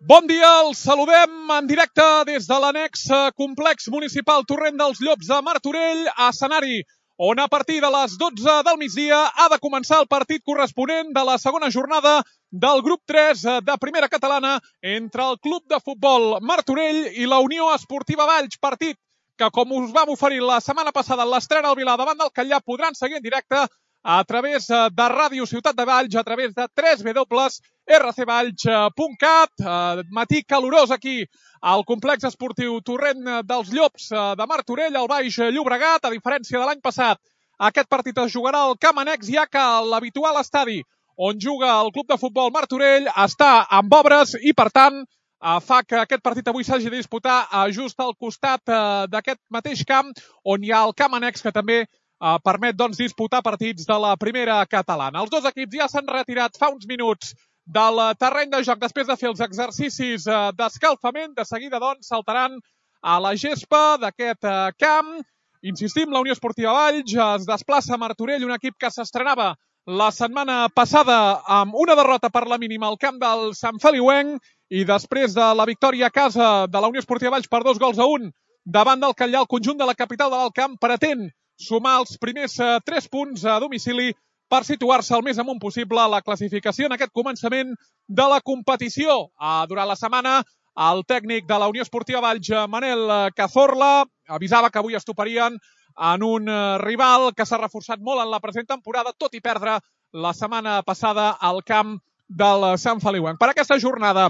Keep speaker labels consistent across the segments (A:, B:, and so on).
A: Bon dia, els saludem en directe des de l'annex complex municipal Torrent dels Llops a Martorell, a escenari on a partir de les 12 del migdia ha de començar el partit corresponent de la segona jornada del grup 3 de Primera Catalana entre el Club de Futbol Martorell i la Unió Esportiva Valls, partit que, com us vam oferir la setmana passada en l'estrena al Vilar davant del Catllà, podran seguir en directe a través de Ràdio Ciutat de Valls, a través de www.rcvalls.cat. Matí calorós aquí al complex esportiu Torrent dels Llops de Martorell, al Baix Llobregat. A diferència de l'any passat, aquest partit es jugarà al camp annex, ja que l'habitual estadi on juga el Club de Futbol Martorell està amb obres i, per tant, fa que aquest partit avui s'hagi de disputar just al costat d'aquest mateix camp on hi ha el camp annex, que també permet disputar partits de la Primera Catalana. Els dos equips ja s'han retirat fa uns minuts del terreny de joc després de fer els exercicis d'escalfament. De seguida, saltaran a la gespa d'aquest camp. Insistim, la Unió Esportiva Valls es desplaça a Martorell, un equip que s'estrenava la setmana passada amb una derrota per la mínima al camp del Sant Feliuenc, i després de la victòria a casa de la Unió Esportiva Valls per 2-1 davant del Catllà, el conjunt de la capital de l'Alt Camp pretén sumar els primers 3 punts a domicili per situar-se el més amunt possible a la classificació en aquest començament de la competició. Durant la setmana, el tècnic de la Unió Esportiva Valls, Manel Cazorla, avisava que avui es toparien en un rival que s'ha reforçat molt en la present temporada, tot i perdre la setmana passada al camp del Sant Feliuenc. Per aquesta jornada,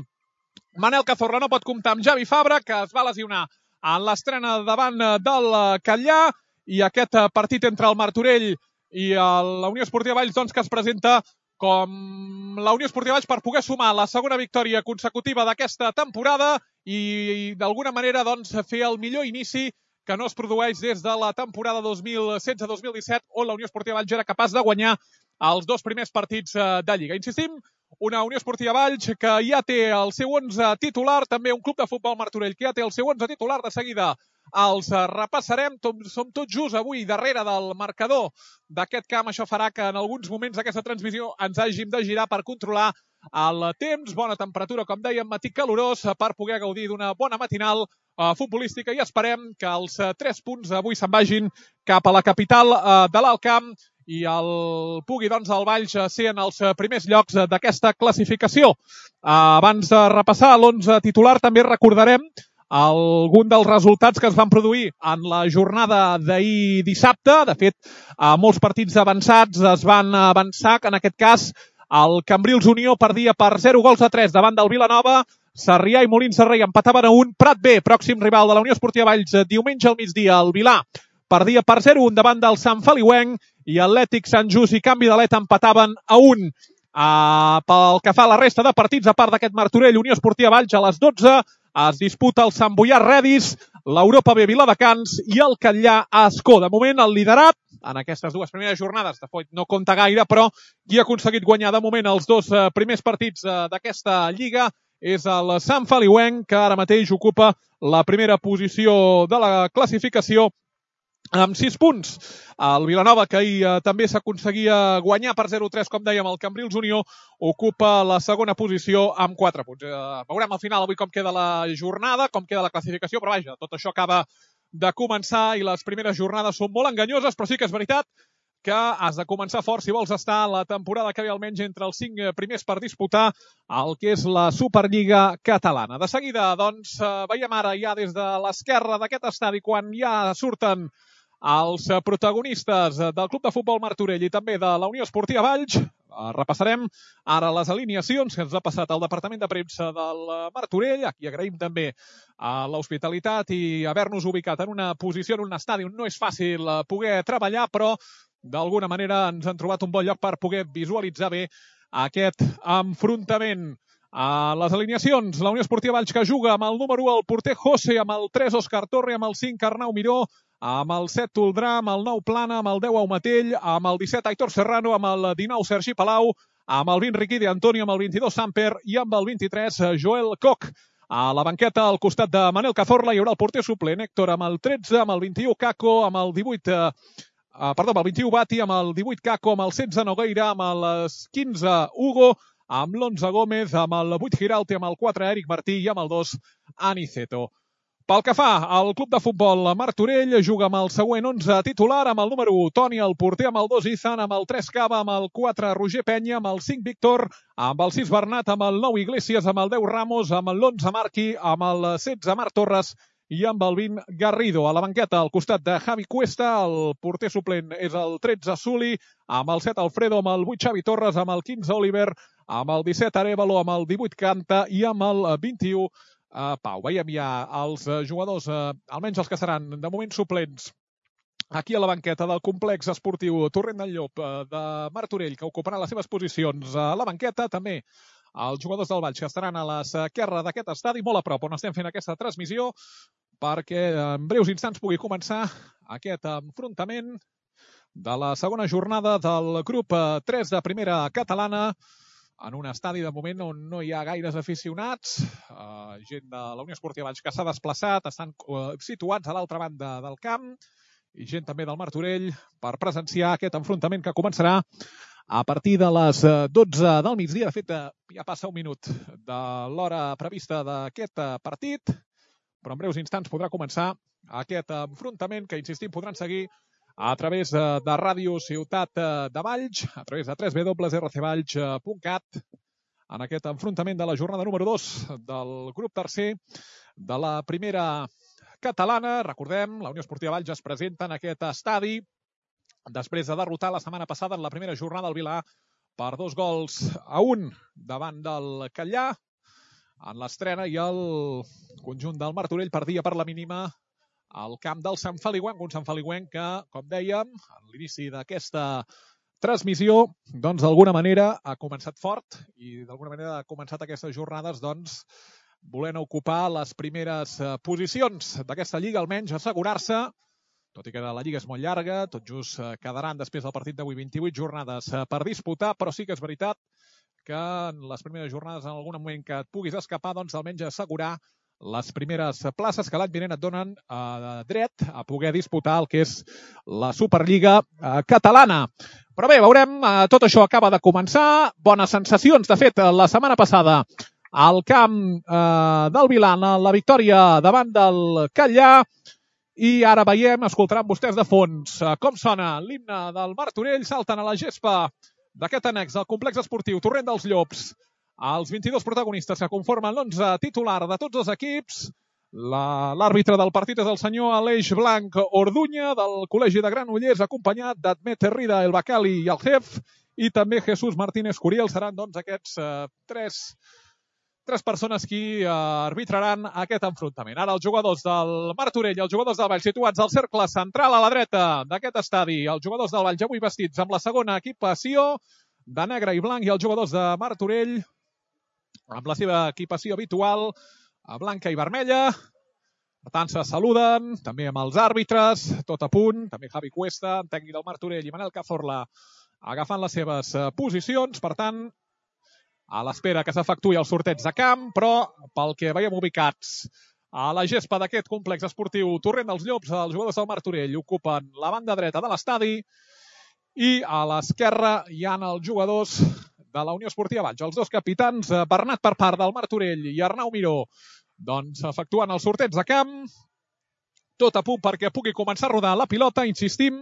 A: Manel Cazorla no pot comptar amb Javi Fabra, que es va lesionar en l'estrena davant del Catllà, i aquest partit entre el Martorell i la Unió Esportiva Valls, que es presenta com la Unió Esportiva Valls per poder sumar la segona victòria consecutiva d'aquesta temporada i d'alguna manera fer el millor inici que no es produeix des de la temporada 2016-2017, on la Unió Esportiva Valls era capaç de guanyar els 2 primers partits de Lliga. Insistim, una Unió Esportiva Valls que ja té el seu 11 titular, també un Club de Futbol Martorell que ja té el seu 11 titular. De seguida els repassarem. Som tots just avui darrere del marcador d'aquest camp. Això farà que en alguns moments d'aquesta transmissió ens hàgim de girar per controlar el temps. Bona temperatura, com dèiem, matí calorós, per poder gaudir d'una bona matinal futbolística, i esperem que els 3 punts avui se'n vagin cap a la capital de l'Alt Camp i pugui, el Valls, ser en els primers llocs d'aquesta classificació. Abans de repassar l'11 titular, també recordarem algun dels resultats que es van produir en la jornada d'ahir dissabte. De fet, molts partits avançats es van avançar, que en aquest cas el Cambrils Unió perdia per 0-3 davant del Vilanova, Sarrià i Molins de Rei empataven a 1, Prat B, pròxim rival de la Unió Esportiva Valls, diumenge al migdia, el Vilar perdia per 0-1 davant del Sant Feliuenc, i Atlètic Sant Just i Canvi d'Alet empataven a 1. Pel que fa a la resta de partits, a part d'aquest Martorell Unió Esportiva Valls, a les 12 es disputa el Sant Boià Redis, l'Europa B Viladecans i el Catllà Ascó. De moment, el liderat en aquestes 2 primeres jornades, de fet no compta gaire, però qui ha aconseguit guanyar de moment els 2 primers partits d'aquesta Lliga és el Sant Feliuenc, que ara mateix ocupa la primera posició de la classificació amb 6 punts. El Vilanova, que ahir també s'aconseguia guanyar per 0-3, com dèiem, el Cambrils Unió, ocupa la segona posició amb 4 punts. Veurem al final avui com queda la jornada, com queda la classificació, però vaja, tot això acaba de començar i les primeres jornades són molt enganyoses, però sí que és veritat que has de començar fort si vols estar la temporada que ve almenys entre els 5 primers per disputar el que és la Superliga Catalana. De seguida, veiem ara ja des de l'esquerra d'aquest estadi, quan ja surten els protagonistes del Club de Futbol Martorell i també de la Unió Esportiva Valls. Repassarem ara les alineacions que ens ha passat el Departament de Premsa del Martorell. Aquí agraïm també l'hospitalitat i haver-nos ubicat en una posició, en un estadi on no és fàcil poder treballar, però d'alguna manera ens han trobat un bon lloc per poder visualitzar bé aquest enfrontament. Les alineacions, la Unió Esportiva Valls, que juga amb el número 1 el porter José, amb el 3 Òscar Torre, amb el 5 Arnau Miró, amb el 7 Toldrà, amb el 9 Plana, amb el 10 Aumatell, amb el 17 Aitor Serrano, amb el 19 Sergi Palau, amb el 20 Riquí de Antonio, amb el 22 Samper i amb el 23 Joel Koch. A la banqueta, al costat de Manel Cazorla, hi haurà el porter suplent Héctor amb el 13, amb el 21 Caco, amb el 18 amb el 21 Bati, amb el 18 Caco, amb el 16 Nogueira, amb el 15 Hugo, amb l'11 Gómez, amb el 8 Giralti, amb el 4 Eric Martí i amb el 2 Aniceto. Pel que fa al club de futbol Martorell, juga amb el següent 11 titular, amb el número 1 Toni, el porter, amb el 2 Izan, amb el 3 Cava, amb el 4 Roger Penya, amb el 5 Víctor, amb el 6 Bernat, amb el 9 Iglesias, amb el 10 Ramos, amb l'11 Marqui, amb el 16 Marc Torres i amb el 20 Garrido. A la banqueta, al costat de Javi Cuesta, el porter suplent és el 13 Suli, amb el 7 Alfredo, amb el 8 Xavi Torres, amb el 15 Oliver, amb el 17 Arevalo, amb el 18 Canta i amb el 21 Pau. Veiem ja els jugadors, almenys els que seran de moment suplents, aquí a la banqueta del complex esportiu Torrent del Llop de Martorell, que ocuparan les seves posicions a la banqueta. També els jugadors del Valls, que estaran a l'esquerra d'aquest estadi, molt a prop on estem fent aquesta transmissió, perquè en breus instants pugui començar aquest enfrontament de la segona jornada del grup 3 de primera catalana, en un estadi de moment on no hi ha gaires aficionats, gent de la Unió Esportiva Valls que s'ha desplaçat, estan situats a l'altra banda del camp, i gent també del Martorell per presenciar aquest enfrontament que començarà a partir de les 12 del migdia. De fet, ja passa un minut de l'hora prevista d'aquest partit, però en breus instants podrà començar aquest enfrontament que, insistim, podran seguir a través de Ràdio Ciutat de Valls, a través de www.rcvalls.cat, en aquest enfrontament de la jornada número 2 del grup tercer de la primera catalana. Recordem, la Unió Esportiva Valls es presenta en aquest estadi després de derrotar la setmana passada en la primera jornada al Vilar per 2-1 davant del Catllà en l'estrena, i el conjunt del Martorell perdia per la mínima al camp del Sant Feliuenc, un Sant Feliuenc que, com dèiem, a l'inici d'aquesta transmissió, doncs d'alguna manera ha començat fort i d'alguna manera ha començat aquestes jornades doncs volent ocupar les primeres posicions d'aquesta lliga, almenys assegurar-se, tot i que la lliga és molt llarga, tot just quedaran després del partit d'avui 28 jornades per disputar, però sí que és veritat que en les primeres jornades, en algun moment que et puguis escapar, doncs almenys assegurar les primeres places que l'any vinent et donen dret a poder disputar el que és la Superliga catalana. Però bé, veurem, tot això acaba de començar, bones sensacions. De fet, la setmana passada al camp del Vilar, la victòria davant del Catllà, i ara veiem, escoltaran vostès de fons com sona l'himne del Martorell. Salten a la gespa d'aquest annex del complex esportiu Torrent dels Llops els 22 protagonistes que conformen l'11 titular de tots els equips. L'àrbitre del partit és el senyor Aleix Blanc Orduña, del Col·legi de Granollers, acompanyat d'Admet Rida, el Bacali i el Jef, i també Jesús Martínez Curiel. Seran doncs aquests tres persones qui arbitraran aquest enfrontament. Ara els jugadors del Martorell i els jugadors del Valls situats al cercle central a la dreta d'aquest estadi. Els jugadors del Valls avui vestits amb la segona equipació de negre i blanc, i els jugadors de Martorell amb la seva equipació habitual, blanca i vermella. Per tant, se saluden, també amb els àrbitres, tot a punt, també Javi Cuesta, tècnic del Martorell, i Manel Cazorla agafant les seves posicions. Per tant, a l'espera que s'efectuï el sorteig de camp, però pel que veiem ubicats a la gespa d'aquest complex esportiu Torrent dels Llops, els jugadors del Martorell ocupen la banda dreta de l'estadi, i a l'esquerra hi ha els jugadors de la Unió Esportiva Valls. Els dos capitans, Bernat per part del Martorell i Arnau Miró, doncs efectuen el sorteig de camp, tot a punt perquè pugui començar a rodar la pilota. Insistim,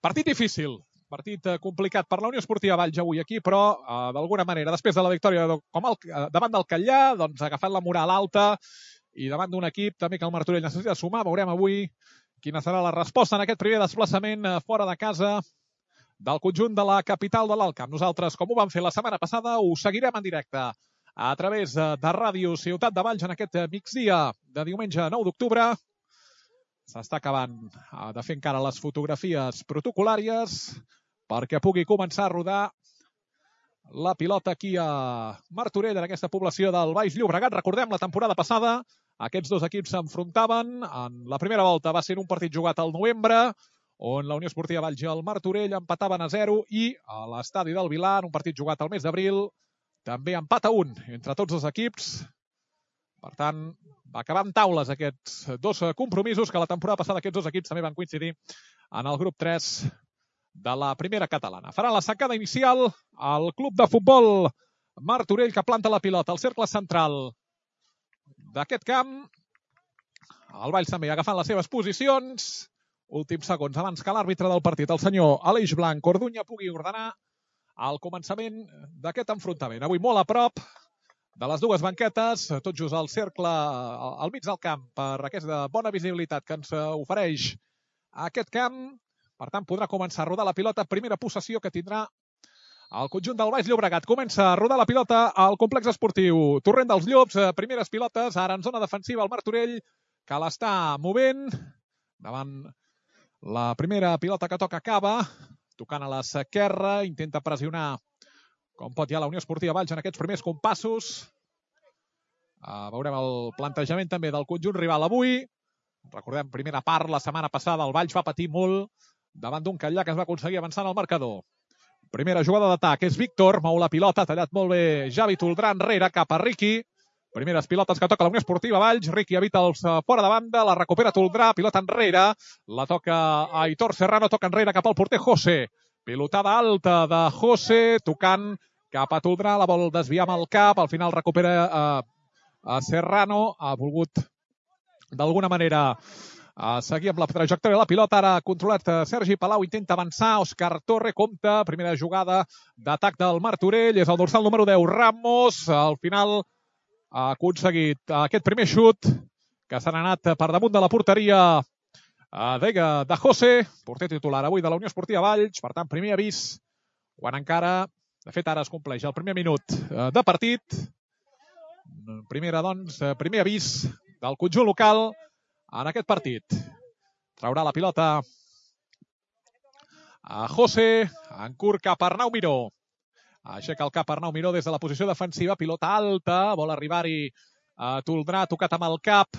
A: partit difícil, partit complicat per la Unió Esportiva Valls avui aquí, però d'alguna manera, després de la victòria davant del Catllà, doncs agafant la moral alta i davant d'un equip també que el Martorell necessita sumar. Veurem avui quina serà la resposta en aquest primer desplaçament fora de casa del conjunt de la capital de l'Alt Camp. Nosaltres, com ho vam fer la setmana passada, ho seguirem en directe a través de Ràdio Ciutat de Valls en aquest migdia de diumenge 9 d'octubre. S'està acabant de fer encara les fotografies protocolàries perquè pugui començar a rodar la pilota aquí a Martorell, en aquesta població del Baix Llobregat. Recordem, la temporada passada aquests dos equips s'enfrontaven. En la primera volta va ser un partit jugat al novembre, on la Unió Esportiva Valls i el Martorell empataven a 0, i a l'estadi del Vilar, un partit jugat al mes d'abril, també empat a 1 entre tots els equips. Per tant, va acabar en taules aquests dos compromisos, que la temporada passada aquests dos equips també van coincidir en el grup 3 de la primera catalana. Farà la sacada inicial el club de futbol Martorell, que planta la pilota al cercle central d'aquest camp. El Valls també agafant les seves posicions. Últims segons abans que l'àrbitre del partit, el senyor Aleix Blanc Orduña, pugui ordenar el començament d'aquest enfrontament. Avui molt a prop de les dues banquetes, tot just al cercle, al mig del camp, per aquesta bona visibilitat que ens ofereix aquest camp. Per tant, podrà començar a rodar la pilota. Primera possessió que tindrà el conjunt del Baix Llobregat. Comença a rodar la pilota al complex esportiu Torrent dels Llops. Primeres pilotes, ara en zona defensiva el Martorell, que l'està movent. Davant la primera pilota que toca Cava, tocant a l'esquerra, intenta pressionar com pot ja la Unió Esportiva Valls en aquests primers compassos. Veurem el plantejament també del conjunt rival avui. Recordem, primera part, la setmana passada el Valls va patir molt davant d'un Catllà que es va aconseguir avançar en el marcador. Primera jugada d'atac és Víctor, mou la pilota, ha tallat molt bé Javi Toldrà enrere cap a Riqui. Primeres pilotes que toca la Unió Esportiva Valls. Riqui evita els fora de banda, la recupera Toldrà, pilota enrere, la toca Aitor Serrano, toca enrere cap al porter José. Pilotada alta de José, tocant cap a Toldrà, la vol desviar amb el cap, al final recupera Serrano, ha volgut d'alguna manera seguir amb la trajectòria de la pilota. Ara ha controlat Sergi Palau, intenta avançar, Òscar Torre compta, primera jugada d'atac del Martorell, és el dorsal número 10, Ramos, al final ha aconseguit aquest primer xut que s'ha anat per damunt de la porteria de José, porter titular avui de la Unió Esportiva Valls. Per tant, primer avís, quan encara, de fet ara es compleix el primer minut de partit. Primer avís del conjunt local en aquest partit. Traurà la pilota a José, en curt cap a Arnau Miró. Aixeca el cap Arnau Miró des de la posició defensiva, pilota alta, vol arribar-hi Toldrà, tocat amb el cap.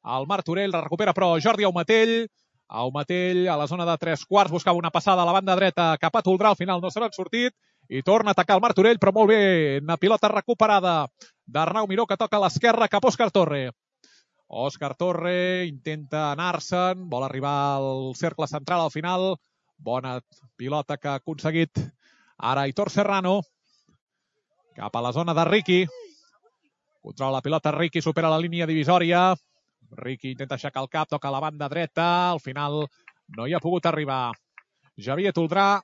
A: El Martorell la recupera però Jordi Aumatell. Aumatell a la zona de 3/4 buscava una passada a la banda dreta cap a Toldrà, al final no se n'ha sortit i torna a atacar el Martorell, però molt bé, una pilota recuperada d'Arnau Miró que toca a l'esquerra cap a Òscar Torre. Òscar Torre intenta anar-se'n, vol arribar al cercle central al final. Bona pilota que ha aconseguit ara Aitor Serrano. Cap a la zona de Riqui. Controla la pilota Riqui, supera la línia divisòria. Riqui intenta aixecar el cap, toca a la banda dreta. Al final no hi ha pogut arribar Javier Toldrà.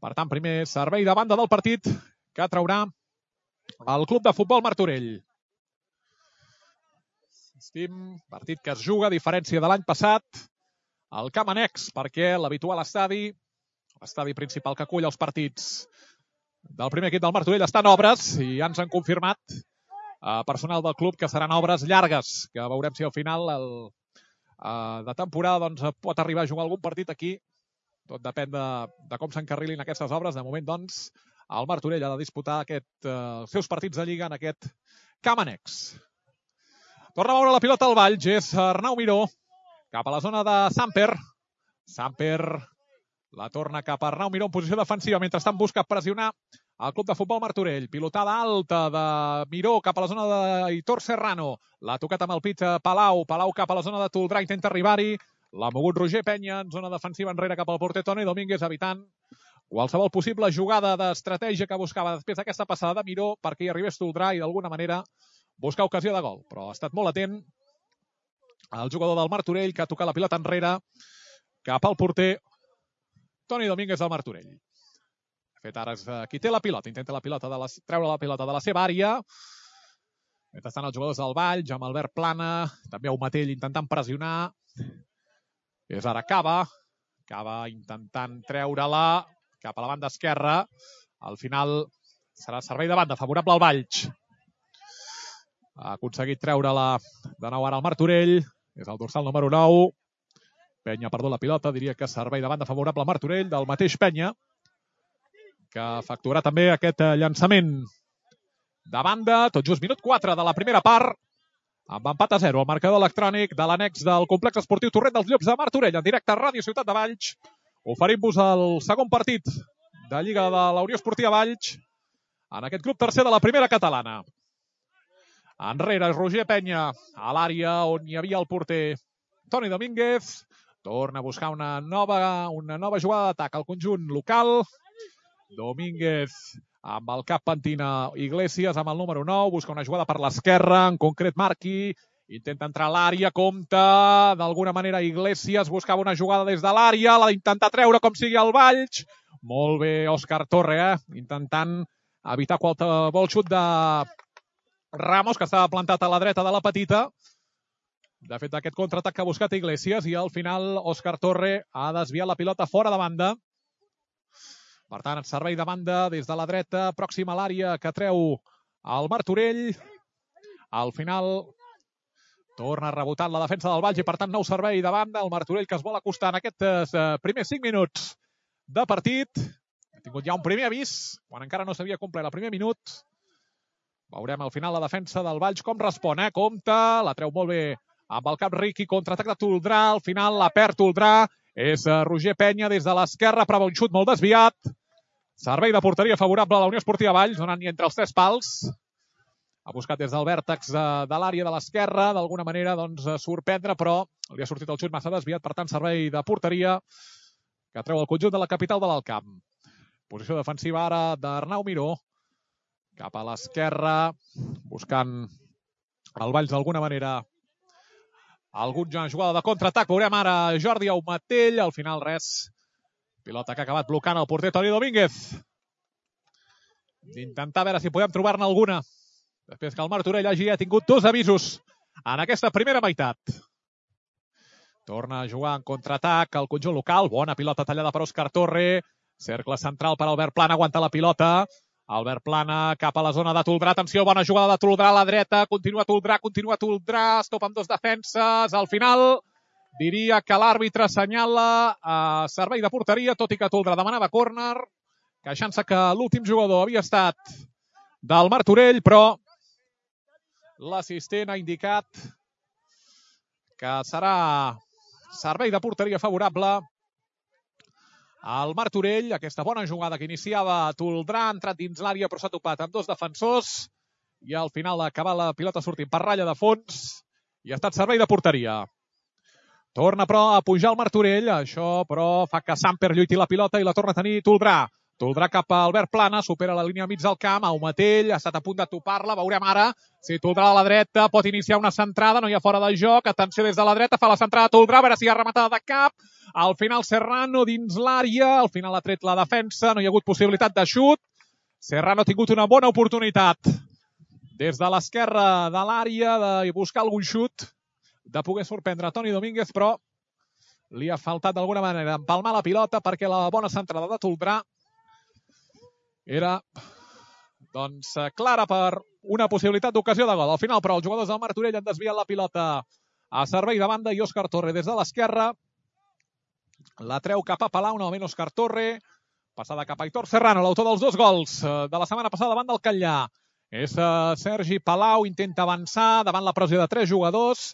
A: Per tant, primer servei de banda del partit que traurà el club de futbol Martorell. Partit que es juga, a diferència de l'any passat, al Camp Annex, perquè l'habitual estadi principal que acull els partits del primer equip del Martorell està en obres i ja ens han confirmat personal del club que seran obres llargues, que veurem si al final de temporada pot arribar a jugar algun partit aquí. Tot depèn de com s'encarrilin aquestes obres. De moment, doncs, el Martorell ha de disputar els seus partits de Lliga en aquest Camp Annex. Torna a moure la pilota al Valls, és Arnau Miró, cap a la zona de Samper. Samper la torna cap a Arnau Miró en posició defensiva, mentrestant busca pressionar el club de futbol Martorell. Pilotada alta de Miró cap a la zona d'Aitor Serrano. L'ha tocat amb el pit Palau. Palau cap a la zona de Toldrà, intenta arribar-hi. L'ha mogut Roger Penya en zona defensiva enrere cap al porter Toni Domínguez, evitant qualsevol possible jugada d'estratègia que buscava després d'aquesta passada de Miró perquè hi arribés Toldrà i d'alguna manera buscar ocasió de gol. Però ha estat molt atent el jugador del Martorell, que ha tocat la pilota enrere cap al porter Toni Domínguez del Martorell. De fet, ara és qui té la pilota. Intenta treure la pilota de la seva àrea. Mentrestant els jugadors del Valls, amb Albert Plana, també Aumatell intentant pressionar. És ara Cava. Cava intentant treure-la cap a la banda esquerra. Al final serà servei de banda favorable al Valls. Ha aconseguit treure-la de nou ara al Martorell. És el dorsal número 9. Penya ha perdut la pilota. Diria que servei de banda favorable al Martorell, del mateix Penya, que efectuarà també aquest llançament de banda. Tot just minut 4 de la primera part, amb empat a 0. El marcador electrònic de l'annex del complex esportiu Torrent dels Llops de Martorell, en directe a Ràdio Ciutat de Valls. Oferim-vos el segon partit de Lliga de la Unió Esportiva Valls en aquest grup tercer de la primera catalana. Enrere és Roger Penya, a l'àrea on hi havia el porter Toni Domínguez. Torna a buscar una nova jugada d'atac al conjunt local. Domínguez amb el cap pentina Iglesias amb el número 9. Busca una jugada per l'esquerra, en concret Marqui. Intenta entrar a l'àrea, compta d'alguna manera Iglesias. Buscava una jugada des de l'àrea. L'ha d'intentar treure com sigui el Valls. Molt bé Òscar Torre, intentant evitar qualsevol xut de Ramos, que estava plantat a la dreta de la petita. De fet, aquest contraatac que ha buscat Iglesias i al final Òscar Torre ha desviat la pilota fora de banda. Per tant, servei de banda des de la dreta, pròxima a l'àrea que treu el Martorell. Al final torna a rebotar la defensa del Valls i per tant nou servei de banda. El Martorell que es vol acostar en aquests primers 5 minuts de partit. Ha tingut ja un primer avís quan encara no s'havia complert el primer minut. Veurem al final la defensa del Valls com respon. Compte, la treu molt bé amb el cap Riqui, contraatac de Toldrà, al final la perd Toldrà, és Roger Penya des de l'esquerra, prova un xut molt desviat. Servei de porteria favorable a la Unió Esportiva Valls, donant-hi entre els 3 pals. Ha buscat des del vèrtex de l'àrea de l'esquerra, d'alguna manera sorprendre, però li ha sortit el xut massa desviat, per tant servei de porteria que treu el conjunt de la capital de l'Alt Camp. Posició defensiva ara d'Arnau Miró, cap a l'esquerra, buscant el Valls d'alguna manera alguna jugada de contraatac. Veurem ara Jordi Aumatell. Al final res. Pilota que ha acabat blocant el porter Toni Domínguez. D'intentar veure si podem trobar-ne alguna. Després que el Martorell hagi tingut 2 avisos en aquesta primera meitat. Torna a jugar en contraatac el conjunt local. Bona pilota tallada per Òscar Torre. Cercle central per Albert Plana. Aguanta la pilota. Albert Plana cap a la zona de Toldrà. Atenció, bona jugada de Toldrà a la dreta. Continua Toldrà. Es topa amb 2 defenses. Al final, diria que l'àrbitre assenyala servei de porteria, tot i que Toldrà demanava córner, queixant-se que l'últim jugador havia estat del Martorell, però l'assistent ha indicat que serà servei de porteria favorable al Martorell. Aquesta bona jugada que iniciava Toldrà, ha entrat dins l'àrea però s'ha topat amb 2 defensors i al final acaba la pilota sortint per ratlla de fons i ha estat servei de porteria. Torna però a pujar el Martorell, això però fa que Samper lluiti la pilota i la torna a tenir Toldrà. Toldrà cap a Albert Plana, supera la línia mig del camp, Aumatell ha estat a punt de topar-la, veurem ara si Toldrà a la dreta pot iniciar una centrada, no hi ha fora de joc, atenció des de la dreta, fa la centrada Toldrà, a veure si hi ha rematada de cap, al final Serrano dins l'àrea, al final ha tret la defensa, no hi ha hagut possibilitat de xut, Serrano ha tingut una bona oportunitat des de l'esquerra de l'àrea de buscar algun xut, de poder sorprendre Toni Domínguez, però li ha faltat d'alguna manera empalmar la pilota perquè la bona centrada de Toldrà era clara per una possibilitat d'ocasió de gol. Al final, però, els jugadors del Martorell han desviat la pilota a servei de banda i Òscar Torre des de l'esquerra la treu cap a Palau, novament Òscar Torre, passada cap a Aitor Serrano, l'autor dels 2 gols de la setmana passada davant del Catllà. És Sergi Palau, intenta avançar davant la pressió de 3 jugadors,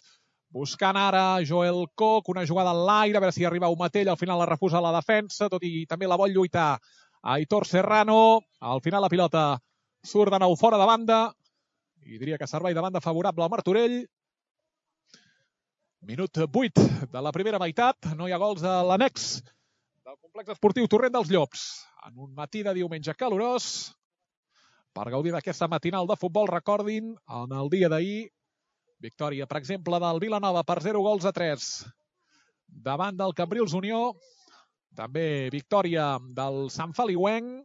A: buscant ara Joel Coc, una jugada en l'aire, a veure si arriba Aumatell, al final la refusa la defensa, tot i també la vol lluitar Aitor Serrano. Al final la pilota surt de nou fora de banda i diria que servei de banda favorable al Martorell. Minut 8 de la primera meitat. No hi ha gols a l'annex del complex esportiu Torrent dels Llops. En un matí de diumenge calorós, per gaudir d'aquesta matinal de futbol, recordin, en el dia d'ahir, victòria, per exemple, del Vilanova per 0-3 davant del Cambrils Unió. També victòria del Sant Feliuenc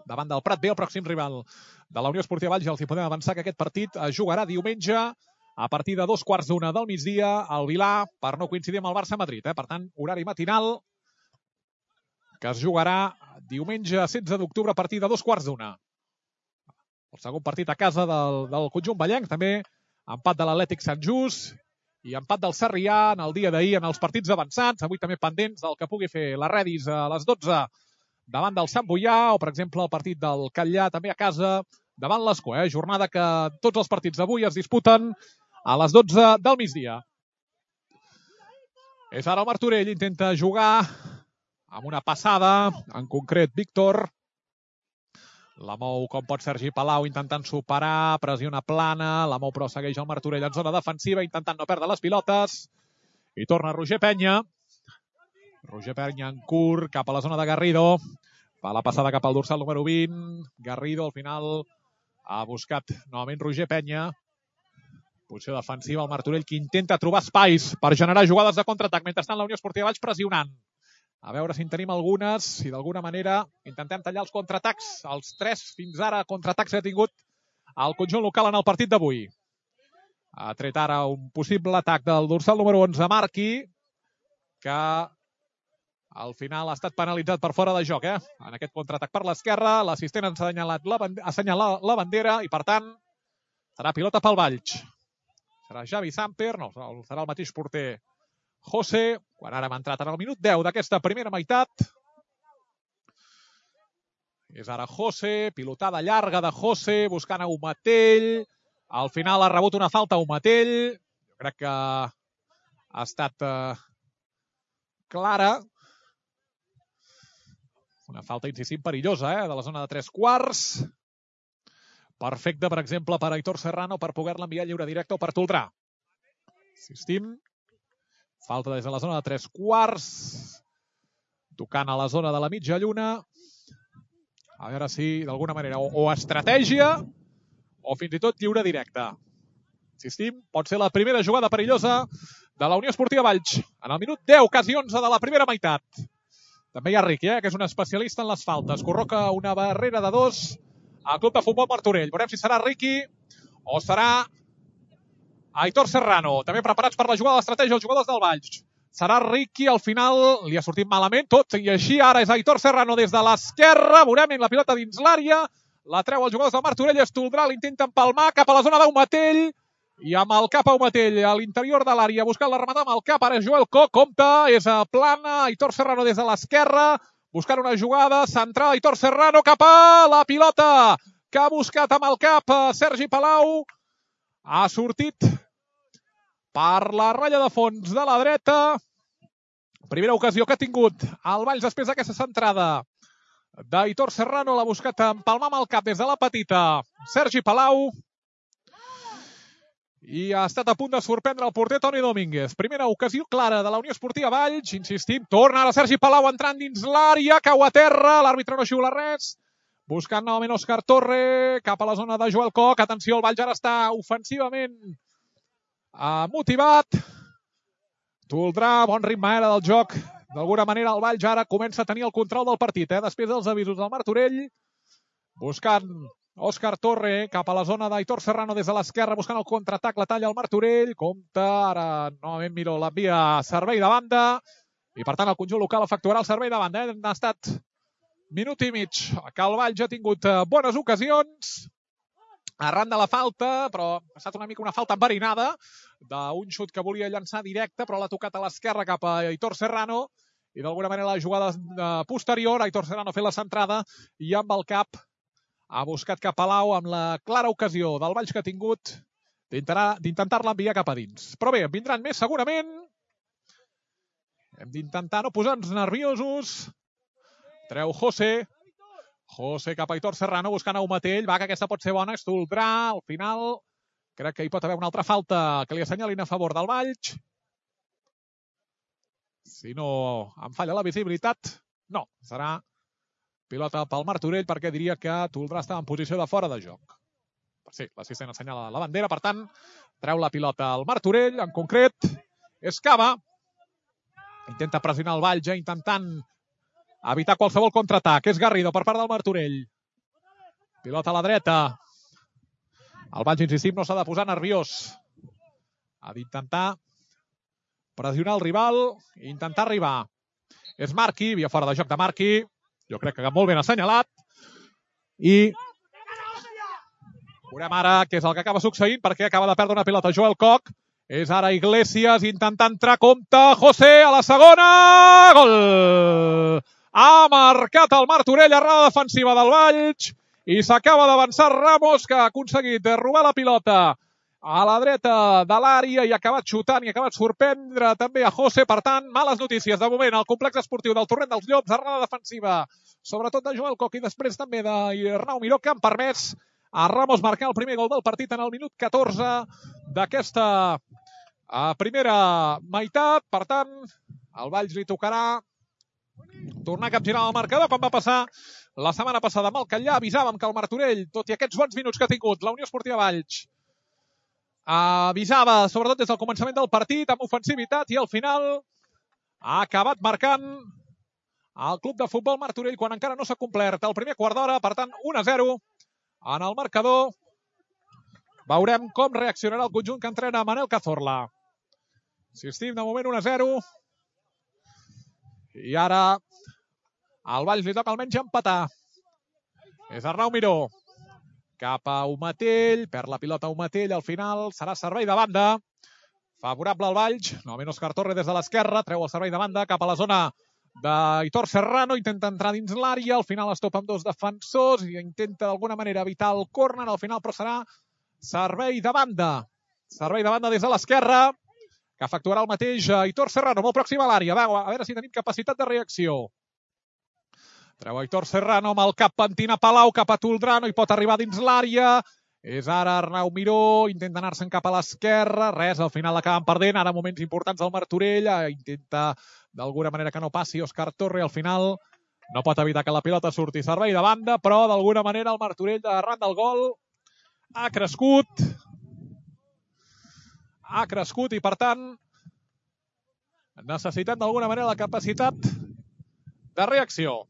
A: davant del Prat B, el pròxim rival de la Unió Esportiva Valls. Ja els hi podem avançar que aquest partit es jugarà diumenge a partir de 2:15 del migdia al Vilà, per no coincidir amb el Barça-Madrid. Per tant, horari matinal que es jugarà diumenge 16 d'octubre a partir de 2:15. El segon partit a casa del conjunt vallenc, també empat de l'Atlètic Sant Just i empat del Sarrià en el dia d'ahir en els partits avançats. Avui també pendents del que pugui fer la Redis a les 12 davant del Sant Boià, o per exemple el partit del Catllà també a casa davant l'Escó. Jornada que tots els partits d'avui es disputen a les 12 del migdia. És ara el Martorell, intenta jugar amb una passada, en concret Víctor. La mou com pot Sergi Palau intentant superar, pressiona Plana, la mou però segueix el Martorell en zona defensiva intentant no perdre les pilotes. I torna Roger Penya. Roger Penya en curt, cap a la zona de Garrido. Fa la passada cap al dorsal número 20. Garrido al final ha buscat novament Roger Penya. Posició defensiva, el Martorell, que intenta trobar espais per generar jugades de contraatac. Mentrestant, la Unió Esportiva Valls pressionant. A veure si en tenim algunes, si d'alguna manera intentem tallar els contraatacs. Els 3 fins ara contraatacs que ha tingut el conjunt local en el partit d'avui. Ha tret ara un possible atac del dorsal número 11, Marqui, que al final ha estat penalitzat per fora de joc. En aquest contraatac per l'esquerra, l'assistent ha assenyalat la bandera i, per tant, serà pilota pel Valls. Serà Javi Samper, no, serà el mateix porter José, quan ara hem entrat en el minut 10 d'aquesta primera meitat. És ara José, pilotada llarga de José, buscant a Umatell. Al final ha rebut una falta a Umatell. Jo crec que ha estat clara. Una falta, insistim, perillosa, de la zona de 3/4. Perfecte, per exemple, per Aitor Serrano per poder-la enviar lliure directe o per Toldrà. Insistim. Falta des de la zona de 3/4. Tocant a la zona de la mitja lluna. A veure si, d'alguna manera, o estratègia o fins i tot lliure directe. Insistim, pot ser la primera jugada perillosa de la Unió Esportiva Valls. En el minut 10, quasi 11 de la primera meitat. També hi ha Riqui, que és un especialista en les faltes. Corroca una barrera de 2 al Club de Futbol Martorell. Veurem si serà Riqui o serà Aitor Serrano. També preparats per la jugada d'estratègia els jugadors del Valls. Serà Riqui, al final li ha sortit malament tot, i així ara és Aitor Serrano des de l'esquerra. Veurem la pilota dins l'àrea. La treu els jugadors del Martorell, Estoldrà l'intenta empalmar cap a la zona d'Umatell. I amb el cap a Umatell a l'interior de l'àrea, buscant la rematar amb el cap. Ara és Joel Koch, compta, és a plana. Aitor Serrano des de l'esquerra, buscant una jugada centrada. Aitor Serrano cap a la pilota que ha buscat amb el cap Sergi Palau. Ha sortit per la ratlla de fons de la dreta. Primera ocasió que ha tingut el Valls després d'aquesta centrada d'Aitor Serrano. L'ha buscat empalmar amb el cap des de la petita Sergi Palau. I ha estat a punt de sorprendre el porter Toni Domínguez. Primera ocasió clara de la Unió Esportiva Valls. Insistim, torna ara Sergi Palau entrant dins l'àrea, cau a terra, l'àrbitre no xiula res. Buscant novament Òscar Torre, cap a la zona de Joel Koch. Atenció, el Valls ara està ofensivament motivat. Toldrà, bon ritme era del joc. D'alguna manera el Valls ara comença a tenir el control del partit, després dels avisos del Martorell. Buscant Òscar Torre cap a la zona d'Aitor Serrano des de l'esquerra, buscant el contraatac, la talla al Martorell. Compta, ara novament Miró l'envia servei de banda. I per tant el conjunt local efectuarà el servei de banda. Ha estat minut i mig que el Valls ha tingut bones ocasions arran de la falta, però ha estat una mica una falta enverinada d'un xut que volia llançar directe, però l'ha tocat a l'esquerra cap a Aitor Serrano, i d'alguna manera la jugada posterior, Aitor Serrano ha fet la centrada i amb el cap ha buscat cap a Palau amb la clara ocasió del Valls que ha tingut d'intentar-la enviar cap a dins. Però bé, en vindran més segurament. Hem d'intentar no posar-nos nerviosos. Treu José. José cap a Aitor Serrano, buscant a Umatell. Va, que aquesta pot ser bona. Estoldrà, al final. Crec que hi pot haver una altra falta que li assenyalin a favor del Valls. Si no em falla la visibilitat, no. Serà pilota pel Martorell, perquè diria que Toldrà estava en posició de fora de joc. Sí, l'assistent assenyala la bandera, per tant, treu la pilota al Martorell, en concret, és Cava. Intenta pressionar el Valls, intentant evitar qualsevol contraatac. És Garrido per part del Martorell. Pilota a la dreta. El Valls, insistim, no s'ha de posar nerviós. Ha d'intentar pressionar el rival i intentar arribar. És Marqui, via fora de joc de Marqui. Jo crec que molt ben assenyalat. I veurem ara què és el que acaba succeint, perquè acaba de perdre una pilota Joel Koch. És ara Iglesias intentant entrar, compte José a la segona. Gol! Ha marcat el Martorell, errada defensiva del Valls, i s'acaba d'avançar Ramos, que ha aconseguit robar la pilota a la dreta de l'àrea i ha acabat xutant i ha acabat sorprendre també a José. Per tant, males notícies de moment al complex esportiu del Torrent dels Llops, errada defensiva, sobretot de Joel Koch i després també d'Arnau Miró, que han permès a Ramos marcar el primer gol del partit en el minut 14 d'aquesta a primera meitat. Per tant, al Valls li tocarà tornar a capgirar el marcador, com va passar la setmana passada amb el Catllà. Avisàvem que el Martorell, tot i aquests bons minuts que ha tingut la Unió Esportiva Valls, avisava, sobretot des del començament del partit, amb ofensivitat, i al final ha acabat marcant el club de futbol Martorell quan encara no s'ha complert el primer quart d'hora. Per tant, 1-0 en el marcador. Veurem com reaccionarà el conjunt que entrena Manel Cazorla. Insistim, de moment 1-0. I ara al Valls li toca almenys empatar. És Arnau Miró. Cap a Umatell, perd la pilota Umatell, al final serà servei de banda. Favorable al Valls, novament Òscar Torre des de l'esquerra, treu el servei de banda cap a la zona d'Aitor Serrano, intenta entrar dins l'àrea, al final es topa amb dos defensors i intenta d'alguna manera evitar el córner, al final però serà servei de banda. Servei de banda des de l'esquerra, que efectuarà el mateix Aitor Serrano, molt pròxim a l'àrea. A veure si tenim capacitat de reacció. Treu Aitor Serrano amb el cap pentina Palau, cap a Toldrà, no hi pot arribar dins l'àrea. És ara Arnau Miró, intenta anar-se'n cap a l'esquerra, res, al final l'acaben perdent, ara moments importants del Martorell, intenta d'alguna manera que no passi Òscar Torre, al final no pot evitar que la pilota surti servei de banda, però d'alguna manera el Martorell arran del gol ha crescut i per tant necessitem d'alguna manera la capacitat de reacció.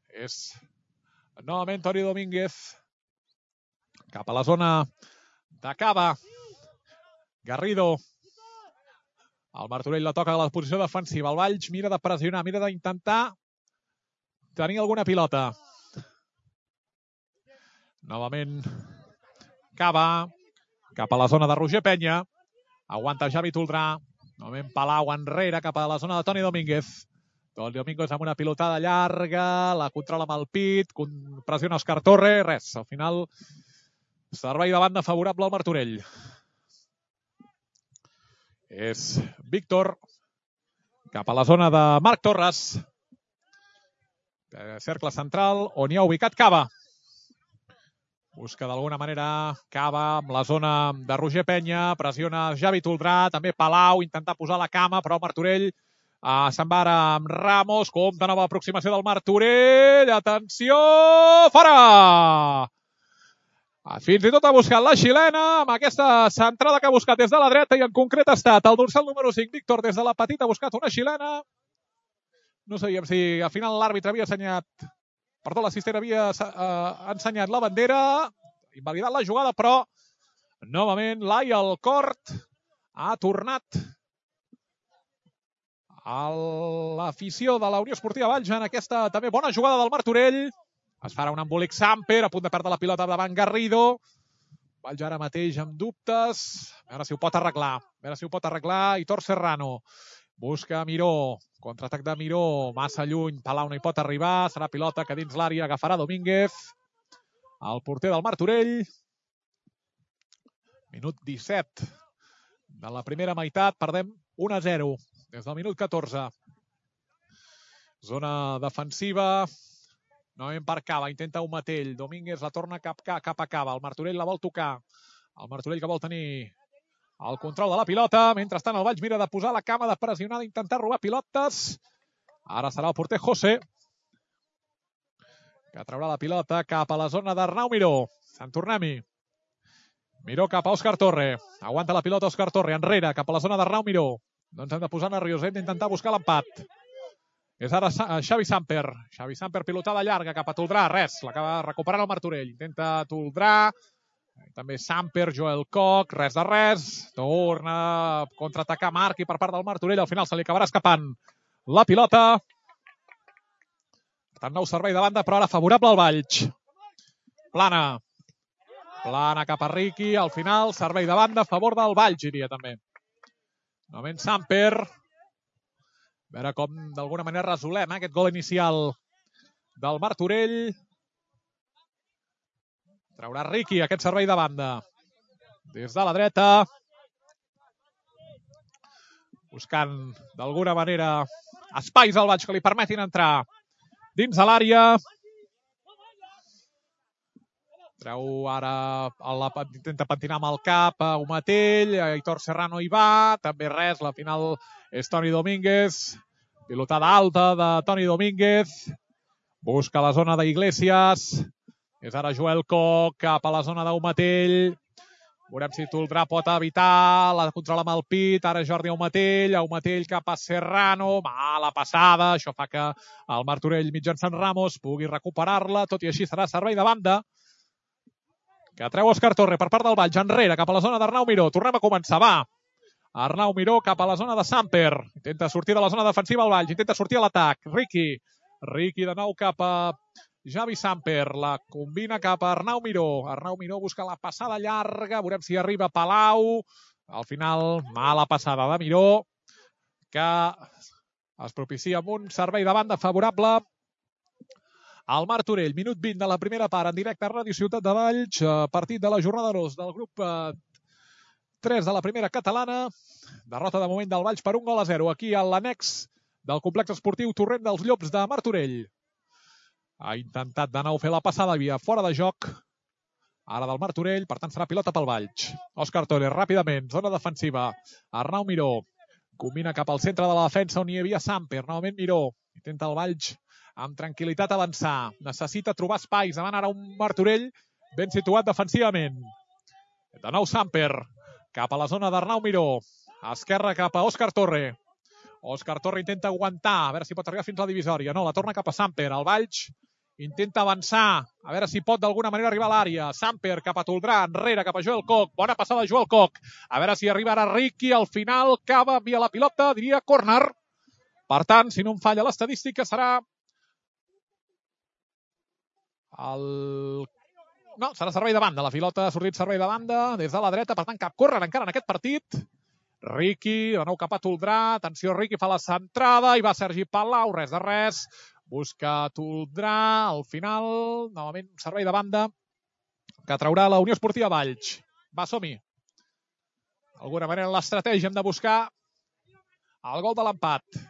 A: És novament Toni Domínguez cap a la zona de Cava. Garrido. El Martorell la toca a la posició defensiva. El Valls mira de pressionar, mira d'intentar tenir alguna pilota. Novament Cava. Cap a la zona de Roger Penya. Aguanta Javi Toldrà. Novament Palau enrere cap a la zona de Toni Domínguez. Toni Domínguez amb una pilotada llarga. La controla amb el pit. Pressiona Òscar Torre. Res, al final servei de banda favorable al Martorell. És Víctor cap a la zona de Marc Torres. Cercle central on hi ha ubicat Cava. Busca d'alguna manera Cava amb la zona de Roger Penya. Pressiona Javi Toldrà, també Palau, intentar posar la cama, però el Martorell se'n va ara amb Ramos. Compte, nova aproximació del Martorell. Atenció! Fora! Fins i tot ha buscat la xilena amb aquesta centrada que ha buscat des de la dreta i en concret ha estat el dorsal número 5, Víctor, des de la petita ha buscat una xilena. No sabíem si al final l'àrbitre havia assenyat, perdó, l'assistent havia ensenyat la bandera, invalidat la jugada, però novament Laia Alcort ha tornat a l'afició de la Unió Esportiva Valls en aquesta també bona jugada del Martorell. Es farà un embolic Samper, a punt de perdre la pilota davant Garrido. Valls ara mateix amb dubtes. A veure si ho pot arreglar. Aitor Serrano. Busca Miró. Contraatac de Miró. Massa lluny. Palau no hi pot arribar. Serà pilota que dins l'àrea agafarà Domínguez. El porter del Martorell. Minut 17 de la primera meitat. Perdem 1-0 des del minut 14. Zona defensiva. Novament per Cava, intenta Umatell. Domínguez la torna cap a Cava. El Martorell la vol tocar. El Martorell que vol tenir el control de la pilota. Mentrestant el Valls mira de posar la cama, de pressionar, d'intentar robar pilotes. Ara serà el porter José, que traurà la pilota cap a la zona d'Arnau Miró. Sant Tornem-hi. Miró cap a Òscar Torre. Aguanta la pilota Òscar Torre. Enrere, cap a la zona d'Arnau Miró. No ens hem de posar nerviós, hem d'intentar buscar l'empat. És ara Xavi Samper. Xavi Samper, pilotada llarga cap a Toldrà. Res, l'acaba recuperant el Martorell. Intenta Toldrà. També Samper, Joel Koch. Res de res. Torna a contraatacar Marc i per part del Martorell. Al final se li acabarà escapant la pilota. Per tant, nou servei de banda, però ara favorable al Valls. Plana. Plana cap a Riqui. Al final, servei de banda a favor del Valls, diria també. Novament Samper. A veure com d'alguna manera resolem aquest gol inicial del Martorell. Traurà Riqui aquest servei de banda. Des de la dreta. Buscant d'alguna manera espais al Valls que li permetin entrar dins de l'àrea. Treu ara, intenta pentinar amb el cap a Umatell, Aitor Serrano hi va, també res, la final és Toni Domínguez, pilotada alta de Toni Domínguez, busca la zona d'Iglesias, és ara Joel Koch cap a la zona d'Umatell, veurem si Toldrà pot evitar, la controla amb el pit, ara Jordi Umatell cap a Serrano, mala passada, això fa que el Martorell mitjançant Ramos pugui recuperar-la, tot i així serà servei de banda, que treu Òscar Torre per part del Valls, enrere, cap a la zona d'Arnau Miró. Tornem a començar, va. Arnau Miró cap a la zona de Samper. Intenta sortir de la zona defensiva al Valls, intenta sortir a l'atac. Riqui de nou cap a Javi Samper. La combina cap a Arnau Miró. Arnau Miró busca la passada llarga. Veurem si arriba Palau. Al final, mala passada de Miró, que es propicia amb un servei de banda favorable al Martorell. Minut 20 de la primera part, en directe a Ràdio Ciutat de Valls, partit de la jornada 2 del grup 3 de la primera catalana. Derrota de moment del Valls per 1-0, aquí a l'annex del complex esportiu Torrent dels Llops de Martorell. Ha intentat de nou fer la passada, havia fora de joc, ara del Martorell, per tant serà pilota pel Valls. Òscar Torres, ràpidament, zona defensiva, Arnau Miró, combina cap al centre de la defensa on hi havia Samper, novament Miró, intenta el Valls amb tranquil·litat avançar, necessita trobar espais, davant ara un Martorell ben situat defensivament. De nou Samper, cap a la zona d'Arnau Miró, esquerra cap a Òscar Torre. Òscar Torre intenta aguantar, a veure si pot arribar fins a la divisòria. No, la torna cap a Samper. El Valls intenta avançar, a veure si pot d'alguna manera arribar a l'àrea. Samper cap a Toldrà, enrere cap a Joel Koch. Bona passada de Joel Koch. A veure si arriba ara Riqui, al final cava via la pilota, diria córner. Per tant, si no em falla l'estadística, serà no, serà servei de banda. La pilota ha sortit servei de banda des de la dreta, per tant cap córrer encara en aquest partit. Riqui, de nou cap a Toldrà, atenció, Riqui fa la centrada, i va Sergi Palau, res de res, busca Toldrà, al final, novament servei de banda, que traurà la Unió Esportiva Valls. Va, som-hi. D'alguna manera l'estratègia hem de buscar el gol de l'empat.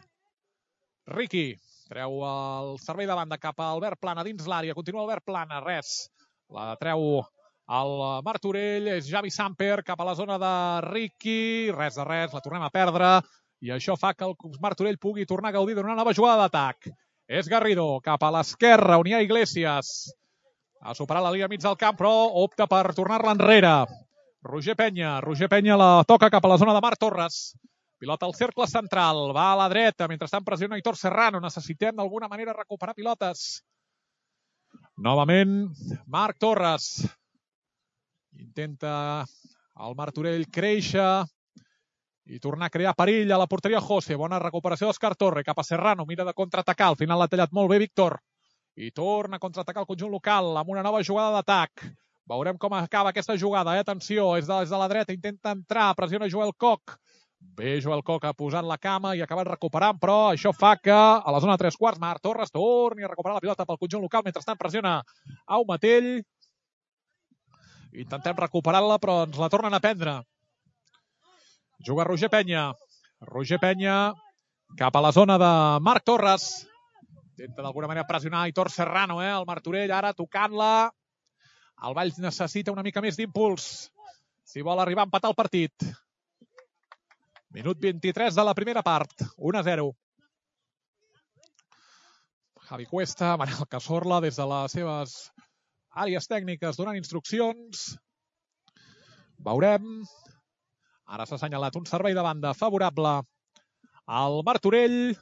A: Riqui treu el servei de banda cap a Albert Plana dins l'àrea, continua Albert Plana, res, la treu el Martorell, és Javi Samper cap a la zona de Riqui, res de res, la tornem a perdre, i això fa que el Martorell pugui tornar a gaudir d'una nova jugada d'atac. És Garrido cap a l'esquerra, on hi ha Iglesias, ha superat la línia mig del camp, però opta per tornar-la enrere. Roger Penya la toca cap a la zona de Marc Torres. Pilota al cercle central, va a la dreta, mentrestant pressiona Aitor Serrano. Necessitem d'alguna manera recuperar pilotes. Novament, Marc Torres. Intenta el Martorell créixer i tornar a crear perill a la porteria José. Bona recuperació d'Òscar Torre cap a Serrano. Mira de contraatacar, al final l'ha tallat molt bé Víctor. I torna a contraatacar el conjunt local amb una nova jugada d'atac. Veurem com acaba aquesta jugada. Atenció, és des de la dreta, intenta entrar, pressiona Joel Koch. Bé, Joel Koch ha posat la cama i ha acabat recuperant, però això fa que a la zona de 3/4 Marc Torres torni a recuperar la pilota pel conjunt local. Mentrestant pressiona Umatell. Intentem recuperar-la, però ens la tornen a prendre. Juga Roger Penya cap a la zona de Marc Torres. Intenta d'alguna manera pressionar Aitor Serrano, el Martorell ara tocant-la. El Valls necessita una mica més d'impuls si vol arribar a empatar el partit. Minut 23 de la primera part, 1-0. Javi Cuesta, Manel Cazorla, des de les seves àrees tècniques donant instruccions. Veurem. Ara s'ha assenyalat un servei de banda favorable al Martorell.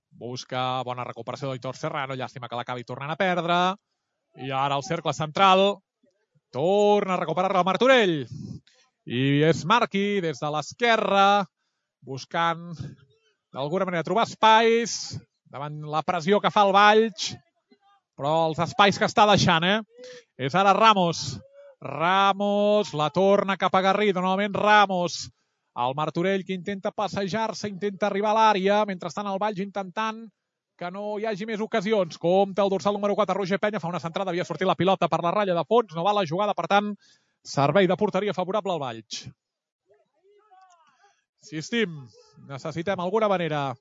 A: Busca bona recuperació d'Aitor Serrano. Llàstima que l'acabi tornant a perdre. I ara el cercle central. Torna a recuperar-la el Martorell. I és Marqui des de l'esquerra, buscant d'alguna manera trobar espais davant la pressió que fa el Valls, però els espais que està deixant, És ara Ramos, la torna cap a Garrido, novament Ramos, el Martorell que intenta passejar-se, intenta arribar a l'àrea, mentrestant el Valls intentant que no hi hagi més ocasions. Compte el dorsal número 4, Roger Penya, fa una centrada, havia sortit la pilota per la ratlla de fons, no va la jugada, per tant, servei de porteria favorable al Valls. Insistim, necessitem alguna manera,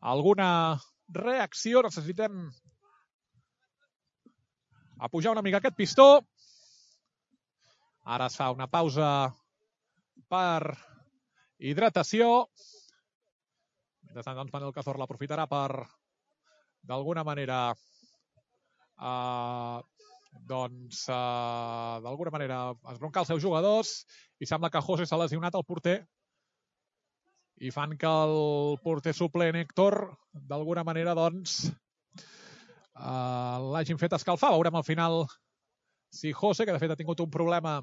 A: alguna reacció, necessitem a pujar una mica aquest pistó. Ara es fa una pausa per hidratació. Mentrestant, doncs, Manel Cazorla aprofitarà per, d'alguna manera, esbroncar els seus jugadors, i sembla que José s'ha lesionat, el porter, i fan que el porter suplent Héctor, d'alguna manera, doncs, l'hagin fet escalfar. Veurem al final si José, que de fet ha tingut un problema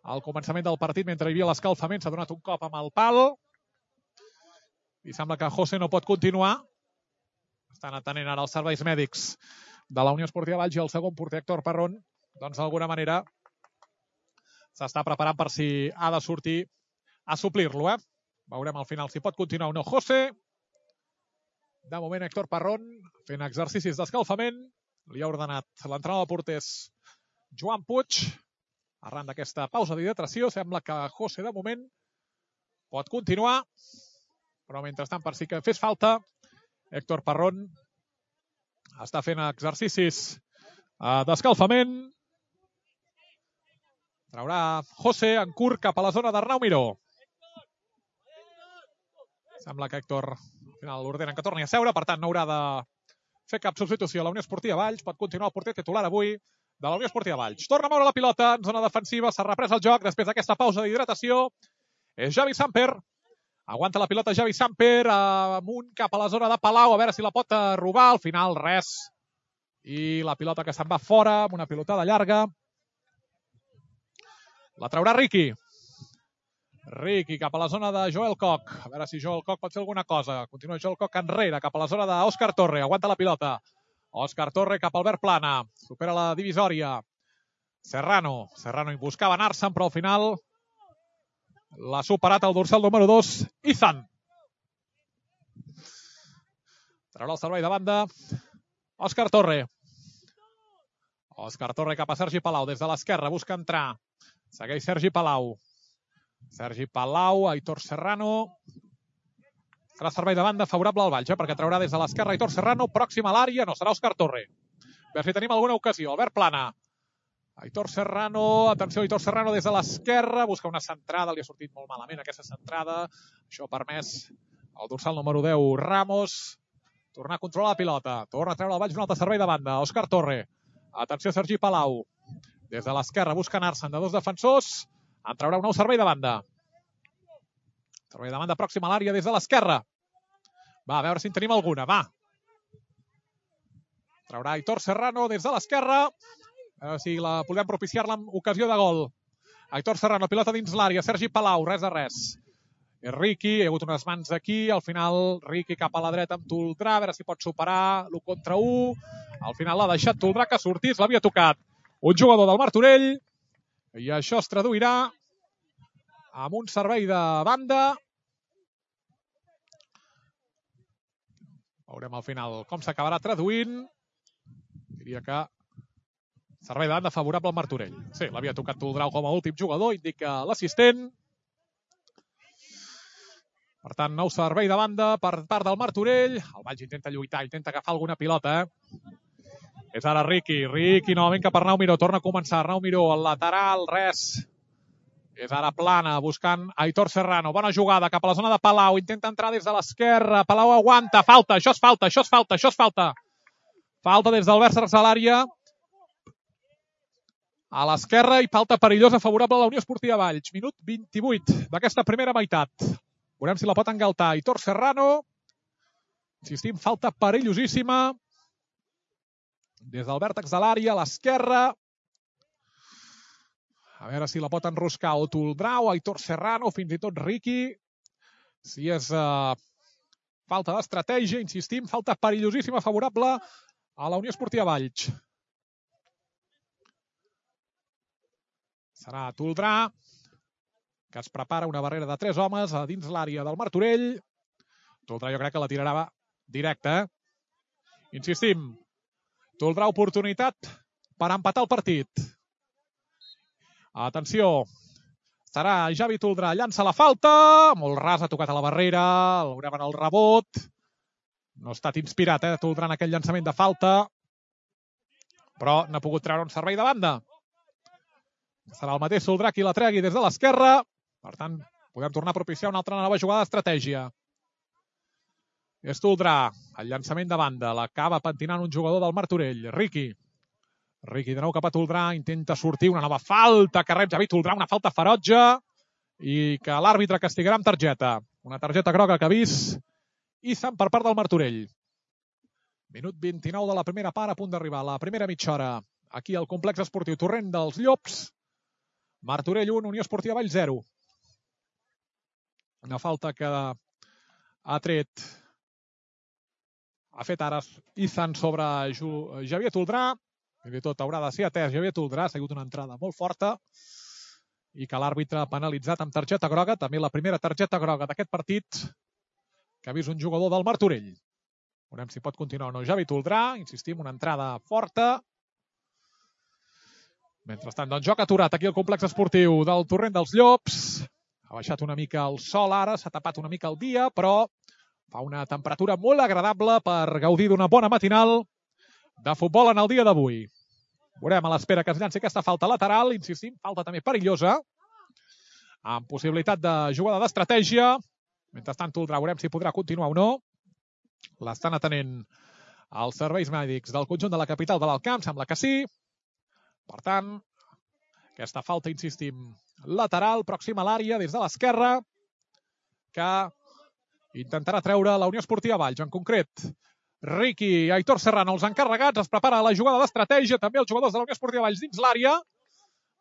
A: al començament del partit, mentre hi havia l'escalfament, s'ha donat un cop amb el pal, i sembla que José no pot continuar. Estan atenent ara els serveis mèdics de la Unió Esportiva Valls, i el segon porter, Héctor Parrón, doncs d'alguna manera s'està preparant per si ha de sortir a suplir-lo. Veurem al final si pot continuar o no José. De moment, Héctor Parrón fent exercicis d'escalfament. Li ha ordenat l'entrenador de porters Joan Puig. Arran d'aquesta pausa d'hidratació, sembla que José, de moment, pot continuar. Però, mentrestant, per si que fes falta, Héctor Parrón està fent exercicis d'escalfament. Traurà José en curt cap a la zona d'Arnau Miró. Sembla que Héctor al final l'ordenen que torni a seure, per tant no haurà de fer cap substitució a la Unió Esportiva Valls. Pot continuar el porter titular avui de la Unió Esportiva Valls. Torna a moure la pilota en zona defensiva, s'ha reprès el joc després d'aquesta pausa d'hidratació. És Javi Samper. Aguanta la pilota Javi Samper, amunt cap a la zona de Palau, a veure si la pot robar. Al final res. I la pilota que se'n va fora, amb una pilotada llarga. La traurà Riqui. Riqui cap a la zona de Joel Koch. A veure si Joel Koch pot fer alguna cosa. Continua Joel Koch enrere, cap a la zona d'Òscar Torre. Aguanta la pilota. Òscar Torre cap al Albert Plana. Supera la divisòria. Serrano hi buscava anar-se'n, però al final l'ha superat el dorsal número 2, Izan. Traurà el servei de banda Òscar Torre. Òscar Torre cap a Sergi Palau. Des de l'esquerra busca entrar. Segueix Sergi Palau. Sergi Palau, Aitor Serrano. Serà servei de banda favorable al Valls, perquè traurà des de l'esquerra Aitor Serrano, pròxim a l'àrea, no serà Òscar Torre. A veure si tenim alguna ocasió. Albert Plana. Aitor Serrano, atenció, Aitor Serrano des de l'esquerra, busca una centrada, li ha sortit molt malament aquesta centrada. Això ha permès el dorsal número 10, Ramos, tornar a controlar la pilota. Torna a treure el Valls un altre servei de banda. Òscar Torre. Atenció, Sergi Palau. Des de l'esquerra busca anar-se'n de dos defensors. En traurà un nou servei de banda. Servei de banda pròxim a l'àrea des de l'esquerra. Va, a veure si en tenim alguna. Va. Traurà Aitor Serrano des de l'esquerra. A veure si podem propiciar-la amb ocasió de gol. Aitor Serrano, pilota dins l'àrea. Sergi Palau, res de res. És Riqui, hi ha hagut unes mans aquí. Al final, Riqui cap a la dreta amb Toldrà. A veure si pot superar l'1 contra 1. Al final l'ha deixat Toldrà que sortís. L'havia tocat un jugador del Martorell. I això es traduirà amb un servei de banda. Veurem al final com s'acabarà traduint. Diria que servei de banda favorable al Martorell. Sí, l'havia tocat Toldrà com a últim jugador, indica l'assistent. Per tant, nou servei de banda per part del Martorell. El Valls intenta lluitar, intenta agafar alguna pilota. És ara Riqui. Riqui novament cap a Arnau Miró. Torna a començar. Arnau Miró, al lateral, res. És ara Plana, buscant Aitor Serrano. Bona jugada cap a la zona de Palau. Intenta entrar des de l'esquerra. Palau aguanta. Falta. Això és falta. Això és falta. Això és falta. Falta des del vèrtex de l'àrea. A l'esquerra i falta perillosa favorable a la Unió Esportiva Valls. Minut 28 d'aquesta primera meitat. Veurem si la pot engaltar Aitor Serrano. Insistim, falta perillosíssima. Des del vèrtex de l'àrea, a l'esquerra. A veure si la pot enroscar o Toldrà o Aitor Serrano, fins i tot Riqui. Si és falta d'estratègia, insistim, falta perillosíssima favorable a la Unió Esportiva Valls. Serà Toldrà, que es prepara una barrera de 3 homes a dins l'àrea del Martorell. Toldrà jo crec que la tirarà directa. Insistim, Toldrà oportunitat per empatar el partit. Atenció, serà Javi Toldrà, llança la falta, molt ras, ha tocat a la barrera, veurem en el rebot. No ha estat inspirat, Toldrà en aquell llançament de falta. però n'ha pogut treure un servei de banda. Serà el mateix Soldrà qui la tregui des de l'esquerra. Per tant, podem tornar a propiciar una altra nova jugada d'estratègia. És Soldrà, el llançament de banda. L'acaba pentinant un jugador del Martorell, Riqui. Riqui de nou cap a Toldrà, intenta sortir una nova falta que rep Javi Toldrà, una falta ferotge i que l'àrbitre castigarà amb targeta. Una targeta groga que ha vist Izan per part del Martorell. Minut 29 de la primera part, a punt d'arribar la primera mitja hora. Aquí al complex esportiu Torrent dels Llops. Martorell 1, Unió Esportiva Valls 0. Una falta que ha fet ara Izan sobre Javier Toldrà. Fins i tot haurà de ser atès Javier Toldrà. Ha sigut una entrada molt forta i que l'àrbitre ha penalitzat amb targeta groga. També la primera targeta groga d'aquest partit que ha vist un jugador del Martorell. Veurem si pot continuar o no Javi Toldrà. Insistim, una entrada forta. Mentrestant, doncs, joc aturat aquí al complex esportiu del Torrent dels Llops. Ha baixat una mica el sol ara, s'ha tapat una mica el dia, però fa una temperatura molt agradable per gaudir d'una bona matinal de futbol en el dia d'avui. Veurem a l'espera que es llanci aquesta falta lateral. Insistim, falta també perillosa, amb possibilitat de jugada d'estratègia. Mentrestant, Toldrà, veurem si podrà continuar o no. L'estan atenent els serveis mèdics del conjunt de la capital de l'Alt Camp, sembla que sí. Per tant, aquesta falta, insistim, lateral, pròxima a l'àrea, des de l'esquerra, que intentarà treure la Unió Esportiva Valls. En concret, Riqui i Aitor Serrano, els encarregats, es prepara la jugada d'estratègia, també els jugadors de la Unió Esportiva Valls dins l'àrea,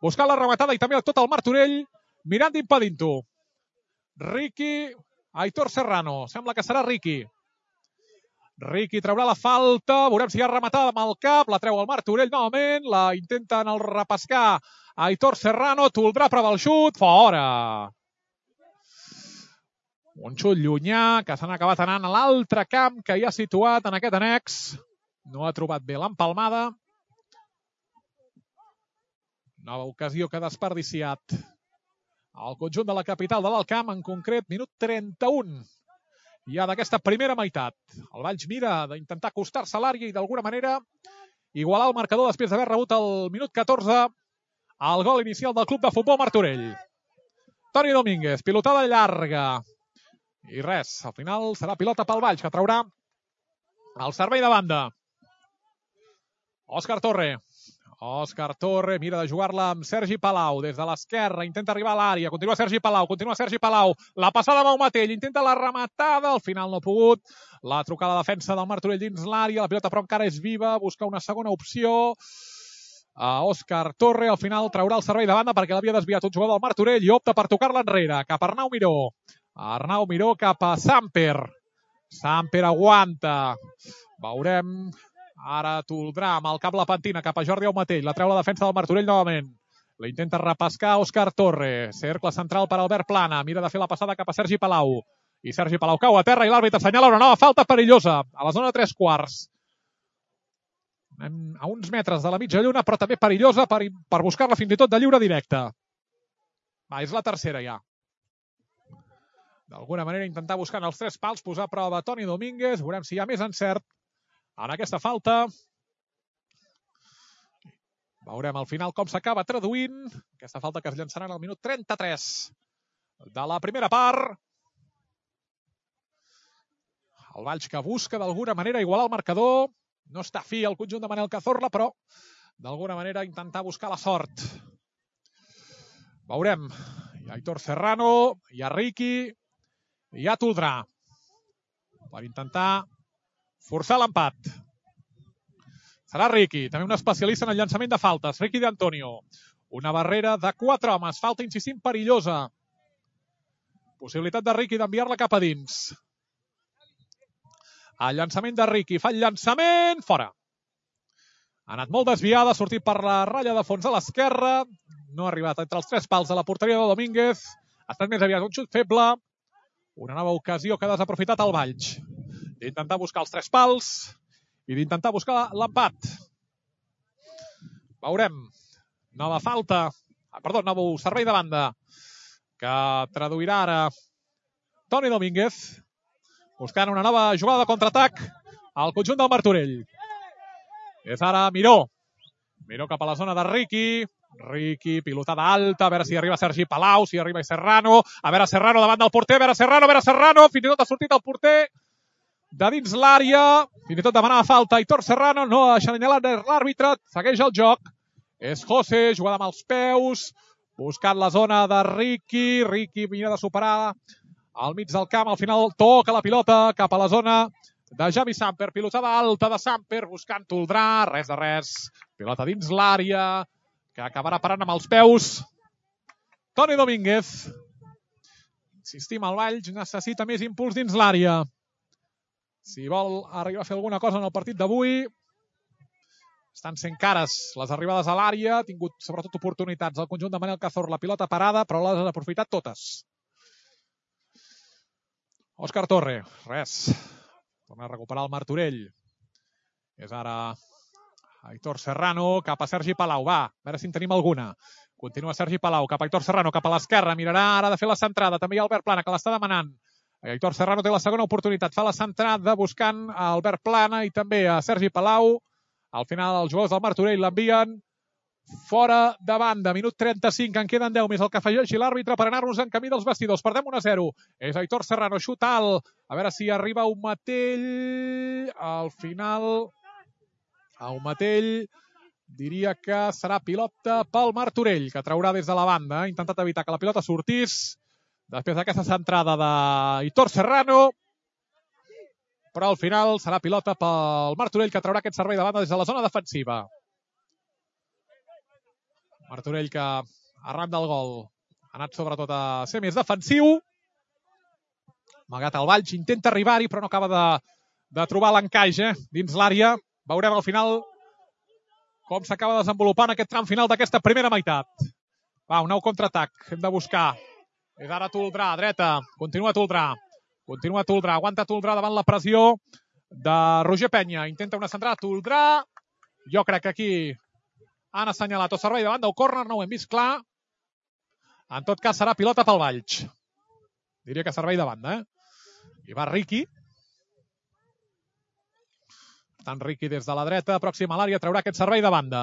A: buscant la rematada i també tot el Martorell, mirant d'impedint-ho. Riqui, Aitor Serrano, sembla que serà Riqui. Riqui traurà la falta, veurem si hi ha rematada amb el cap, la treu el Martorell novament, la intenten el repescar Aitor Serrano, Toldrà prova el xut, fora. Un xut llunyà que s'han acabat anant a l'altre camp que hi ha situat en aquest annex. No ha trobat bé l'empalmada. Nova ocasió que ha desperdiciat el conjunt de la capital de l'Alt Camp, en concret, minut 31. Ja d'aquesta primera meitat. El Valls mira d'intentar acostar-se a l'àrea i d'alguna manera igualar el marcador després d'haver rebut el minut 14 el gol inicial del Club de Futbol Martorell. Toni Domínguez, pilotada llarga. I res, al final serà pilota pel Valls, que traurà el servei de banda. Òscar Torre. Òscar Torre mira de jugar-la amb Sergi Palau des de l'esquerra, intenta arribar a l'àrea, continua Sergi Palau, la passada amb Matell, intenta la rematada, al final no ha pogut, la trucada de defensa del Martorell dins l'àrea, la pilota però encara és viva, busca una segona opció, Òscar Torre al final traurà el servei de banda perquè l'havia desviat un jugador del Martorell i opta per tocar-la enrere, cap a Arnau Miró. Arnau Miró cap a Samper. Samper aguanta. Veurem. Ara Toldrà amb el cap la pentina cap a Jordi Aumatell. La treu la defensa del Martorell novament. La intenta repescar Òscar Torre. Cercle central per Albert Plana. Mira de fer la passada cap a Sergi Palau. I Sergi Palau cau a terra i l'àrbitre assenyala una nova falta perillosa a la zona de 3/4. Anem a uns metres de la mitja lluna, però també perillosa per buscar-la fins i tot de lliure directe. Va, és la tercera ja. D'alguna manera intentar buscar en els 3 pals, posar a prova Toni Domínguez. Veurem si hi ha més encert en aquesta falta. Veurem al final com s'acaba traduint aquesta falta que es llançarà en el minut 33 de la primera part. El Valls que busca d'alguna manera igualar el marcador. No està fi el conjunt de Manel Cazorla, però d'alguna manera intentar buscar la sort. Veurem. Hi ha Aitor Serrano, hi ha Riqui, hi ha Toldrà per intentar forçar l'empat. Serà Riqui, també un especialista en el llançament de faltes. Riqui de Antonio. Una barrera de 4 homes. Falta, insistim, perillosa. Possibilitat de Riqui d'enviar-la cap a dins. El llançament de Riqui. Fa el llançament. Fora. Ha anat molt desviada. Ha sortit per la ratlla de fons a l'esquerra. No ha arribat entre els 3 pals de la porteria de Domínguez. Ha estat més aviat un xut feble. Una nova ocasió que ha desaprofitat el Valls. D'intentar buscar els 3 pals i d'intentar buscar l'empat. Veurem. Nova falta. Nou servei de banda que traduirà ara Toni Domínguez buscant una nova jugada de contraatac al conjunt del Martorell. És ara Miró. Miró cap a la zona de Riqui. Riqui, pilotada alta, a veure si arriba Sergi Palau, si arriba Serrano. A veure Serrano davant del porter, a veure Serrano. Fins i tot ha sortit el porter de dins l'àrea. Fins i tot demanava falta Aitor Serrano. No ha assenyalat l'àrbitre. Segueix el joc. És José, jugada amb els peus. Buscant la zona de Riqui. Riqui mira de superar al mig del camp. Al final toca la pilota cap a la zona de Javi Samper. Pilotada alta de Samper buscant Toldrà. Res de res. Pilota dins l'àrea que acabarà parant amb els peus Toni Domínguez. Insistim, el Valls necessita més impuls dins l'àrea. Si vol arribar a fer alguna cosa en el partit d'avui, estan sent cares les arribades a l'àrea. Ha tingut sobretot oportunitats al conjunt de Manel Cazor. La pilota parada, però les ha aprofitat totes. Òscar Torre, res. Torna a recuperar el Martorell. És ara Aitor Serrano cap a Sergi Palau. Va, a veure si en tenim alguna. Continua Sergi Palau cap a Aitor Serrano, cap a l'esquerra. Mirarà ara de fer la centrada. També hi ha Albert Plana, que l'està demanant. Aitor Serrano té la segona oportunitat. Fa la centrada buscant a Albert Plana i també a Sergi Palau. Al final els jugadors del Martorell l'envien fora de banda. Minut 35, en queden 10 més el que afegeixi l'àrbitre per anar-nos en camí dels vestidors. Perdem 1-0. És Aitor Serrano, xut alt. A veure si arriba un Matell. Al final Matell diria que serà pilota pel Martorell, que traurà des de la banda. Ha intentat evitar que la pilota sortís després d'aquesta centrada d'Aitor Serrano, però al final serà pilota pel Martorell, que traurà aquest servei de banda des de la zona defensiva. Martorell que arran del gol ha anat sobretot a ser més defensiu. Malgrat el Valls intenta arribar-hi, però no acaba de trobar l'encaix dins l'àrea. Veurem al final com s'acaba desenvolupant aquest tram final d'aquesta primera meitat. Va, un nou contraatac. Hem de buscar. És ara Toldrà, dreta. Continua Toldrà. Aguanta Toldrà davant la pressió de Roger Penya. Intenta una centrada. Toldrà. Jo crec que aquí han assenyalat o servei de banda o córner. No ho hem vist clar. En tot cas serà pilota pel Valls. Diria que servei de banda, I va Riqui. Tant Riqui des de la dreta, pròxim a l'àrea, traurà aquest servei de banda.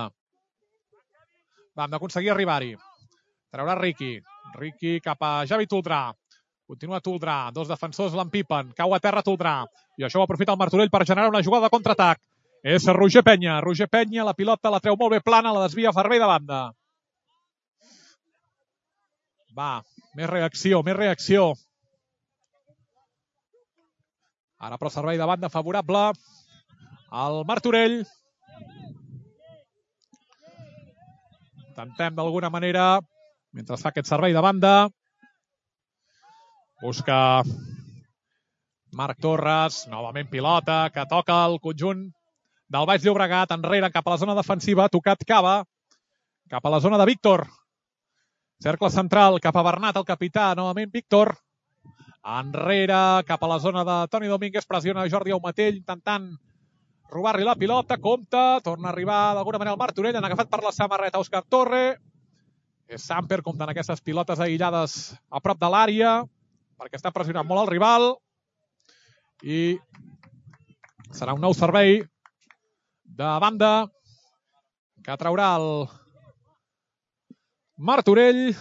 A: Vam d'aconseguir arribar-hi. Traurà Riqui. Riqui cap a Javi Toldrà. Continua Toldrà. Dos defensors l'empipen. Cau a terra Toldrà. I això ho aprofita el Martorell per generar una jugada de contraatac. És Roger Penya. Roger Penya, la pilota la treu molt bé plana, la desvia servei de banda. Va, més reacció. Ara però servei de banda favorable al Martorell. Intentem d'alguna manera, mentre fa aquest servei de banda, busca Marc Torres, novament pilota, que toca el conjunt del Baix Llobregat, enrere cap a la zona defensiva, tocat Cava, cap a la zona de Víctor. Cercle central cap a Bernat, el capità, novament Víctor. Enrere cap a la zona de Toni Domínguez, pressiona Jordi Aumatell, intentant robar-li la pilota, compta, torna a arribar d'alguna manera el Martorell, han agafat per la samarreta Òscar Torre. És Samper, comptant aquestes pilotes aïllades a prop de l'àrea, perquè està pressionant molt el rival. I serà un nou servei de banda que traurà el Martorell.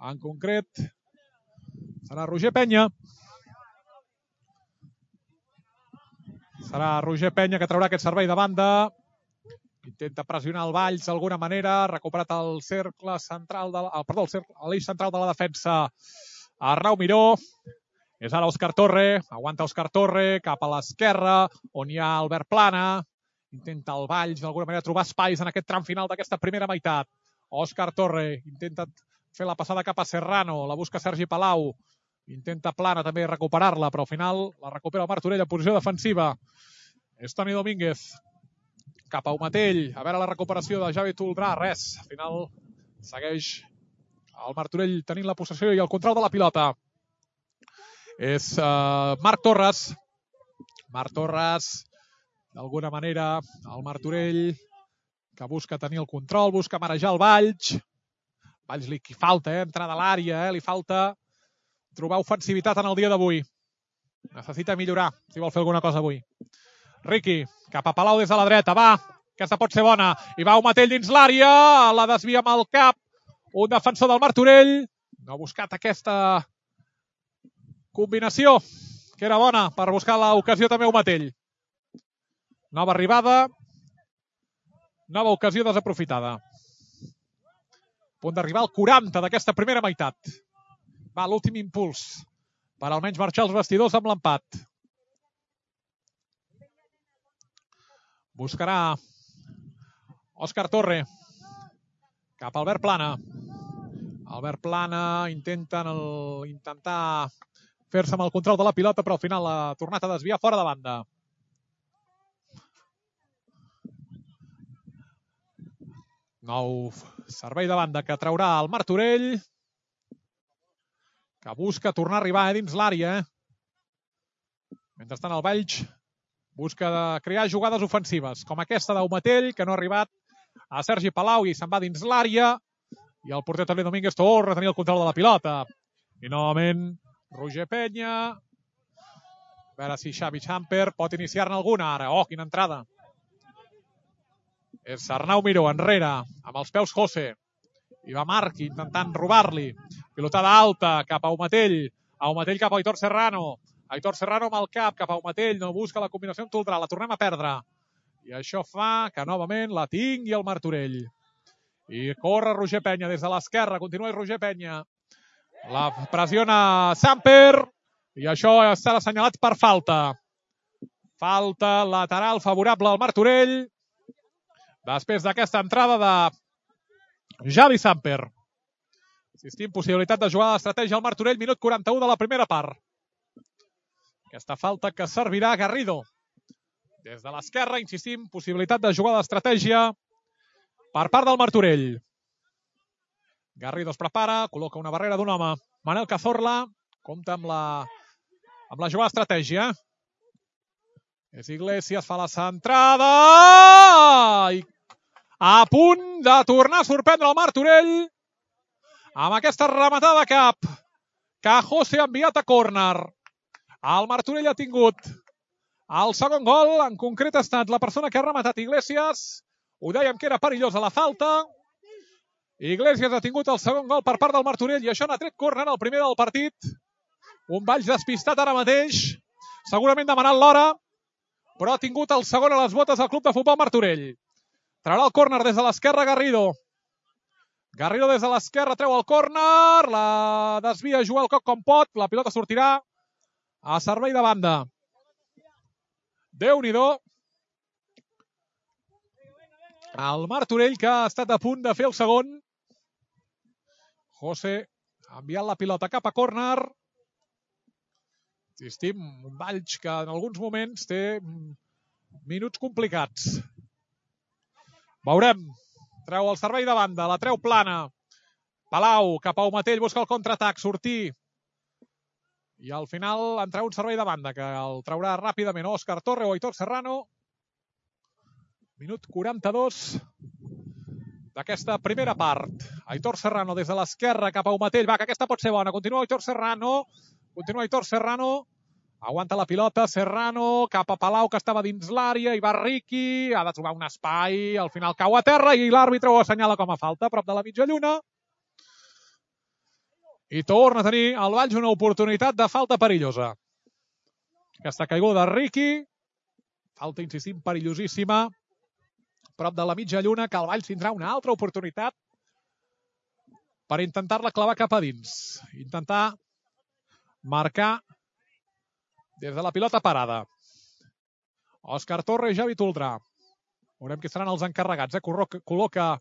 A: En concret serà Roger Penya. Serà Roger Penya que traurà aquest servei de banda. Intenta pressionar el Valls d'alguna manera. Ha recuperat el cercle central l'eix central de la defensa Arnau Miró. És ara Òscar Torre. Aguanta Òscar Torre cap a l'esquerra, on hi ha Albert Plana. Intenta el Valls d'alguna manera trobar espais en aquest tram final d'aquesta primera meitat. Òscar Torre intenta fer la passada cap a Serrano. La busca Sergi Palau. Intenta Plana també recuperar-la, però al final la recupera el Martorell en posició defensiva. És Toni Domínguez. Cap a Aumatell. A veure la recuperació de Javi Toldrà. Res. Al final segueix el Martorell tenint la possessió i el control de la pilota. És Marc Torres. Marc Torres, d'alguna manera, el Martorell, que busca tenir el control, busca marejar el Valls. Valls li falta, entrar a l'àrea, li falta trobar ofensivitat en el dia d'avui. Necessita millorar, si vol fer alguna cosa avui. Riqui, cap a Palau des de la dreta, va. Aquesta pot ser bona. I va Matell dins l'àrea, la desvia amb el cap. Un defensor del Martorell. No ha buscat aquesta combinació, que era bona per buscar l'ocasió també Matell. Nova arribada. Nova ocasió desaprofitada. Punt d'arribar al 40 d'aquesta primera meitat. Va, l'últim impuls per almenys marxar els vestidors amb l'empat. Buscarà Òscar Torre cap a Albert Plana. Albert Plana intentar fer-se amb el control de la pilota, però al final ha tornat a desviar fora de banda. Nou servei de banda que traurà el Martorell, que busca tornar a arribar dins l'àrea. Mentrestant el Valls busca crear jugades ofensives, com aquesta d'Aumatell, que no ha arribat a Sergi Palau i se'n va dins l'àrea. I el porter Toni Domínguez torna a tenir el control de la pilota. I novament Roger Penya. A veure si Xavi Samper pot iniciar-ne alguna ara. Oh, quina entrada. És Arnau Miró enrere, amb els peus José. I va Marc intentant robar-li. Pilotada alta cap a Aumatell. Aumatell cap a Aitor Serrano. Aitor Serrano amb el cap cap a Aumatell. No busca la combinació amb Toldrà. La tornem a perdre. I això fa que novament la tingui el Martorell. I corre Roger Penya des de l'esquerra. Continua Roger Penya. La pressiona Samper. I això està assenyalat per falta. Falta lateral favorable al Martorell. Després d'aquesta entrada de Javi Samper. Insistim, possibilitat de jugar a l'estratègia al Martorell. Minut 41 de la primera part. Aquesta falta que servirà a Garrido. Des de l'esquerra, insistim, possibilitat de jugar a l'estratègia per part del Martorell. Garrido es prepara, col·loca una barrera d'un home. Manel Cazorla compta amb la jugada d'estratègia. És Iglesias, fa la centrada i a punt de tornar a sorprendre el Martorell amb aquesta rematada de cap que José ha enviat a córner. El Martorell ha tingut el segon gol, en concret ha estat la persona que ha rematat Iglesias. Ho dèiem que era perillosa la falta. Iglesias ha tingut el segon gol per part del Martorell i això n'ha tret córner el primer del partit. Un Valls despistat ara mateix, segurament demanant l'hora, però ha tingut el segon a les botes del Club de Futbol Martorell. Traurà el córner des de l'esquerra Garrido. Garrido des de l'esquerra treu el córner, la desvia Joel Coc com pot, la pilota sortirà a servei de banda. Déu-n'hi-do. El Martorell que ha estat a punt de fer el segon. José ha enviat la pilota cap a córner. Insistim, un Valls que en alguns moments té minuts complicats. Veurem. Treu el servei de banda, la treu Plana. Palau cap a Aumatell, busca el contraatac, sortir. I al final en treu un servei de banda que el traurà ràpidament Òscar Torre o Aitor Serrano. Minut 42 d'aquesta primera part. Aitor Serrano des de l'esquerra cap a Aumatell. Va, que aquesta pot ser bona. Continua Aitor Serrano. Aguanta la pilota. Serrano cap a Palau, que estava dins l'àrea. I va Riqui. Ha de trobar un espai. Al final cau a terra i l'àrbitre ho assenyala com a falta, prop de la mitja lluna. I torna a tenir el Valls una oportunitat de falta perillosa. Aquesta caiguda de Riqui. Falta, insistim, perillosíssima. Prop de la mitja lluna, que el Valls tindrà una altra oportunitat per intentar-la clavar cap a dins. Intentar marcar des de la pilota parada. Òscar Torre i Javi Toldrà. Veurem qui seran els encarregats. Col·loca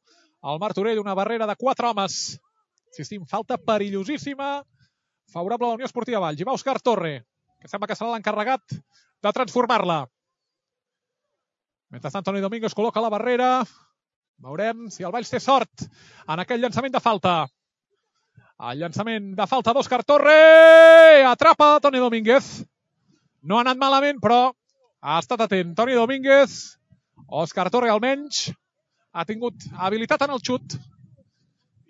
A: el Martorell una barrera de 4 homes. Insistim, falta perillosíssima favorable a la Unió Esportiva Valls. I va Òscar Torre, que sembla que serà l'encarregat de transformar-la. Mentrestant, Toni Domínguez col·loca la barrera. Veurem si el Valls té sort en aquell llançament de falta. El llançament de falta d'Òscar Torre. Atrapa Toni Domínguez. No ha anat malament, però ha estat atent. Toni Domínguez. Òscar Torre, almenys, ha tingut habilitat en el xut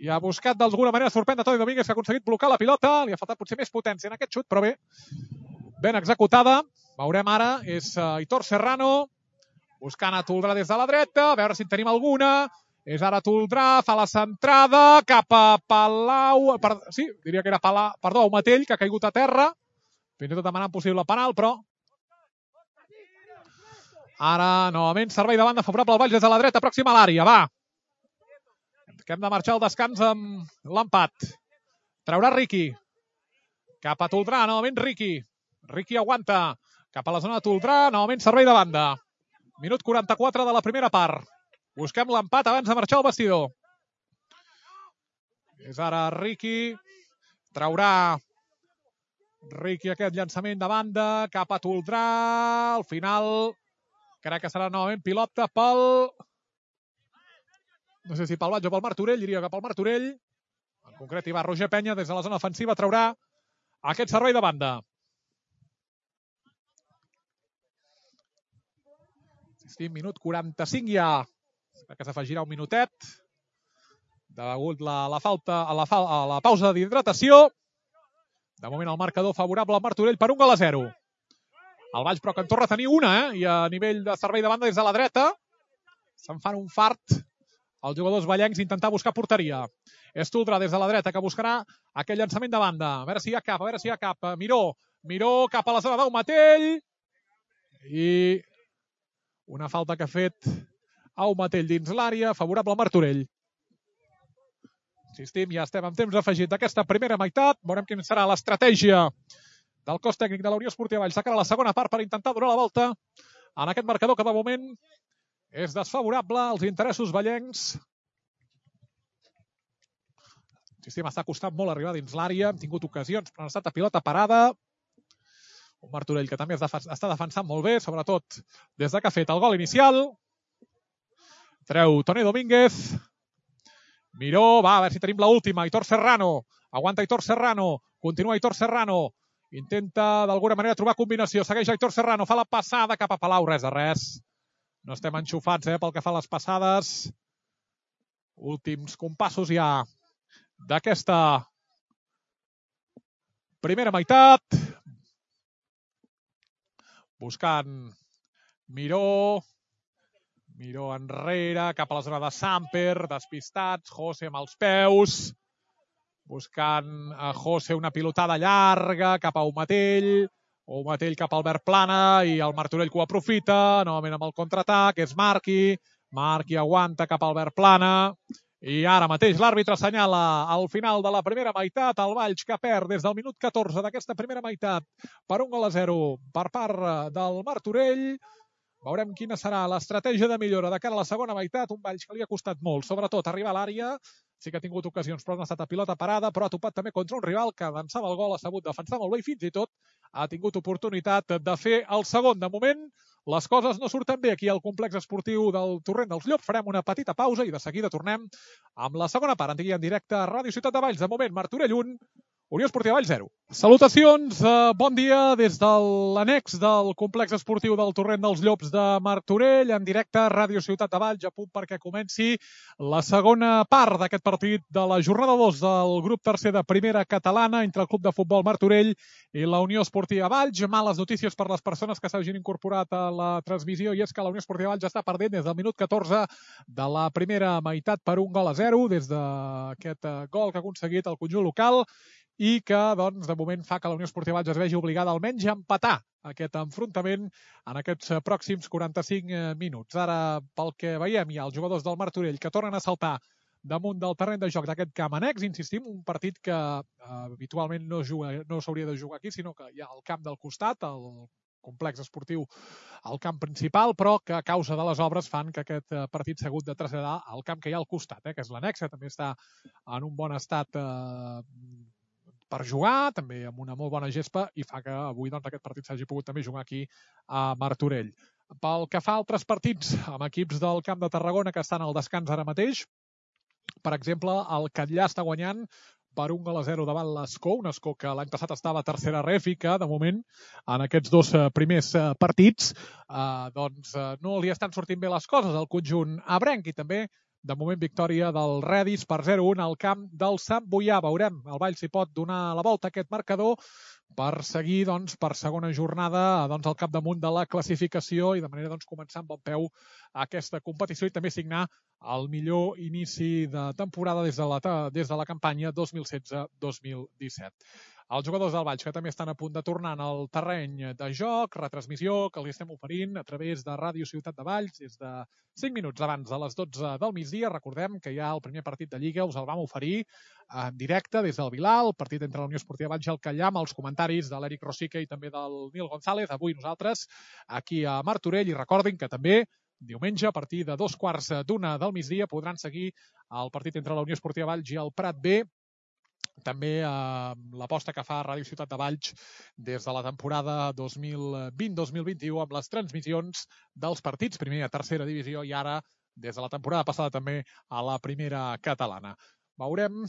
A: i ha buscat d'alguna manera sorprendre Toni Domínguez, que ha aconseguit blocar la pilota. Li ha faltat potser més potència en aquest xut, però bé, ben executada. Veurem ara, és Aitor Serrano. buscant a Toldrà des de la dreta, a veure si en tenim alguna. És ara Toldrà, fa la centrada, cap a Palau... Sí, diria que era Palau... Perdó, Matell, que ha caigut a terra. Fins i tot demanant possible penal, però... Ara, novament, servei de banda favorable al Valls des de la dreta, pròxima a l'àrea, va. Que hem de marxar al descans amb l'empat. Traurà Riqui. Cap a Toldrà, novament Riqui. Riqui aguanta. Cap a la zona de Toldrà, novament servei de banda. Minut 44 de la primera part. Busquem l'empat abans de marxar al vestidor. És ara Riqui. Traurà Riqui aquest llançament de banda. Cap a Toldrà. Al final crec que serà novament pilota pel... No sé si pel Valls o pel Martorell. Diria que pel Martorell. En concret hi va Roger Penya des de la zona ofensiva. Traurà aquest servei de banda. Minut 45 ja. Que s'afegirà un minutet. Degut a la pausa d'hidratació. De moment el marcador favorable al Martorell per 1-0. El Valls però que en torna a tenir una, i a nivell de servei de banda des de la dreta. Se'n fan un fart els jugadors vallencs intentar buscar porteria. És Toldrà des de la dreta que buscarà aquell llançament de banda. A veure si hi ha cap, Miró cap a la zona d'Aumatell. I una falta que ha fet Aumatell dins l'àrea, favorable al Martorell. Insistim, ja estem en temps afegit d'aquesta primera meitat. Veurem quina serà l'estratègia del cos tècnic de la Unió Esportiva Valls de cara a la segona part per intentar donar la volta en aquest marcador que de moment és desfavorable als interessos vallencs. Insistim, està costant molt arribar dins l'àrea. Hem tingut ocasions, però han estat a pilota parada. Un Martorell que també està defensant molt bé, sobretot des que ha fet el gol inicial. Treu Toni Domínguez. Miró, va, a veure si tenim l'última. Aitor Serrano. Aguanta Aitor Serrano. Continua Aitor Serrano. Intenta d'alguna manera trobar combinació. Segueix Aitor Serrano. Fa la passada cap a Palau. Res de res. No estem enxufats pel que fa a les passades. Últims compassos ja d'aquesta primera meitat. Buscant Miró enrere, cap a la zona de Samper, despistats, José amb els peus, buscant a José una pilotada llarga cap a Aumatell cap a Albert Plana i el Martorell que ho aprofita, novament amb el contraatac, és Marqui aguanta cap a Albert Plana i ara mateix l'àrbitre assenyala al final de la primera meitat el Valls que perd des del minut 14 d'aquesta primera meitat per 1-0 per part del Martorell. Veurem quina serà l'estratègia de millora de cara a la segona meitat. Un Valls que li ha costat molt, sobretot arribar a l'àrea. Sí que ha tingut ocasions, però no ha estat a pilota parada, però ha topat també contra un rival que avançava el gol, ha sabut defensar molt bé i fins i tot ha tingut oportunitat de fer el segon. De moment, les coses no surten bé aquí al complex esportiu del Torrent dels Llops. Farem una petita pausa i de seguida tornem amb la segona part. En directe a Ràdio Ciutat de Valls. De moment, Martorell 1, Unió Esportiva Valls 0. Salutacions, bon dia des de l'annex del complex esportiu del Torrent dels Llops de Martorell, en directe a Ràdio Ciutat de Valls, a punt perquè comenci la segona part d'aquest partit de la jornada 2 del grup tercer de primera catalana entre el Club de Futbol Martorell i la Unió Esportiva Valls. Males notícies per les persones que s'hagin incorporat a la transmissió i és que la Unió Esportiva Valls està perdent des del minut 14 de la primera meitat per 1-0 des d'aquest gol que ha aconseguit el conjunt local i que, doncs, de moment fa que la Unió Esportiva Valls es vegi obligada almenys a empatar aquest enfrontament en aquests pròxims 45 minuts. Ara, pel que veiem, hi ha els jugadors del Martorell que tornen a saltar damunt del terreny de joc d'aquest camp annex. Insistim, un partit que habitualment no s'hauria de jugar aquí, sinó que hi ha el camp del costat, el complex esportiu al camp principal, però que a causa de les obres fan que aquest partit s'ha hagut de traslladar al camp que hi ha al costat, que és l'annex, que també està en un bon estat per jugar, també amb una molt bona gespa, i fa que avui aquest partit s'hagi pogut també jugar aquí a Martorell. Pel que fa a altres partits amb equips del Camp de Tarragona que estan al descans ara mateix, per exemple, el Catllà està guanyant per 1-0 davant l'Escó, un Escó que l'any passat estava a tercera ref i que, de moment, en aquests dos primers partits, doncs no li estan sortint bé les coses al conjunt ebrenc i també De moment, victòria del Redis per 0-1 al camp del Sant Boià. Veurem, el Valls si pot donar la volta a aquest marcador per seguir per segona jornada al capdamunt de la classificació i de manera començar amb bon peu aquesta competició i també signar el millor inici de temporada des de la campanya 2016-2017. Els jugadors del Valls, que també estan a punt de tornar al terreny de joc, retransmissió que els estem oferint a través de Ràdio Ciutat de Valls des de 5 minuts abans de les 12 del migdia. Recordem que ja el primer partit de Lliga us el vam oferir en directe des del Vilar, el partit entre la Unió Esportiva Valls i el Callar, amb els comentaris de l'Eric Rosique i també del Nil González. Avui nosaltres aquí a Martorell, i recordin que també diumenge a partir de 2:15 del migdia podran seguir el partit entre la Unió Esportiva Valls i el Prat B. També l'aposta que fa Ràdio Ciutat de Valls des de la temporada 2020-2021 amb les transmissions dels partits, primer a tercera divisió i ara, des de la temporada passada, també a la primera catalana. Veurem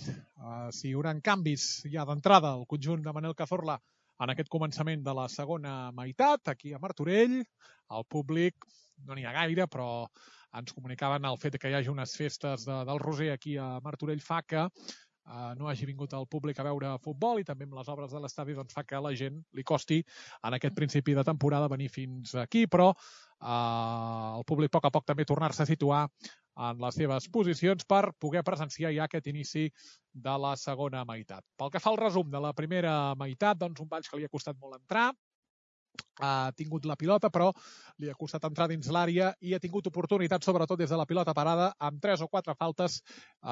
A: si hi haurà canvis ja d'entrada al conjunt de Manel Cazorla en aquest començament de la segona meitat, aquí a Martorell. El públic no n'hi ha gaire, però ens comunicaven el fet que hi hagi unes festes del Roser aquí a Martorell fa que no hagi vingut el públic a veure futbol i també amb les obres de l'estadi fa que a la gent li costi en aquest principi de temporada venir fins aquí, però el públic a poc també tornar-se a situar en les seves posicions per poder presenciar ja aquest inici de la segona meitat. Pel que fa al resum de la primera meitat, un Valls que li ha costat molt entrar, ha tingut la pilota, però li ha costat entrar dins l'àrea i ha tingut oportunitats, sobretot des de la pilota parada, amb 3 o 4 faltes,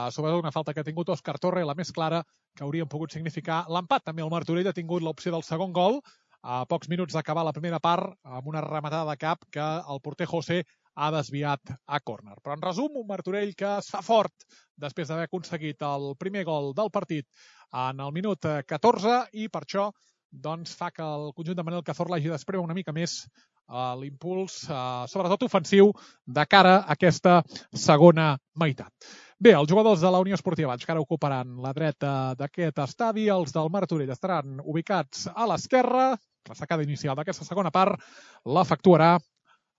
A: sobretot una falta que ha tingut Òscar Torre, la més clara, que haurien pogut significar l'empat. També el Martorell ha tingut l'opció del segon gol, a pocs minuts d'acabar la primera part, amb una rematada de cap que el porter José ha desviat a córner. Però en resum, un Martorell que es fa fort després d'haver aconseguit el primer gol del partit en el minut 14 i per això fa que el conjunt de Manel Cazorla hagi d'espremer una mica més l'impuls, sobretot ofensiu, de cara a aquesta segona meitat. Bé, els jugadors de la Unió Esportiva Valls que ara ocuparan la dreta d'aquest estadi, els del Martorell estaran ubicats a l'esquerra. La sacada inicial d'aquesta segona part l'efectuarà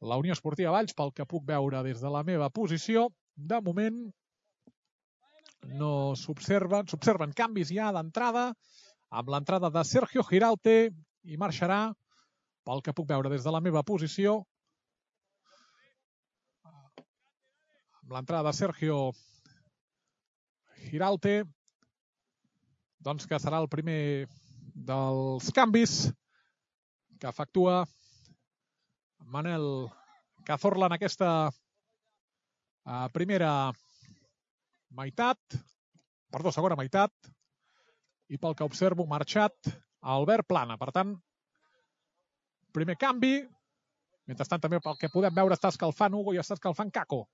A: la Unió Esportiva Valls, pel que puc veure des de la meva posició. De moment no s'observen canvis ja d'entrada, amb l'entrada de Sergio Giralte, i marxarà, pel que puc veure des de la meva posició, amb l'entrada de Sergio Giralte, que serà el primer dels canvis que efectua Manel Cazorla en aquesta segona meitat, i pel que observo marxat Albert Plana. Per tant, primer canvi. Mentrestant també pel que podem veure està escalfant Hugo i està escalfant Caco.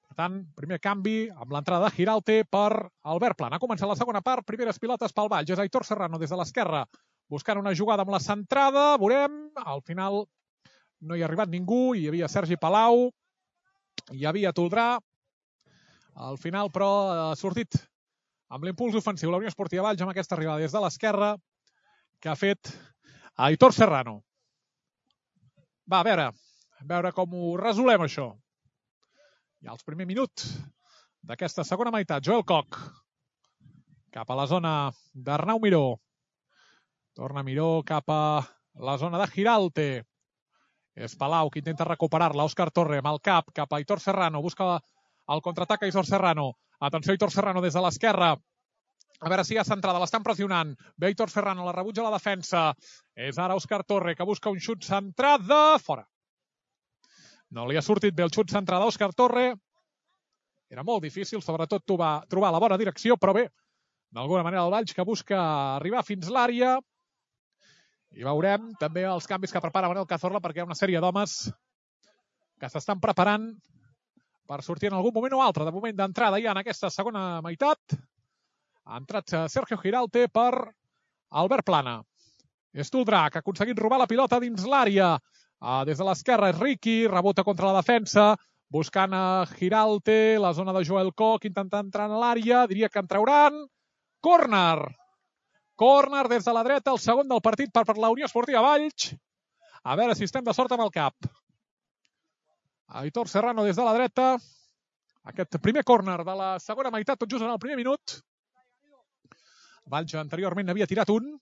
A: Per tant, primer canvi amb l'entrada de Giralte per Albert Plana. Ha començat la segona part, primeres pilotes pel Valls. És Aitor Serrano des de l'esquerra buscant una jugada amb la centrada. Veurem, al final no hi ha arribat ningú. Hi havia Sergi Palau, hi havia Toldrà. Al final, però, ha sortit amb l'impuls ofensiu la Unió Esportiva Valls amb aquesta arribada des de l'esquerra que ha fet Aitor Serrano. Va, a veure com ho resolem, això. Ja els primers minuts d'aquesta segona meitat. Joel Koch cap a la zona d'Arnau Miró. Torna Miró cap a la zona de Giralte. És Palau que intenta recuperar-la. Òscar Torre amb el cap a Aitor Serrano. Busca el contraatac a Aitor Serrano. Atenció, Aitor Serrano des de l'esquerra. A veure si hi ha centrada, l'estan pressionant. Ve Aitor Serrano, la rebutja la defensa. És ara Òscar Torre, que busca un xut centrat de fora. No li ha sortit bé el xut centrat d'Òscar Torre. Era molt difícil, sobretot trobar la bona direcció, però bé, d'alguna manera el Valls que busca arribar fins l'àrea. I veurem també els canvis que prepara Manel Cazorla, perquè hi ha una sèrie d'homes que s'estan preparant per sortir en algun moment o altre. De moment d'entrada ja en aquesta segona meitat. Ha entrat Sergio Giralte per Albert Plana. És Toldrà, que ha aconseguit robar la pilota dins l'àrea. Des de l'esquerra és Riqui, rebota contra la defensa, buscant a Giralte, la zona de Joel Koch, intentant entrar en l'àrea, diria que en trauran. Córner! Córner des de la dreta, el segon del partit per la Unió Esportiva Valls. A veure si estem de sort amb el cap. Aitor Serrano des de la dreta. Aquest primer córner de la segona meitat, tot just en el primer minut. Valls anteriorment n'havia tirat un.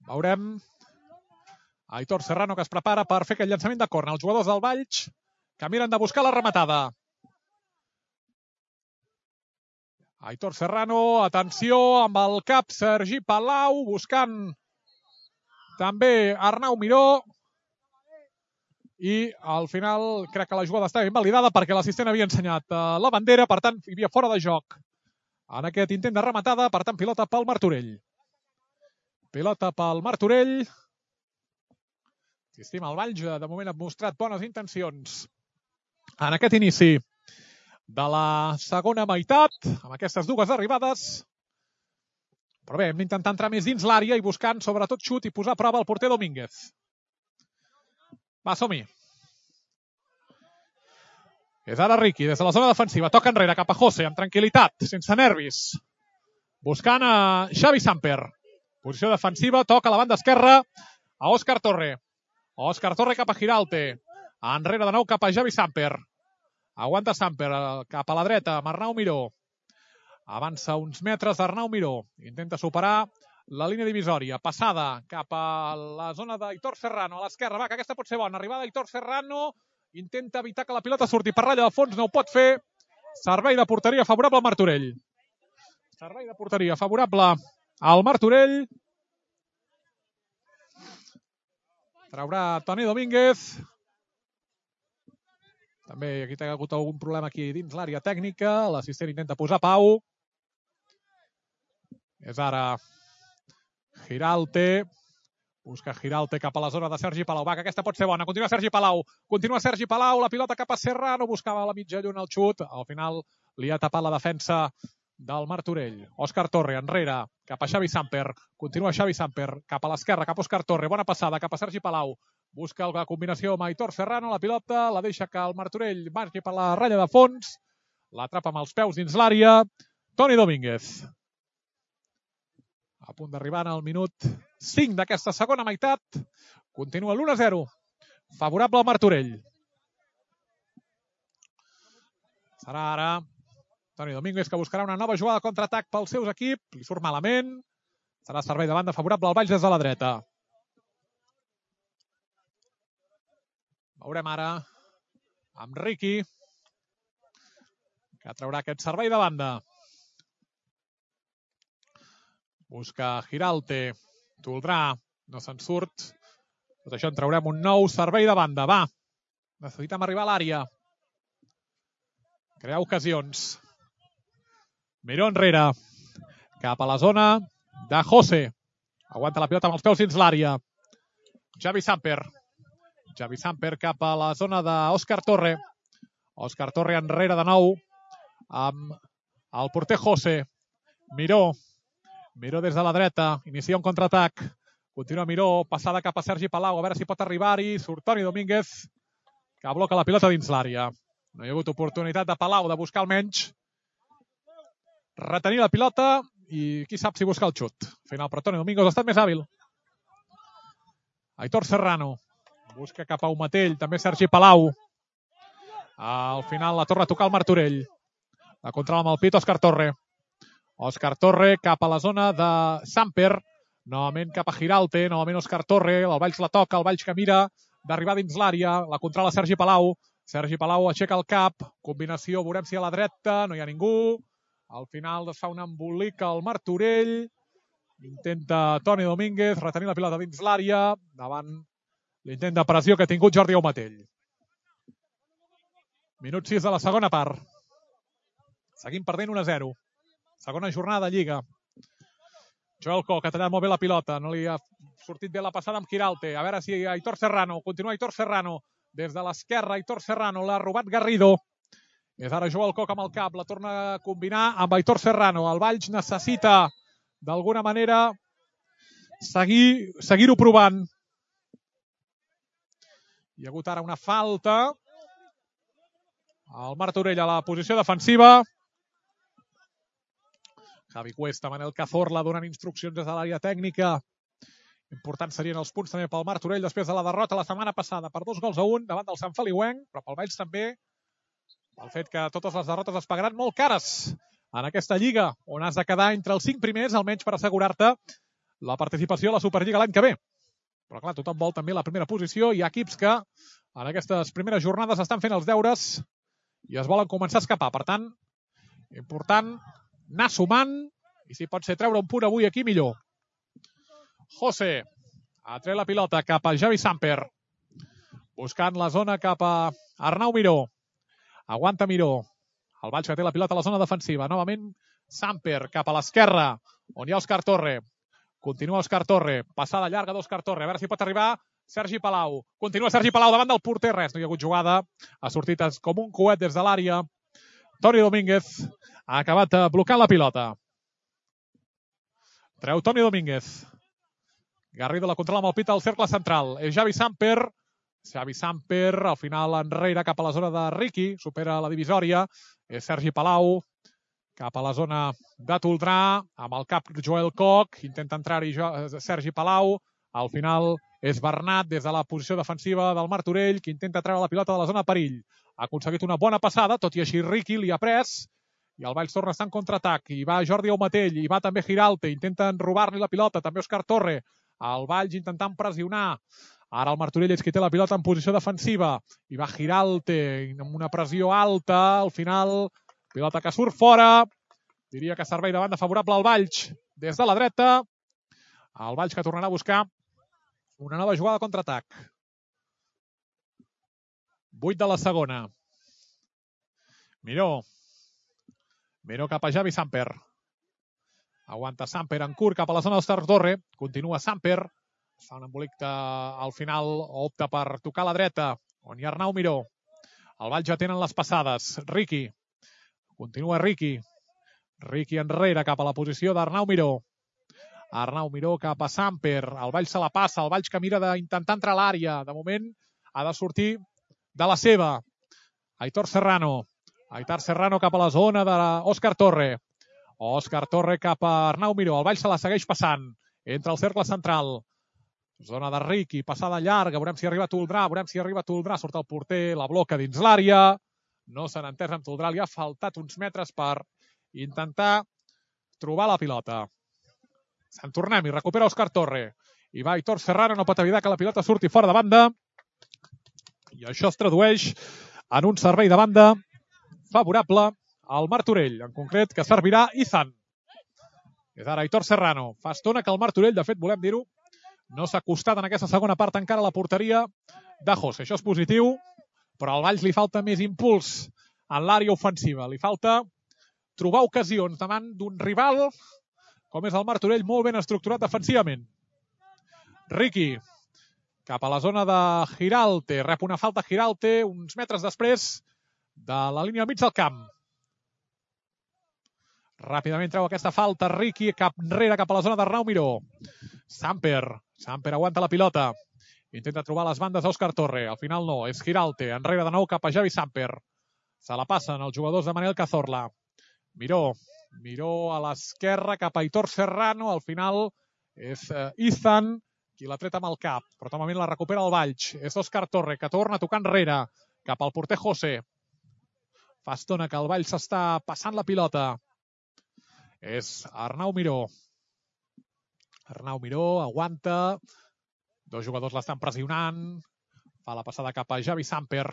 A: Veurem Aitor Serrano, que es prepara per fer aquest llançament de córner. Els jugadors del Valls que miren de buscar la rematada. Aitor Serrano, atenció, amb el cap Sergi Palau, buscant també Arnau Miró. I al final crec que la jugada estava invalidada perquè l'assistent havia ensenyat la bandera, per tant hi havia fora de joc en aquest intent de rematada, per tant pilota pel Martorell. Pilota pel Martorell. Insistim, el Valls de moment ha mostrat bones intencions en aquest inici de la segona meitat, amb aquestes dues arribades. Però bé, hem d'intentar entrar més dins l'àrea i buscant sobretot xut i posar a prova el porter Domínguez. Va, som-hi. És ara Riqui, des de la zona defensiva. Toca enrere, cap a José, amb tranquil·litat, sense nervis. Buscant a Xavi Samper. Posició defensiva, toca a la banda esquerra a Òscar Torre. Òscar Torre cap a Giralte. Enrere de nou cap a Xavi Samper. Aguanta Samper cap a la dreta amb Arnau Miró. Avança uns metres Arnau Miró. Intenta superar la línia divisòria. Passada cap a la zona d'Aitor Serrano. A l'esquerra, va, que aquesta pot ser bona. Arribada d'Aitor Serrano. Intenta evitar que la pilota surti per ratlla de fons. No ho pot fer. Servei de porteria favorable al Martorell. Servei de porteria favorable al Martorell. Traurà Toni Domínguez. També aquí ha hagut algun problema aquí dins l'àrea tècnica. L'assistent intenta posar pau. És ara Giralte. Busca Giralte cap a la zona de Sergi Palau. Va, que aquesta pot ser bona. Continua Sergi Palau. Continua Sergi Palau. La pilota cap a Serrano. Buscava a la mitja lluna el xut. Al final li ha tapat la defensa del Martorell. Òscar Torre enrere cap a Xavi Samper. Continua Xavi Samper cap a l'esquerra, cap a Òscar Torre. Bona passada cap a Sergi Palau. Busca la combinació amb Aitor Serrano. La pilota la deixa que el Martorell marqui per la ratlla de fons. L'atrapa amb els peus dins l'àrea. Toni Domínguez. A punt d'arribar al minut 5 d'aquesta segona meitat. Continua l'1-0. Favorable al Martorell. Serà ara Toni Domínguez, que buscarà una nova jugada de contraatac pels seus equips. Li surt malament. Serà servei de banda favorable al Valls des de la dreta. Veurem ara amb Riqui, que traurà aquest servei de banda. Busca Giralte. Toldrà. No se'n surt. Tot això en traurem un nou servei de banda. Va. Necessitem arribar a l'àrea. Crear ocasions. Miró enrere. Cap a la zona de José. Aguanta la pilota amb els peus dins l'àrea. Xavi Samper. Xavi Samper cap a la zona d'Òscar Torre. Òscar Torre enrere de nou amb el porter José. Miró. Miró des de la dreta. Inicia un contraatac. Continua Miró. Passada cap a Sergi Palau. A veure si pot arribar-hi. Surt Toni Domínguez, que bloca la pilota dins l'àrea. No hi ha hagut oportunitat de Palau de buscar almenys retenir la pilota i qui sap si buscar el xut. Al final, però Toni Domínguez ha estat més hàbil. Aitor Serrano. Busca cap a un matell. També Sergi Palau. Al final la torna a tocar el Martorell. La controla amb el pit Òscar Torre. Òscar Torre cap a la zona de Samper. Novament cap a Giralte. Novament Òscar Torre. El Valls la toca. El Valls que mira d'arribar dins l'àrea. La controla Sergi Palau. Sergi Palau aixeca el cap. Combinació. Veurem si a la dreta no hi ha ningú. Al final es fa un embolic al Martorell. Intenta Toni Domínguez retenir la pilota dins l'àrea. Davant l'intent de pressió que ha tingut Jordi Aumatell. Minut 6 de la segona part. Seguim perdent 1-0. Segona jornada de Lliga. Joel Coc ha tallat molt bé la pilota. No li ha sortit bé la passada amb Giralte. A veure si Aitor Serrano. Continua Aitor Serrano. Des de l'esquerra, Aitor Serrano. L'ha robat Garrido. És ara Joel Coc amb el cap. La torna a combinar amb Aitor Serrano. El Valls necessita, d'alguna manera, seguir-ho provant. Hi ha hagut ara una falta. El Martorell a la posició defensiva. Javi Cuesta, Manel Cazorla donen instruccions des de l'àrea tècnica. Importants serien els punts també pel Martorell després de la derrota la setmana passada per 2-1 davant del Sant Feliuenc, però pel Valls també pel fet que totes les derrotes es pagaran molt cares en aquesta lliga, on has de quedar entre els 5 primers, almenys per assegurar-te la participació a la Superliga l'any que ve. Però clar, tothom vol també la primera posició. Hi ha equips que en aquestes primeres jornades estan fent els deures i es volen començar a escapar. Per tant, important anar sumant i si pot ser treure un punt avui aquí, millor. José ha tret la pilota cap a Javi Samper, buscant la zona cap a Arnau Miró. Aguanta Miró. El Valls que té la pilota a la zona defensiva. Novament Samper cap a l'esquerra, on hi ha Òscar Torre. Continua Òscar Torre. Passada llarga d'Òscar Torre. A veure si pot arribar Sergi Palau. Continua Sergi Palau davant del porter. Res, no hi ha hagut jugada. Ha sortit com un coet des de l'àrea. Toni Domínguez ha acabat blocant la pilota. Treu Toni Domínguez. Garrido la controla amb el pit al cercle central. És Javi Samper. Xavi Samper, al final enrere cap a la zona de Riqui, supera la divisòria, és Sergi Palau, cap a la zona de Toldrà, amb el cap Joel Koch, intenta entrar-hi Sergi Palau, al final és Bernat des de la posició defensiva del Martorell, que intenta treure la pilota de la zona de perill. Ha aconseguit una bona passada, tot i així Riqui li ha pres, i el Valls torna a estar en contraatac, i va Jordi Aumatell, i va també Giralte, intenten robar-li la pilota, també Òscar Torre, el Valls intentant pressionar. Ara el Martorell és qui té la pilota en posició defensiva. I va Giralte amb una pressió alta. Al final, pilota que surt fora. Diria que servei de banda favorable al Valls des de la dreta. El Valls que tornarà a buscar una nova jugada de contraatac. 8 de la segona. Miró. Miró cap a Javi Samper. Aguanta Samper en curt cap a la zona d'Òscar Torre. Continua Samper. Fa un embolic al final, opta per tocar a la dreta, on hi ha Arnau Miró. El Valls ja tenen les passades. Riqui. Continua Riqui. Riqui enrere cap a la posició d'Arnau Miró. Arnau Miró cap a Samper. El Valls se la passa. El Valls que mira d'intentar entrar a l'àrea. De moment ha de sortir de la seva. Aitor Serrano. Aitor Serrano cap a la zona d'Òscar Torre. Òscar Torre cap a Arnau Miró. El Valls se la segueix passant. Entra al cercle central. Zona de Riqui, passada llarga, veurem si arriba Toldrà, surt el porter, la bloca dins l'àrea, no s'han entès amb Toldrà, li ha faltat uns metres per intentar trobar la pilota. Se'n tornem i recupera Òscar Torre. I va Aitor Serrano, no pot evitar que la pilota surti fora de banda, i això es tradueix en un servei de banda favorable al Martorell, en concret que servirà Izan. És ara Aitor Serrano. Fa estona que el Martorell, de fet, volem dir-ho, no s'ha acostat en aquesta segona part encara a la porteria de José. Això és positiu, però al Valls li falta més impuls en l'àrea ofensiva. Li falta trobar ocasions davant d'un rival com és el Martorell, molt ben estructurat defensivament. Riqui, cap a la zona de Giralte. Rep una falta Giralte uns metres després de la línia al mig del camp. Ràpidament treu aquesta falta Riqui, cap enrere cap a la zona d'Arnau Miró. Samper aguanta la pilota. Intenta trobar les bandes d'Òscar Torre. Al final no, és Giralte. Enrere de nou cap a Javi Samper. Se la passen els jugadors de Manel Cazorla. Miró a l'esquerra cap a Aitor Serrano. Al final és Izan qui l'ha tret amb el cap. Però normalment la recupera el Valls. És Òscar Torre que torna a tocar enrere cap al porter José. Fa estona que el Valls s'està passant la pilota. És Arnau Miró. Arnau Miró aguanta. Dos jugadors l'estan pressionant. Fa la passada cap a Javi Samper.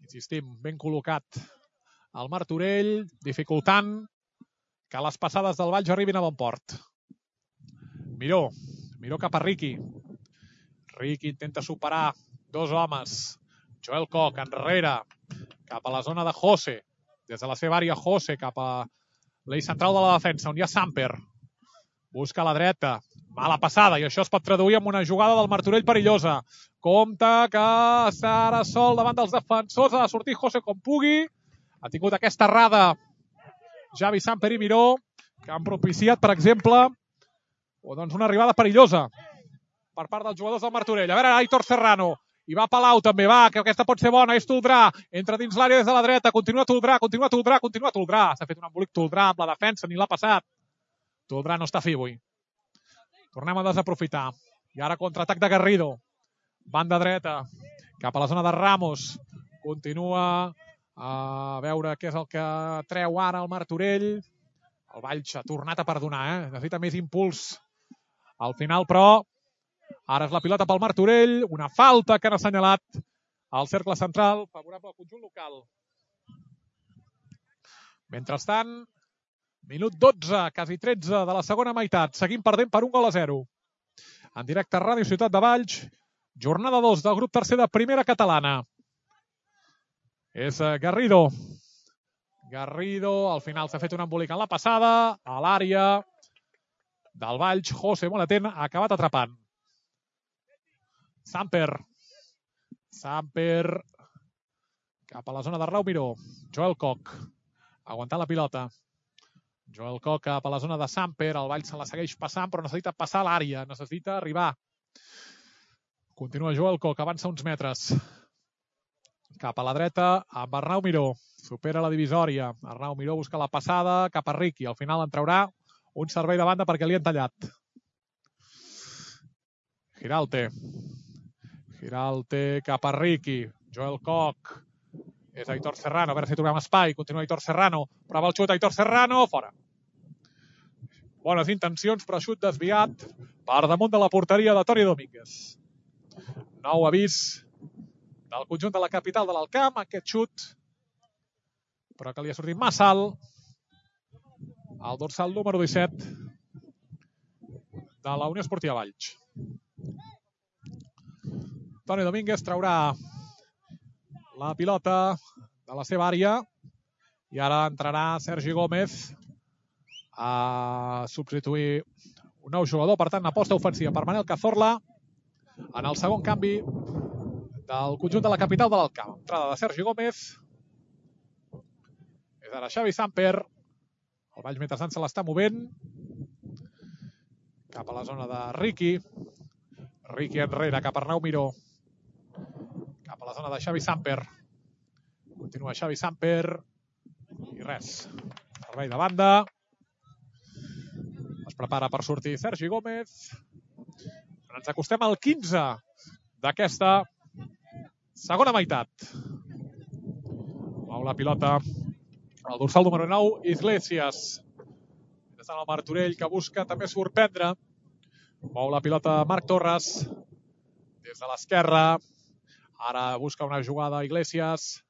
A: Insistim, ben col·locat el Martorell, dificultant que les passades del Valls arribin a bon port. Miró cap a Riqui. Riqui intenta superar dos homes. Joel Koch enrere cap a la zona de José. Des de la seva àrea José cap a l'eix central de la defensa, on hi ha Samper. Busca a la dreta. Mala passada, i això es pot traduir en una jugada del Martorell perillosa. Compte que està ara sol davant dels defensors. Ha de sortir José com pugui. Ha tingut aquesta errada Javi Samper i Miró, que han propiciat, per exemple, una arribada perillosa per part dels jugadors del Martorell. A veure, Aitor Serrano. I va Palau també, va, que aquesta pot ser bona, és Toldrà, entra dins l'àrea des de la dreta, continua Toldrà. S'ha fet un embolic Toldrà amb la defensa, ni l'ha passat. Toldrà no està fi avui. Tornem a desaprofitar. I ara contraatac de Garrido. Banda dreta, cap a la zona de Ramos. Continua A veure què és el que treu ara el Martorell. El Valls ha tornat a perdonar, necessita més impuls al final, però ara és la pilota pel Martorell, una falta que han assenyalat al cercle central, favorable al conjunt local. Mentrestant, minut 12, quasi 13 de la segona meitat, seguim perdent per 1-0. En directe a Ràdio Ciutat de Valls, jornada 2 del grup tercer de primera catalana. És Garrido. Garrido, al final s'ha fet un embolic en la passada, a l'àrea del Valls, José molt atent, ha acabat atrapant. Samper cap a la zona de Arnau Miró. Joel Koch aguantant la pilota. Joel Koch cap a la zona de Samper, el Valls se la segueix passant, però necessita passar a l'àrea, necessita arribar. Continua Joel Koch, avança uns metres. Cap a la dreta amb Arnau Miró. Supera la divisòria. Arnau Miró busca la passada cap a Riqui. Al final en traurà un servei de banda perquè li han tallat. Giralte cap a Riqui. Joel Koch. És Aitor Serrano. A veure si trobem espai. Continua Aitor Serrano. Prova el xut. Aitor Serrano. Fora. Bones intencions, però xut desviat per damunt de la porteria de Toni Domínguez. Nou avís del conjunt de la capital de l'Alcamp, aquest xut, però que li ha sortit massa alt al dorsal número 17 de la Unió Esportiva Valls. Toni Domínguez traurà la pilota de la seva àrea i ara entrarà Sergi Gómez a substituir un nou jugador, per tant, aposta ofensiva per Manel Cazorla en el segon canvi del conjunt de la capital de l'Alcamp. Entrada de Sergi Gómez. És ara Xavi Samper. El Valls mentrestant se l'està movent cap a la zona de Riqui. Riqui enrere cap a Arnau Miró. Cap a la zona de Xavi Samper. Continua Xavi Samper. I res. Servei de banda. Es prepara per sortir Sergi Gómez. Ens acostem al 15 d'aquesta segona meitat. Mou la pilota el dorsal número 9, Iglesias. Des del Martorell, que busca també sorprendre. Mou la pilota Marc Torres. Des de l'esquerra. Ara busca una jugada Iglesias.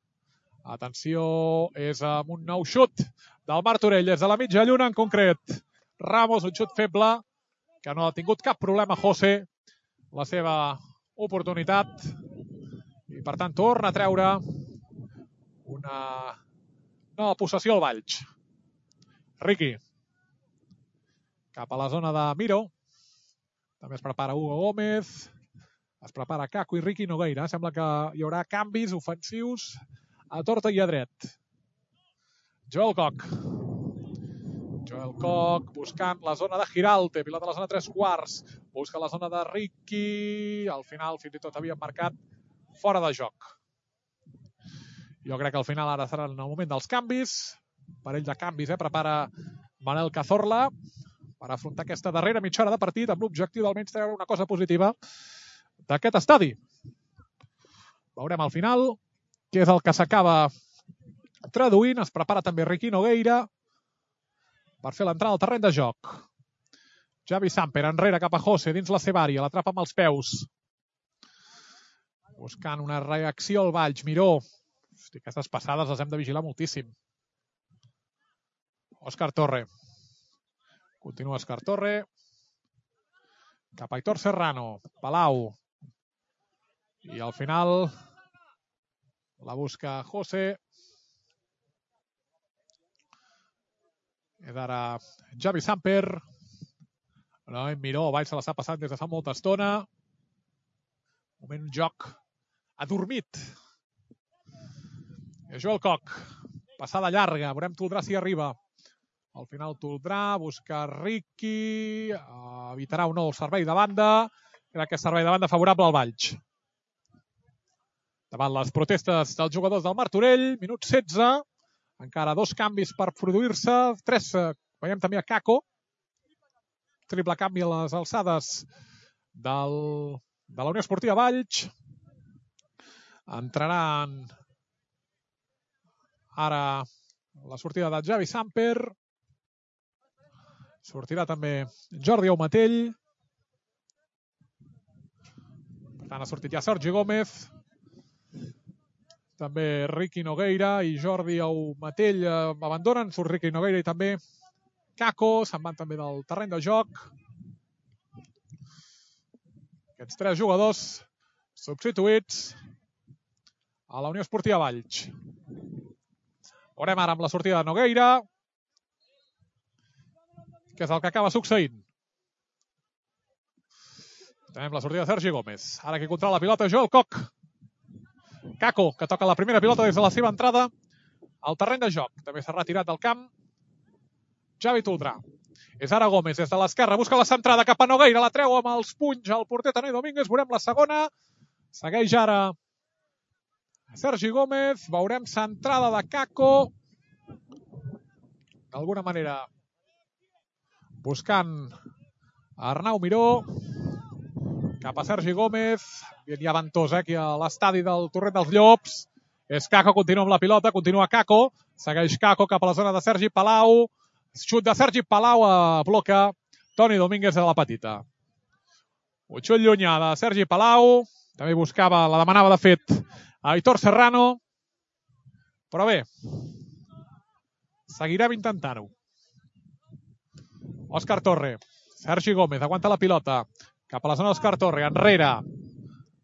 A: Atenció, és amb un nou xut del Martorell, des de la mitja lluna en concret. Ramos, un xut feble, que no ha tingut cap problema José. La seva oportunitat. I, per tant, torna a treure una nova possessió al Valls. Riqui. Cap a la zona de Miró. També es prepara Hugo Gómez. Es prepara Caco i Riqui Nogueira. Sembla que hi haurà canvis ofensius a torta i a dret. Joel Koch. Joel Koch buscant la zona de Giralte. Pilota a la zona 3/4. Busca la zona de Riqui. Al final, fins i tot havien marcat fora de joc. Jo crec que al final ara serà en el moment dels canvis. Parell de canvis, prepara Manel Cazorla per afrontar aquesta darrera mitja hora de partit amb l'objectiu d'almenys treure una cosa positiva d'aquest estadi. Veurem al final què és el que s'acaba traduint. Es prepara també Riqui Nogueira per fer l'entrada al terreny de joc. Xavi Samper enrere cap a José dins la seva àrea. L'atrapa amb els peus. Buscant una reacció al Valls. Miró. Hosti, aquestes passades les hem de vigilar moltíssim. Òscar Torre. Continua Òscar Torre. Cap a Aitor Serrano. Palau. I al final la busca José. És ara Xavi Samper. Miró, Valls se l'està passant des de fa molta estona. Moment joc adormit. Joel Koch. Passada llarga. Veurem Toldrà si arriba. Al final Toldrà busca Riqui. Evitarà un nou servei de banda. Crec que és servei de banda favorable al Valls. Davant les protestes dels jugadors del Martorell. Minut 16. Encara dos canvis per produir-se. 3. Veiem també a Caco. Triple canvi a les alçades de la Unió Esportiva Valls. Entraran Ara la sortida de Javi Samper. Sortirà també Jordi Aumatell. Per tant, ha sortit ja Sergi Gómez. També Riqui Nogueira i Jordi Aumatell abandonen. Surt Riqui Nogueira i també Kako. Se'n van també del terreny de joc. Aquests 3 jugadors substituïts a la Unió Esportiva Valls. Veurem ara amb la sortida de Nogueira què és el que acaba succeint. Tenim la sortida de Sergi Gómez. Ara qui controla la pilota, Joel Koch. Kako, que toca la primera pilota des de la seva entrada al terreny de joc. També s'ha retirat del camp Javi Toldrà. És ara Gómez des de l'esquerra, busca la centrada cap a Nogueira, la treu amb els punys al porter Toni Domínguez. Veurem la segona. Segueix ara Sergi Gómez. Veurem centrada de Kako. D'alguna manera buscant Arnau Miró. Cap a Sergi Gómez. Hi ha ventós aquí a l'estadi del Torrent dels Llops. És Kako, continua amb la pilota, continua Kako. Segueix Kako cap a la zona de Sergi Palau. Xut de Sergi Palau a bloca Toni Domínguez de la petita. Un xut llunyà de Sergi Palau. També buscava, la demanava de fet a Aitor Serrano. Però bé, seguirem intentant-ho. Òscar Torre. Sergi Gómez aguanta la pilota. Cap a la zona d'Òscar Torre. Enrere.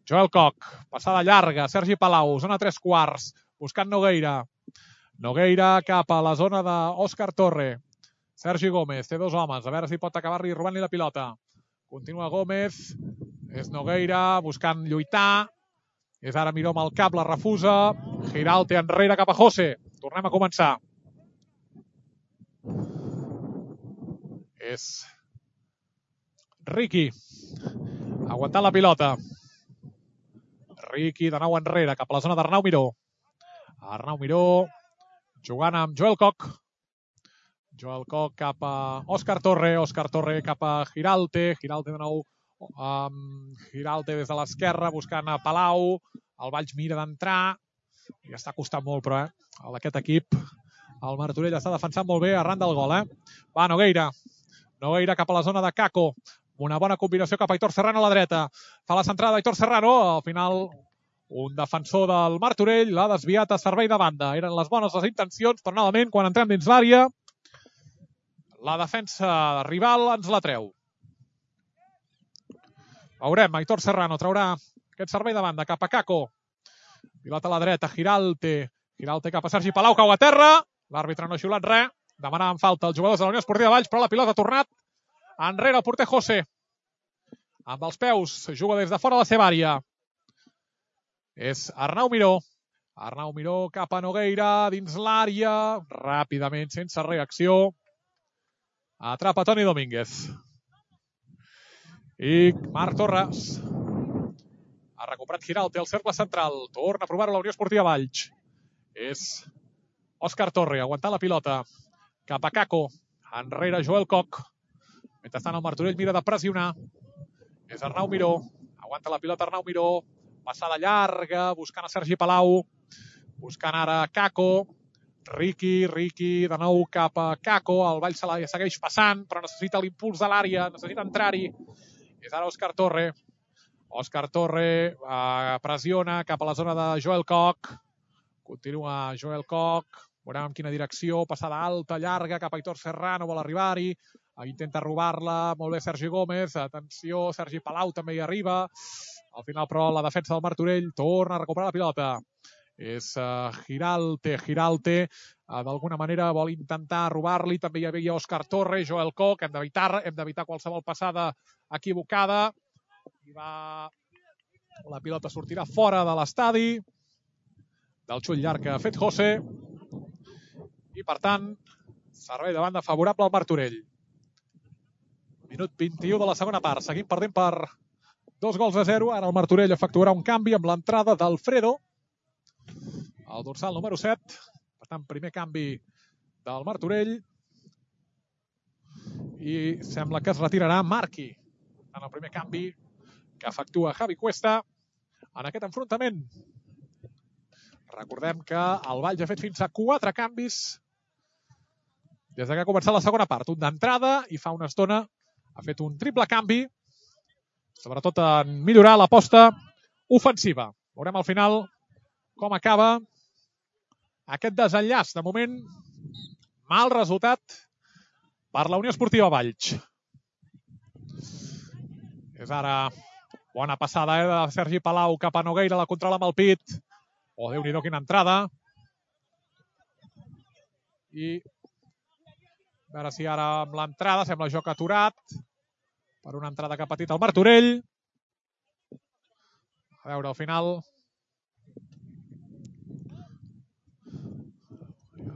A: Joel Koch. Passada llarga. Sergi Palau. Zona 3/4. Buscant Nogueira. Nogueira cap a la zona d'Òscar Torre. Sergi Gómez. Té 2 homes. A veure si pot acabar-li robant-li la pilota. Continua Gómez. És Nogueira buscant lluitar. És ara Miró amb el cap. La refusa. Giralte enrere cap a José. Tornem a començar. És Riqui. Aguantant la pilota. Riqui de nou enrere, cap a la zona d'Arnau Miró. Arnau Miró jugant amb Joel Koch. Joel Koch cap a Òscar Torre. Òscar Torre cap a Giralte. Giralte de nou. Giralte des de l'esquerra buscant a Palau. El Valls mira d'entrar. Ja està costant molt, però, aquest equip. El Martorell està defensant molt bé arran del gol, Va, Nogueira. Nogueira cap a la zona de Kako. Una bona combinació cap a Aitor Serrano a la dreta. Fa la centrada d'Aitor Serrano. Al final, un defensor del Martorell l'ha desviat a servei de banda. Eren les bones les intencions, però novament, quan entrem dins l'àrea, la defensa rival ens la treu. Veurem, Aitor Serrano traurà aquest servei de banda cap a Kako. Pilota a la dreta, Giralte. Giralte cap a Sergi Palau, cau a terra. L'àrbitre no ha xiulat res. Demanaven falta els jugadors de la Unió Esportiva Valls, però la pilota ha tornat enrere el porter José. Amb els peus, juga des de fora de la seva àrea. És Arnau Miró. Arnau Miró cap a Nogueira, dins l'àrea. Ràpidament, sense reacció. Atrapa Toni Domínguez. I Marc Torres. Ha recuperat Giralte al cercle central. Torna a provar-ho la Unió Esportiva Valls. És Òscar Torre, aguantant la pilota. Cap a Kako. Enrere Joel Koch. Mentrestant el Martorell mira de pressionar. És Arnau Miró. Aguanta la pilota Arnau Miró. Passada llarga, buscant a Sergi Palau. Buscant ara Kako. Riqui de nou cap a Kako. El Valls se la segueix passant, però necessita l'impuls de l'àrea. Necessita entrar-hi. És ara Òscar Torre. Òscar Torre pressiona cap a la zona de Joel Koch. Continua Joel Koch. Veurem en quina direcció. Passada alta, llarga, cap a Aitor Serrano. Vol arribar-hi. Intenta robar-la. Molt bé Sergi Gómez. Atenció, Sergi Palau també hi arriba. Al final, però, la defensa del Martorell torna a recuperar la pilota. És Giralte. D'alguna manera vol intentar robar-li. També hi havia Òscar Torre, Joel Koch. Hem d'evitar qualsevol passada equivocada. La pilota sortirà fora de l'estadi. Del xut llarg que ha fet José. I, per tant, servei de banda favorable al Martorell. Minut 21 de la segona part. Seguim perdent per 2-0. Ara el Martorell efectuarà un canvi amb l'entrada d'Alfredo, el dorsal número 7. Per tant, primer canvi del Martorell. I sembla que es retirarà Marqui. En el primer canvi que efectua Javi Cuesta en aquest enfrontament. Recordem que el Valls ha fet fins a 4 canvis des que ha començat la segona part. Un d'entrada i fa una estona ha fet un triple canvi, sobretot en millorar l'aposta ofensiva. Veurem al final com acaba aquest desenllaç. De moment, mal resultat per la Unió Esportiva Valls. És ara bona passada de Sergi Palau cap a Nogueira, la controla amb el pit. Oh, Déu-n'hi-do, quina entrada. I a veure si ara amb l'entrada sembla joc aturat per una entrada que ha patit el Martorell. A veure, al final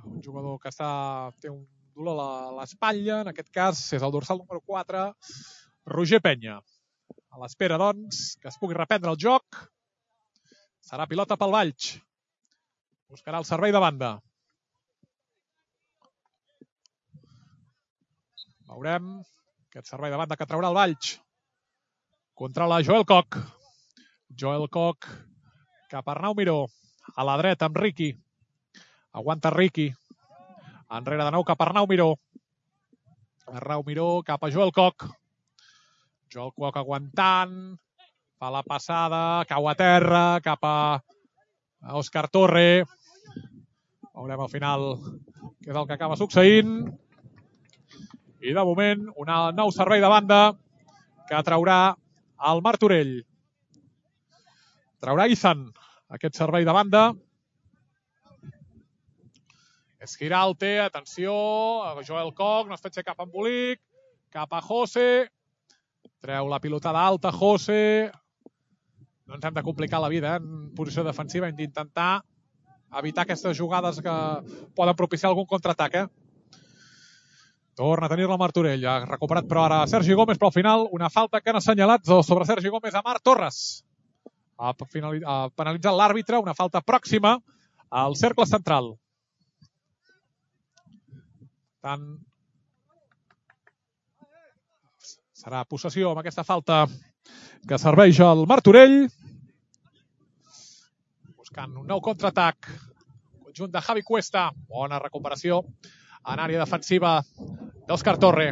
A: un jugador que té un dolor a l'espatlla, en aquest cas és el dorsal número 4, Roger Penya. A l'espera, doncs, que es pugui reprendre el joc. Serà pilota pel Valls. Buscarà el servei de banda. Veurem aquest servei de banda que traurà el Valls. Controla Joel Koch. Joel Koch cap a Arnau Miró. A la dreta amb Riqui. Aguanta Riqui. Enrere de nou cap a Arnau Miró. Arnau Miró cap a Joel Koch. Joel Koch aguantant. Fa la passada. Cau a terra. Cap a Òscar Torre. Veurem al final què és el que acaba succeint. I de moment, un nou servei de banda que traurà el Martorell. Traurà Izan aquest servei de banda. És Giralte, atenció, Joel Koch, no es pot fer cap embolic, cap a José, treu la pilotada alta, José. No ens hem de complicar la vida en posició defensiva, hem d'intentar evitar aquestes jugades que poden propiciar algun contraatac. Torna a tenir-la Martorell, ha recuperat però ara Sergi Gómez, però al final una falta que han assenyalat sobre Sergi Gómez a Marc Torres. Ha penalitzat l'àrbitre, una falta pròxima al cercle central. Tant serà possessió amb aquesta falta que serveix al Martorell. Buscant un nou contraatac. Conjunt de Javi Cuesta. Bona recuperació en àrea defensiva d'Òscar Torre.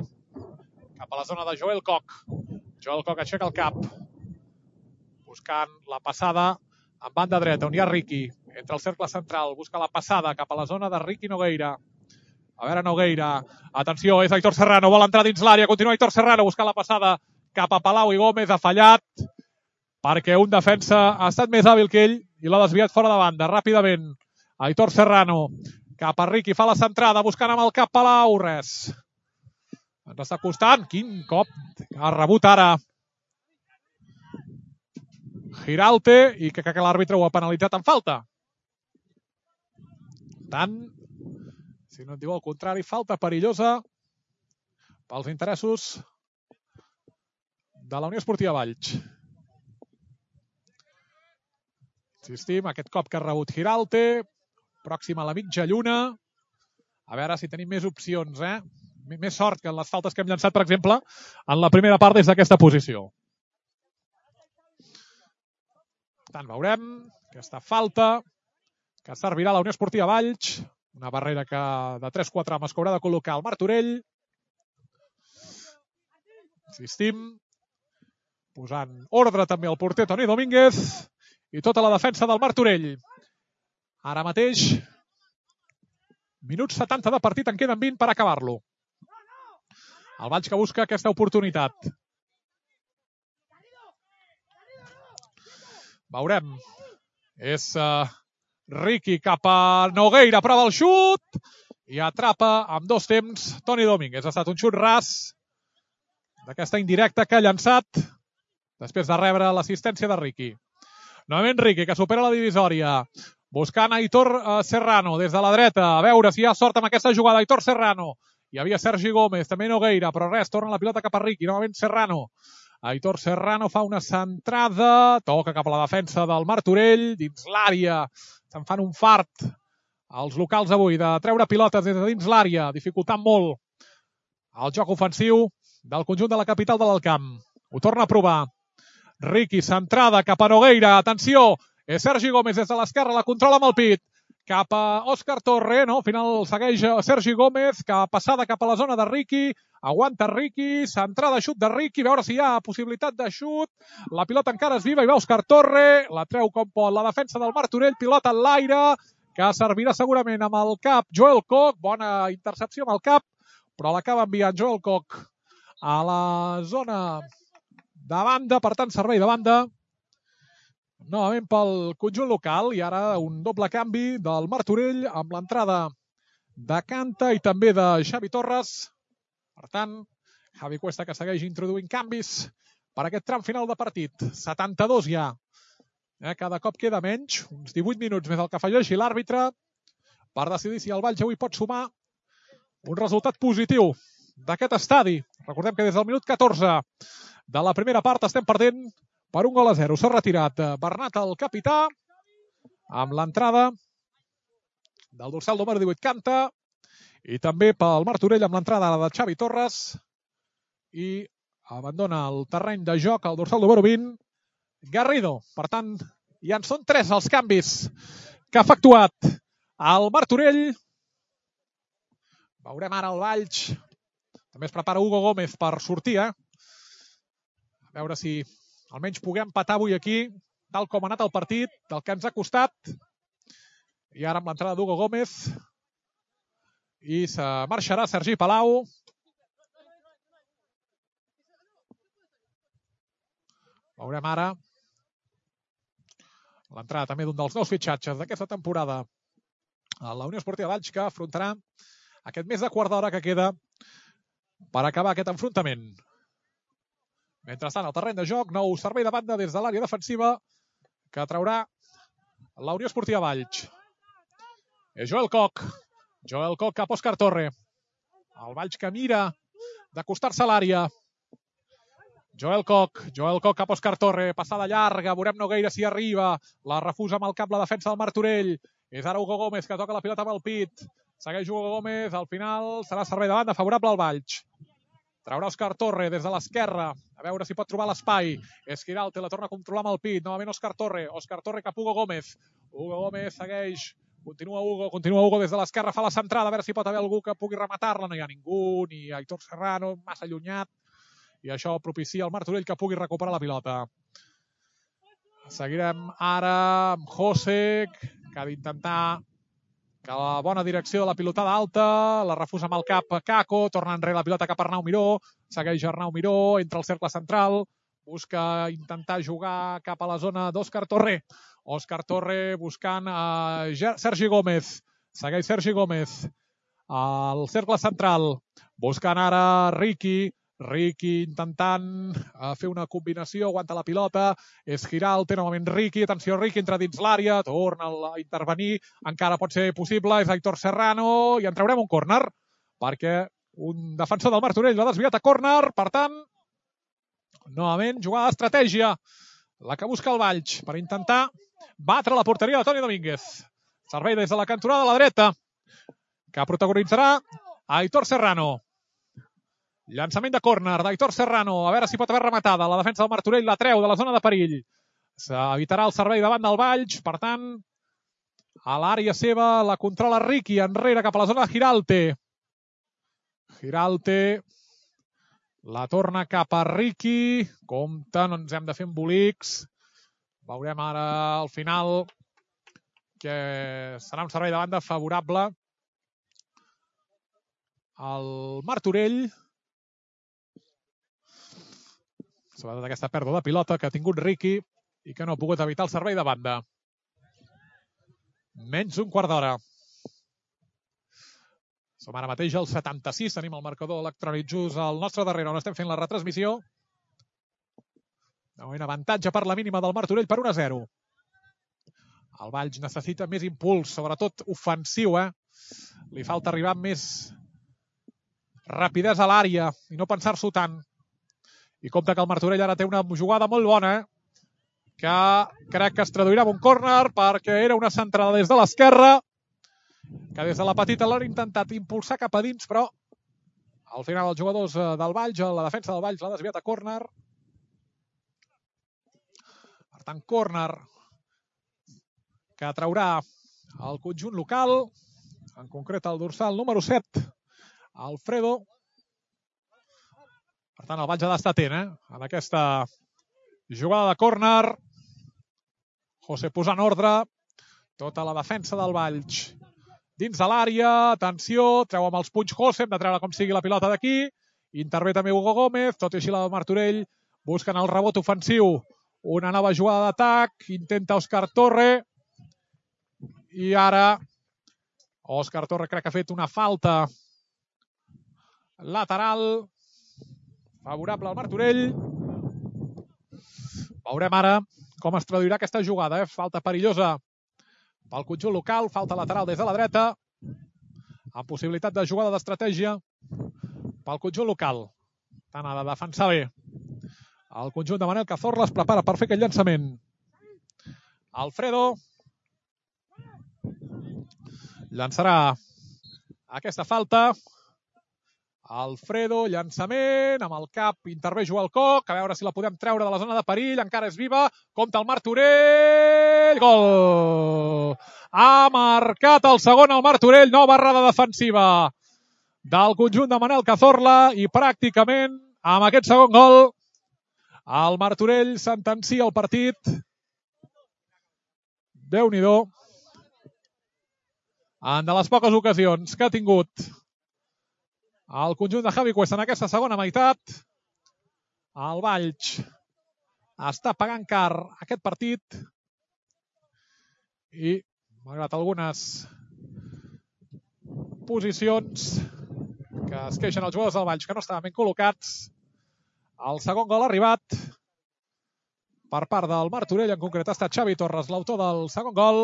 A: Cap a la zona de Joel Koch. Joel Koch aixeca el cap. Buscant la passada en banda dreta, on hi ha Riqui. Entra al cercle central, busca la passada cap a la zona de Riqui Nogueira. A veure Nogueira, atenció, és Aitor Serrano, vol entrar dins l'àrea, continua Aitor Serrano, busca la passada cap a Palau i Gómez, ha fallat, perquè un defensa ha estat més hàbil que ell i l'ha desviat fora de banda, ràpidament. Aitor Serrano, cap a Riqui, fa la centrada, buscant amb el cap Palau, res. Ens està costant, quin cop ha rebut ara Giralte i que l'àrbitre ho ha penalitzat en falta. Tant, si no et diu el contrari, falta perillosa pels interessos de la Unió Esportiva Valls. Insistim, aquest cop que ha rebut Giralte, pròxim a la mitja lluna. A veure si tenim més opcions, Més sort que en les faltes que hem llançat, per exemple, en la primera part des d'aquesta posició. Per tant, veurem aquesta falta que servirà a la Unió Esportiva Valls. Una barrera de 3-4 homes que haurà de col·locar el Martorell. Insistim. Posant ordre també el porter Toni Domínguez i tota la defensa del Martorell. Ara mateix, minuts 70 de partit, en queden 20 per acabar-lo. El Valls que busca aquesta oportunitat. Veurem. És Riqui cap a Nogueira, prova el xut i atrapa amb 2 temps Toni Domínguez. Ha estat un xut ras d'aquesta indirecta que ha llançat després de rebre l'assistència de Riqui. Novament Riqui, que supera la divisòria. Buscant Aitor Serrano des de la dreta. A veure si hi ha sort amb aquesta jugada. Aitor Serrano. Hi havia Sergi Gómez, també Nogueira, però res, torna la pilota cap a Riqui. Novament Serrano. Aitor Serrano fa una centrada. Toca cap a la defensa del Martorell. Dins l'àrea. Se'n fan un fart els locals avui de treure pilotes des de dins l'àrea, dificultant molt el joc ofensiu del conjunt de la capital de l'Alt Camp. Ho torna a provar. Riqui, centrada cap a Nogueira. Atenció, És Sergi Gómez des de l'esquerra, la controla amb el pit. Cap a Òscar Torre, no? Al final segueix Sergi Gómez, que passada cap a la zona de Riqui. Aguanta Riqui, centrada xut de Riqui, veure si hi ha possibilitat de xut. La pilota encara és viva i va Òscar Torre, la treu com pot la defensa del Martorell, pilota en l'aire, que servirà segurament amb el cap Joel Koch, bona intercepció amb el cap, però l'acaba enviant Joel Koch a la zona de banda, per tant servei de banda novament pel conjunt local, i ara un doble canvi del Martorell amb l'entrada de Canta i també de Xavi Torres. Per tant, Javi Cuesta que segueix introduint canvis per aquest tram final de partit. 72 ja. Cada cop queda menys, uns 18 minuts més el que afegeixi l'àrbitre per decidir si el Valls avui pot sumar un resultat positiu d'aquest estadi. Recordem que des del minut 14 de la primera part estem perdent per 1-0. S'ha retirat Bernat, el capità, amb l'entrada del dorsal número 18 Canta, i també pel Martorell amb l'entrada de Xavi Torres, i abandona el terreny de joc el dorsal número 20 Garrido. Per tant, ja en són 3 els canvis que ha efectuat el Martorell. Veurem ara el Valls. També es prepara Hugo Gómez per sortir, A veure si almenys puguem empatar avui aquí, tal com ha anat el partit, del que ens ha costat. I ara amb l'entrada d'Hugo Gómez. I se marxarà Sergi Palau. Veurem ara l'entrada també d'un dels nous fitxatges d'aquesta temporada a la Unió Esportiva Valls, que afrontarà aquest mes de quart d'hora que queda per acabar aquest enfrontament. Mentrestant, al terreny de joc, nou servei de banda des de l'àrea defensiva que traurà la Unió Esportiva Valls. És Joel Koch. Joel Koch cap a Òscar Torre. El Valls que mira d'acostar-se a l'àrea. Joel Koch cap a Òscar Torre. Passada llarga, veurem no gaire si arriba. La refusa amb el cap la defensa del Martorell. És ara Hugo Gómez que toca la pilota amb el pit. Segueix Hugo Gómez, al final serà servei de banda favorable al Valls. Traurà Òscar Torre des de l'esquerra, a veure si pot trobar l'espai. És Giralt, la torna a controlar amb el pit. Novament Òscar Torre cap a Hugo Gómez. Hugo Gómez segueix, continua Hugo des de l'esquerra, fa la centrada, a veure si pot haver algú que pugui rematar-la. No hi ha ningú, ni Aitor Serrano, massa allunyat. I això propicia al Martorell que pugui recuperar la pilota. Seguirem ara amb José, que ha d'intentar que la bona direcció de la pilotada alta, la refusa amb el cap Caco, torna enrere la pilota cap a Arnau Miró, segueix Arnau Miró, entra al cercle central, busca intentar jugar cap a la zona d'Òscar Torre. Òscar Torre buscant a Sergi Gómez, segueix Sergi Gómez al cercle central, buscant ara Riqui intentant fer una combinació, aguanta la pilota, és Giralt, novament Riqui, atenció Riqui, entra dins l'àrea, torna a intervenir, encara pot ser possible, és Aitor Serrano, i en traurem un córner, perquè un defensor del Martorell l'ha desviat a córner, per tant, novament jugada d'estratègia, la que busca el Valls, per intentar batre la porteria de Toni Domínguez. Servei des de la cantonada de la dreta, que protagonitzarà Aitor Serrano. Llançament de córner d'Aitor Serrano, a veure si pot haver rematada. La defensa del Martorell la treu de la zona de perill. S'evitarà el servei davant del Valls, per tant, a l'àrea seva la controla Riqui, enrere cap a la zona de Giralte, la torna cap a Riqui, compte, no ens hem de fer embolics. Veurem ara al final que serà un servei de banda favorable al Martorell, sobretot aquesta pèrdua de pilota que ha tingut Riqui i que no ha pogut evitar el servei de banda. Menys d'un quart d'hora. Som ara mateix al 76, tenim el marcador electrònic just al nostre darrere, on estem fent la retransmissió. Un avantatge per la mínima del Martorell per 1-0. El Valls necessita més impuls, sobretot ofensiu, Li falta arribar amb més rapidesa a l'àrea i no pensar-s'ho tant. I compte que el Martorell ara té una jugada molt bona, que crec que es traduirà en un córner, perquè era una centrada des de l'esquerra, que des de la petita l'han intentat impulsar cap a dins, però al final els jugadors del Valls, la defensa del Valls l'ha desviat a córner. Per tant, córner que traurà el conjunt local, en concret el dorsal número 7, Alfredo. Per tant, el Valls ha d'estar atent, en aquesta jugada de córner. José posa en ordre tota la defensa del Valls. Dins de l'àrea, atenció, treu amb els punys José, hem de treure com sigui la pilota d'aquí. Intervé també Hugo Gómez, tot i així la de Martorell, busquen el rebot ofensiu. Una nova jugada d'atac, intenta Òscar Torre. I ara Òscar Torre crec que ha fet una falta lateral favorable al Martorell. Veurem ara com es traduirà aquesta jugada. Falta perillosa pel conjunt local, falta lateral des de la dreta, amb possibilitat de jugada d'estratègia pel conjunt local. Tant ha de defensar bé. El conjunt de Manel Cazorla es prepara per fer aquest llançament. Alfredo llançarà aquesta falta. Alfredo, llançament, amb el cap, intervé Joel Coc, a veure si la podem treure de la zona de perill, encara és viva, compta el Martorell, gol! Ha marcat el segon el Martorell, nova errada defensiva del conjunt de Manel Cazorla i pràcticament amb aquest segon gol el Martorell sentencia el partit. Déu-n'hi-do. En de les poques ocasions que ha tingut el conjunt de Javi Cuesta en aquesta segona meitat, el Valls està pagant car aquest partit i, malgrat algunes posicions que es queixen els jugadors del Valls que no estaven ben col·locats, el segon gol ha arribat per part del Martorell, en concret ha estat Xavi Torres, l'autor del segon gol.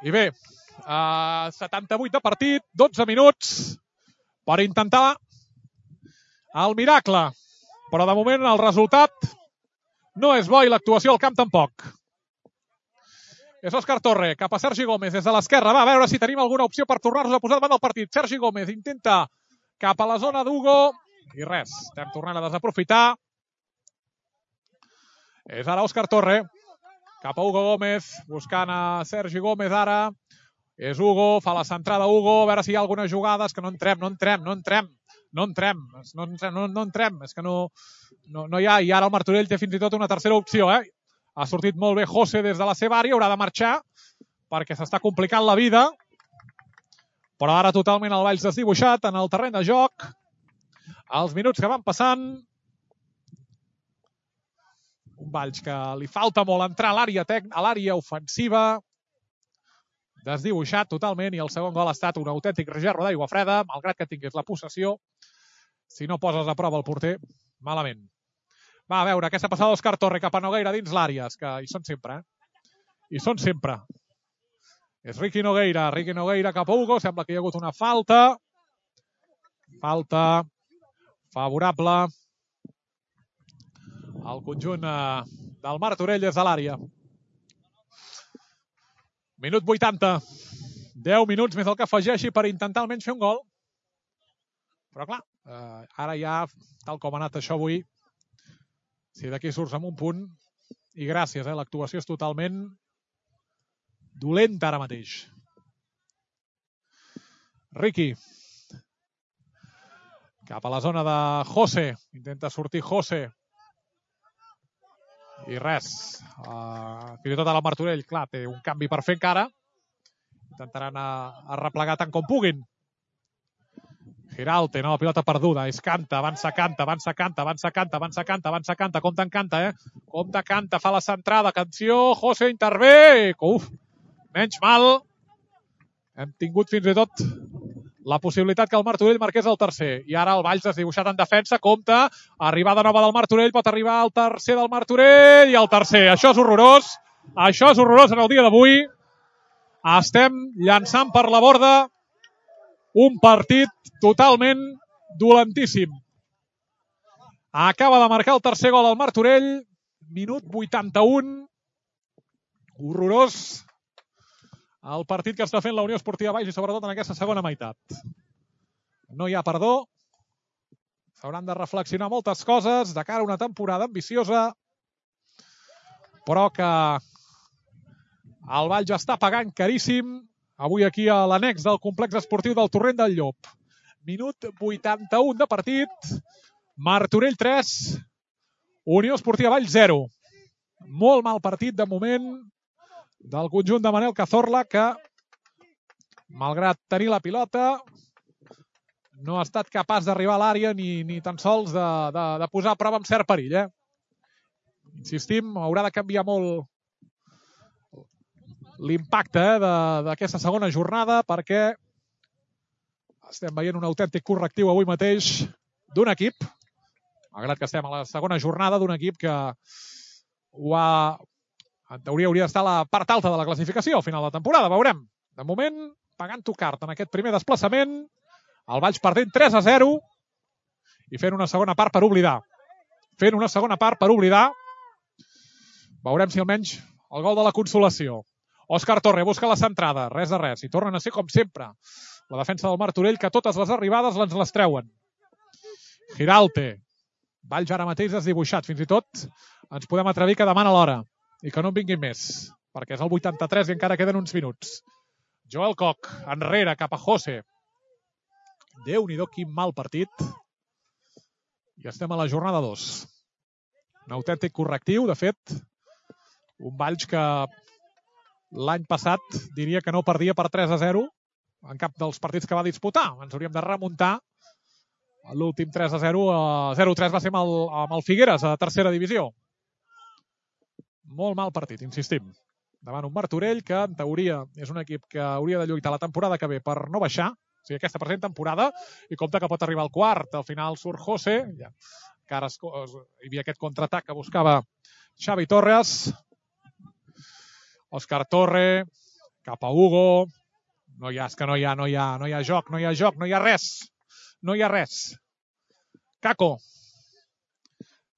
A: I bé, 78 de partit, 12 minuts per intentar el miracle. Però de moment el resultat no és bo i l'actuació al camp tampoc. És Òscar Torre, cap a Sergi Gómez des de l'esquerra. Va a veure si tenim alguna opció per tornar-nos a posar davant del partit. Sergi Gómez intenta cap a la zona d'Hugo i res, estem tornant a desaprofitar. És ara Òscar Torre, cap a Hugo Gómez, buscant a Sergi Gómez ara. És Hugo, fa la centrada Hugo, a veure si hi ha algunes jugades que no entrem. És que no hi ha. I ara el Martorell té fins i tot una tercera opció. Ha sortit molt bé José des de la seva àrea, haurà de marxar perquè s'està complicant la vida. Però ara totalment el Valls desdibuixat en el terreny de joc. Els minuts que van passant. Un Valls que li falta molt entrar a l'àrea ofensiva. Desdibuixat totalment i el segon gol ha estat un autèntic regerro d'aigua freda, malgrat que tingués la possessió. Si no poses a prova el porter, malament. Va, a veure, aquesta passada d'Òscar Torre cap a Nogueira dins l'àrea, que hi són sempre, Hi són sempre. És Riqui Nogueira cap a Hugo, sembla que hi ha hagut una falta. Falta favorable al conjunt del Martorell des de l'àrea. Minut 80. 10 minuts més el que afegeixi per intentar almenys fer un gol. Però clar, ara ja, tal com ha anat això avui, si d'aquí surts amb un punt, i gràcies, l'actuació és totalment dolenta ara mateix. Riqui. Cap a la zona de José. Intenta sortir José. I res. Fins i tot el Martorell, clar, té un canvi per fer encara. Intentaran arreplegar tant com puguin. Giralte, no, pilota perduda. És Canta, avança Canta. Compte en Canta, Compte Canta, fa la centrada. Atenció, José intervé. Menys mal. Hem tingut fins i tot la possibilitat que el Martorell marqués el tercer. I ara el Valls desdibuixat en defensa. Compte, arribada nova del Martorell. Pot arribar el tercer del Martorell. I el tercer. Això és horrorós. Això és horrorós en el dia d'avui. Estem llançant per la borda un partit totalment dolentíssim. Acaba de marcar el tercer gol al Martorell. Minut 81. Horrorós el partit que està fent la Unió Esportiva Valls i sobretot en aquesta segona meitat. No hi ha perdó. S'hauran de reflexionar moltes coses de cara a una temporada ambiciosa, però que El Valls està pagant caríssim avui aquí a l'annex del complex esportiu del Torrent del Llop. Minut 81 de partit. Martorell 3, Unió Esportiva Valls 0. Molt mal partit de moment del conjunt de Manel Cazorla, que malgrat tenir la pilota no ha estat capaç d'arribar a l'àrea ni tan sols de posar a prova amb cert perill. Insistim, haurà de canviar molt l'impacte d'aquesta segona jornada, perquè estem veient un autèntic correctiu avui mateix d'un equip, malgrat que estem a la segona jornada, d'un equip que en teoria hauria d'estar a la part alta de la classificació al final de temporada, veurem. De moment, pagant-ho cart en aquest primer desplaçament, el Valls perdent 3-0 i fent una segona part per oblidar. Veurem si almenys el gol de la consolació. Òscar Torre busca la centrada, res de res, i tornen a ser com sempre la defensa del Martorell, que totes les arribades les treuen. Giralte. Valls ara mateix desdibuixat, fins i tot ens podem atrevir que demana l'hora i que no en vinguin més, perquè és el 83 i encara queden uns minuts. Joel Koch, enrere, cap a José. Déu-n'hi-do, quin mal partit. I estem a la jornada 2. Un autèntic correctiu, de fet, un Valls que l'any passat diria que no perdia per 3-0 en cap dels partits que va disputar. Ens hauríem de remuntar. L'últim 3-0, 0-3 va ser amb el Figueres a tercera divisió. Molt mal partit, insistim. Davant un Martorell que, en teoria, és un equip que hauria de lluitar la temporada que ve per no baixar, o sigui, aquesta present temporada, i compta que pot arribar al quart. Al final surt José, que ara hi havia aquest contraatac que buscava Xavi Torres. Òscar Torre, cap a Hugo. No hi ha joc, no hi ha res. Caco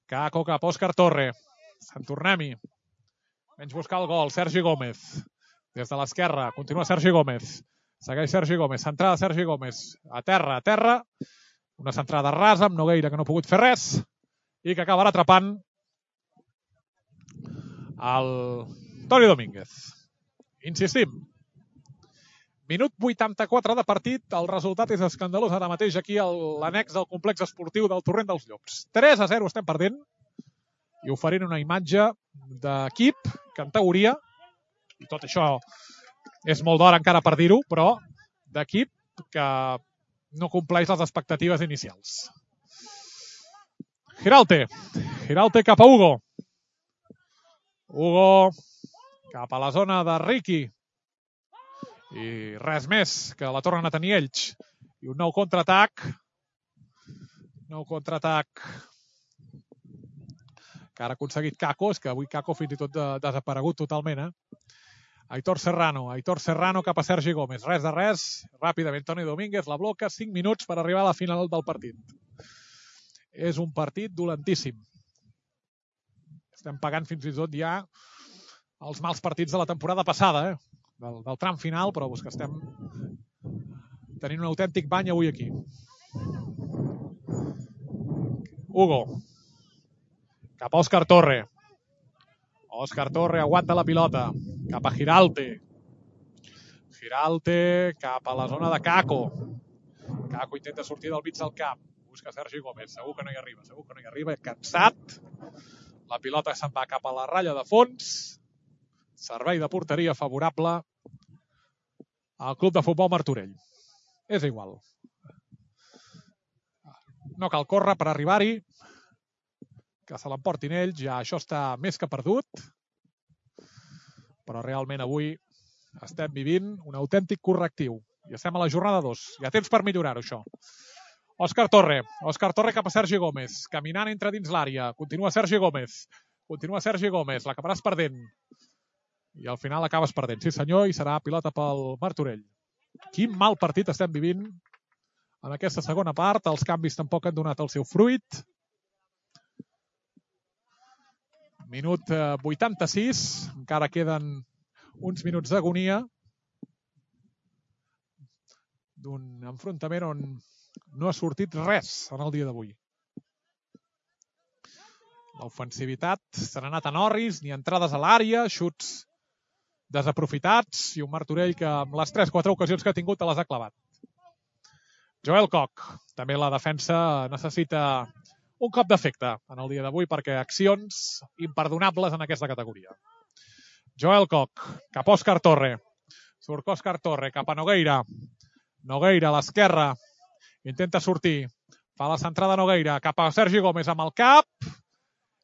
A: cap a Òscar Torre. Sant Tornem-hi. Menys buscar el gol, Sergi Gómez. Des de l'esquerra, continua Sergi Gómez. Segueix Sergi Gómez, centrada Sergi Gómez. A terra. Una centrada rasa amb Nogueira, que no ha pogut fer res, i que acabarà atrapant el Toni Domínguez. Insistim. Minut 84 de partit. El resultat és escandalós ara mateix aquí a l'annex del complex esportiu del Torrent dels Llops. 3-0 estem perdent i oferint una imatge d'equip que en teoria, i tot això és molt d'hora encara per dir-ho, però d'equip que no compleix les expectatives inicials. Giralte cap a Hugo. Cap a la zona de Riqui. I res més, que la tornen a tenir ells. I un nou contraatac. Que ara ha aconseguit Caco. És que avui Caco fins i tot desaparegut totalment. Aitor Serrano cap a Sergi Gómez. Res de res. Ràpidament Toni Domínguez la bloca. 5 minuts per arribar a la final del partit. És un partit dolentíssim. Estem pagant fins i tot ja els mals partits de la temporada passada, del tram final, però que estem tenint un autèntic bany avui aquí. Hugo. Cap a Òscar Torre. Òscar Torre aguanta la pilota. Cap a Giralte. Cap a la zona de Caco. Caco intenta sortir del mig del camp. Busca Sergi Gómez. Segur que no hi arriba. Cansat. La pilota se'n va cap a la ratlla de fons. Servei de porteria favorable al Club de Futbol Martorell. És igual. No cal córrer per arribar-hi. Que se l'emportin ells. Ja això està més que perdut. Però realment avui estem vivint un autèntic correctiu. I estem a la jornada 2. Hi ha temps per millorar-ho, això. Òscar Torre cap a Sergi Gómez. Caminant entra dins l'àrea. Continua Sergi Gómez. L'acabaràs perdent. I al final acabes perdent. Sí senyor, i serà pilota pel Martorell. Quin mal partit estem vivint en aquesta segona part. Els canvis tampoc han donat el seu fruit. Minut 86. Encara queden uns minuts d'agonia d'un enfrontament on no ha sortit res en el dia d'avui. L'ofensivitat se n'ha anat a Norris, ni entrades a l'àrea, xuts desaprofitats i un Martorell que amb les 3-4 ocasions que ha tingut te les ha clavat. Joel Koch. També la defensa necessita un cop d'efecte en el dia d'avui perquè accions imperdonables en aquesta categoria. Joel Koch, cap a Òscar Torre. Surt Òscar Torre, cap a Nogueira. Nogueira a l'esquerra. Intenta sortir. Fa la centrada Nogueira, cap a Sergi Gómez amb el cap.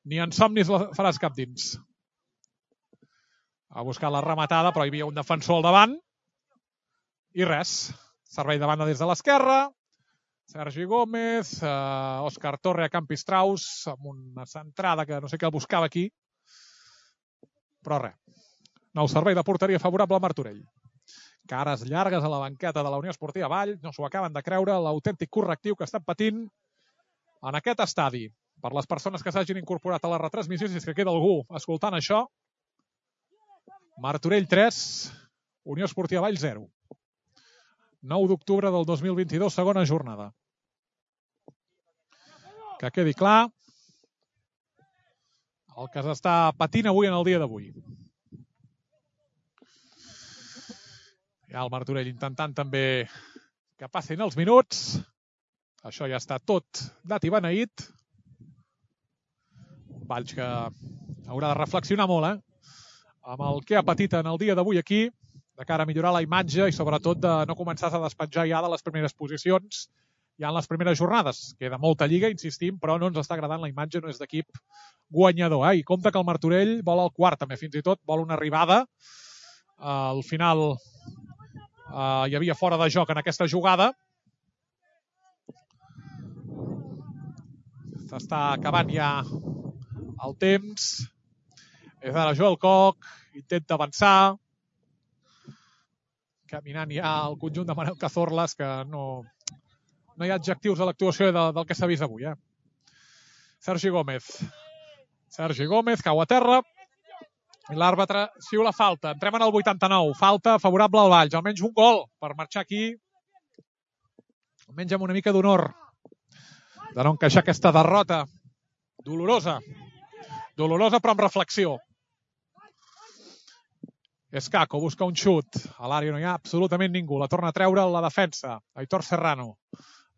A: Ni en somnis la faràs cap dins. Ha buscat la rematada, però hi havia un defensor al davant. I res. Servei de banda des de l'esquerra. Sergi Gómez, Òscar Torre a Campistraus, amb una centrada que no sé què el buscava aquí. Però res. Nou servei de porteria favorable a Martorell. Cares llargues a la banqueta de la Unió Esportiva Vall. No s'ho acaben de creure, l'autèntic correctiu que estan patint en aquest estadi. Per les persones que s'hagin incorporat a la retransmissió, si és que queda algú escoltant això. Martorell 3, Unió Esportiva Vall 0. 9 d'octubre del 2022, segona jornada. Que quedi clar el que s'està patint avui en el dia d'avui. Ja el Martorell intentant també que passin els minuts. Això ja està tot dat i beneït. Un Valls que haurà de reflexionar molt, amb el que ha patit en el dia d'avui aquí, de cara a millorar la imatge i sobretot de no començar a despenjar ja de les primeres posicions ja en les primeres jornades. Queda molta lliga, insistim, però no ens està agradant la imatge, no és d'equip guanyador. I compte que el Martorell vol el quart, també fins i tot vol una arribada. Al final hi havia fora de joc en aquesta jugada. S'està acabant ja el temps. És ara Joel Koch, intenta avançar. Caminant ja el conjunt de Manel Cazorlas, que no hi ha adjectius a l'actuació del que s'ha vist avui. Sergi Gómez. Sergi Gómez cau a terra. I l'àrbitre xiula falta. Entrem en el 89. Falta favorable al Valls. Almenys un gol per marxar aquí. Almenys amb una mica d'honor. De no encaixar aquesta derrota. Dolorosa. Dolorosa però amb reflexió. Escaco busca un xut. A l'àrea no hi ha absolutament ningú. La torna a treure la defensa. Aitor Serrano.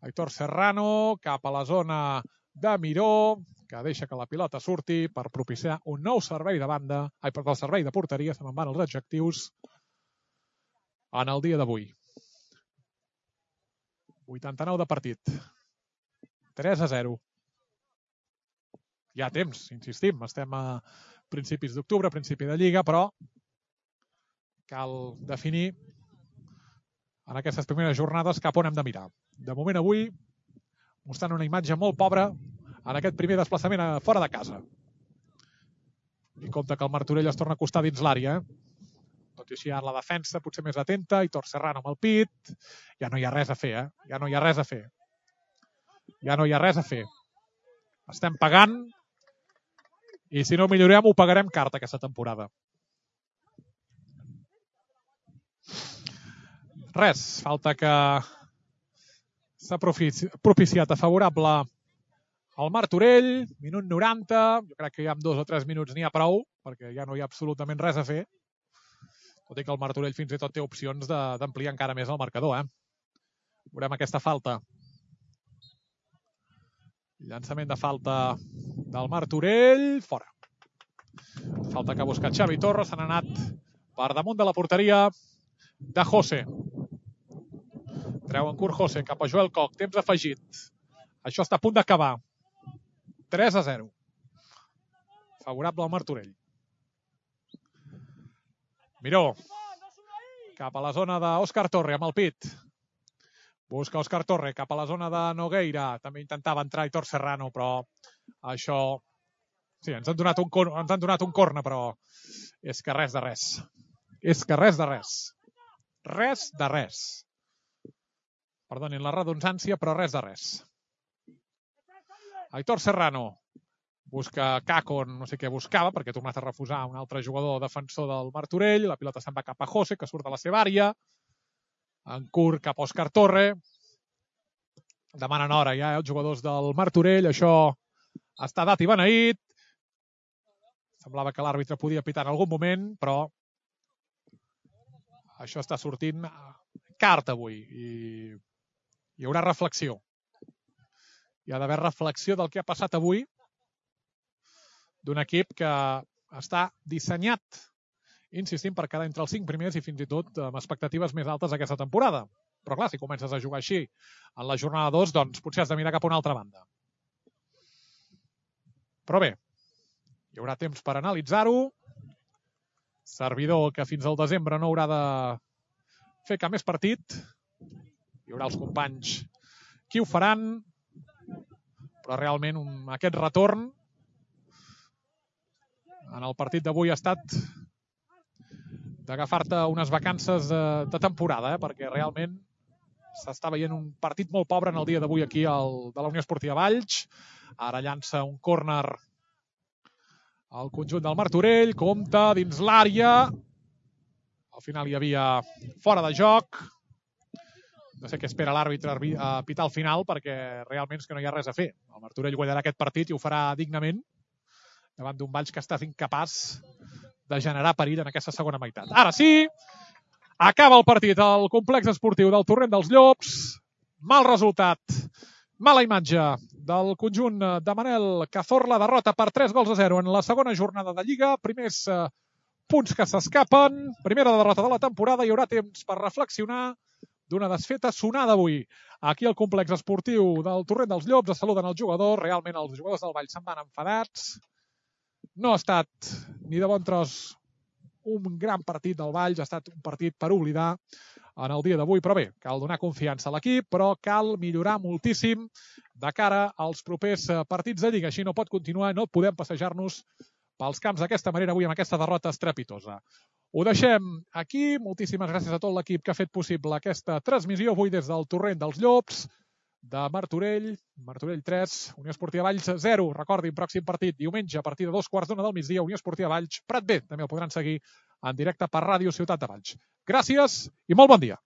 A: Aitor Serrano cap a la zona de Miró, que deixa que la pilota surti per propiciar un nou servei de banda. El servei de porteria, se me'n van els adjectius, en el dia d'avui. 89 de partit. 3-0. Hi ha temps, insistim. Estem a principis d'octubre, principi de Lliga, però cal definir en aquestes primeres jornades cap on hem de mirar. De moment avui, mostrant una imatge molt pobra en aquest primer desplaçament fora de casa. I compte que el Martorell es torna a acostar dins l'àrea. Tot i així ara la defensa potser més atenta, Aitor Serrano amb el pit. Ja no hi ha res a fer, Ja no hi ha res a fer. Ja no hi ha res a fer. Estem pagant i si no millorem ho pagarem car aquesta temporada. Res, falta que s'ha propiciat a favorable al Martorell, minut 90, jo crec que ja amb 2 o 3 minuts n'hi ha prou, perquè ja no hi ha absolutament res a fer, tot i que el Martorell fins i tot té opcions d'ampliar encara més el marcador. Veurem aquesta falta. Llançament de falta del Martorell, fora. Falta que ha buscat Xavi Torres, s'han anat per damunt de la porteria de José. Treu en curt José cap a Joel Koch, temps afegit. Això està a punt d'acabar. 3-0. Favorable al Martorell. Miró. Cap a la zona d'Òscar Torre amb el pit. Busca Òscar Torre cap a la zona de Nogueira. També intentava entrar Aitor Serrano, però això... Sí, ens han donat un corna, però és que res de res. És que res de res. Res de res. Perdonin la redundància, però res de res. Aitor Serrano busca Caco, no sé què buscava, perquè ha tornat a refusar un altre jugador defensor del Martorell. La pilota se'n va cap a José, que surt de la seva àrea. En curt cap a Òscar Torre. Demanen hora ja els jugadors del Martorell. Això està dat i beneït. Semblava que l'àrbitre podia pitar en algun moment, però Això està sortint carta avui i hi haurà reflexió. Hi ha d'haver reflexió del que ha passat avui d'un equip que està dissenyat, insistim, per quedar entre els 5 primers i fins i tot amb expectatives més altes aquesta temporada. Però clar, si comences a jugar així en la jornada 2, doncs potser has de mirar cap a una altra banda. Però bé, hi haurà temps per analitzar-ho. Servidor que fins al desembre no haurà de fer cap més partit. Hi haurà els companys qui ho faran, però realment aquest retorn en el partit d'avui ha estat d'agafar-te unes vacances de temporada, perquè realment s'està veient un partit molt pobre en el dia d'avui aquí de la Unió Esportiva Valls. Ara llança un córner al conjunt del Martorell, compta dins l'àrea. Al final hi havia fora de joc. No sé què espera l'àrbitre a pitar al final, perquè realment és que no hi ha res a fer. El Martorell guanyarà aquest partit i ho farà dignament davant d'un Valls que ha estat incapaç de generar perill en aquesta segona meitat. Ara sí, acaba el partit al complex esportiu del Torrent dels Llops. Mal resultat, mala imatge del conjunt de Manel Cazorla. Derrota per 3-0 en la segona jornada de Lliga. Primers punts que s'escapen. Primera derrota de la temporada. Hi haurà temps per reflexionar d'una desfeta sonada avui. Aquí al complex esportiu del Torrent dels Llops es saluden els jugadors. Realment els jugadors del Valls se'n van enfadats. No ha estat ni de bon tros un gran partit del Valls, ha estat un partit per oblidar en el dia d'avui, però bé, cal donar confiança a l'equip, però cal millorar moltíssim de cara als propers partits de Lliga. Així no pot continuar, no podem passejar-nos pels camps d'aquesta manera avui amb aquesta derrota estrepitosa. Ho deixem aquí, moltíssimes gràcies a tot l'equip que ha fet possible aquesta transmissió avui des del Torrent dels Llops, de Martorell 3, Unió Esportiva Valls 0. Recordin, pròxim partit diumenge a partir de 2:15 del migdia, Unió Esportiva Valls Prat B. També el podran seguir en directe per Ràdio Ciutat de Valls. Gràcies i molt bon dia.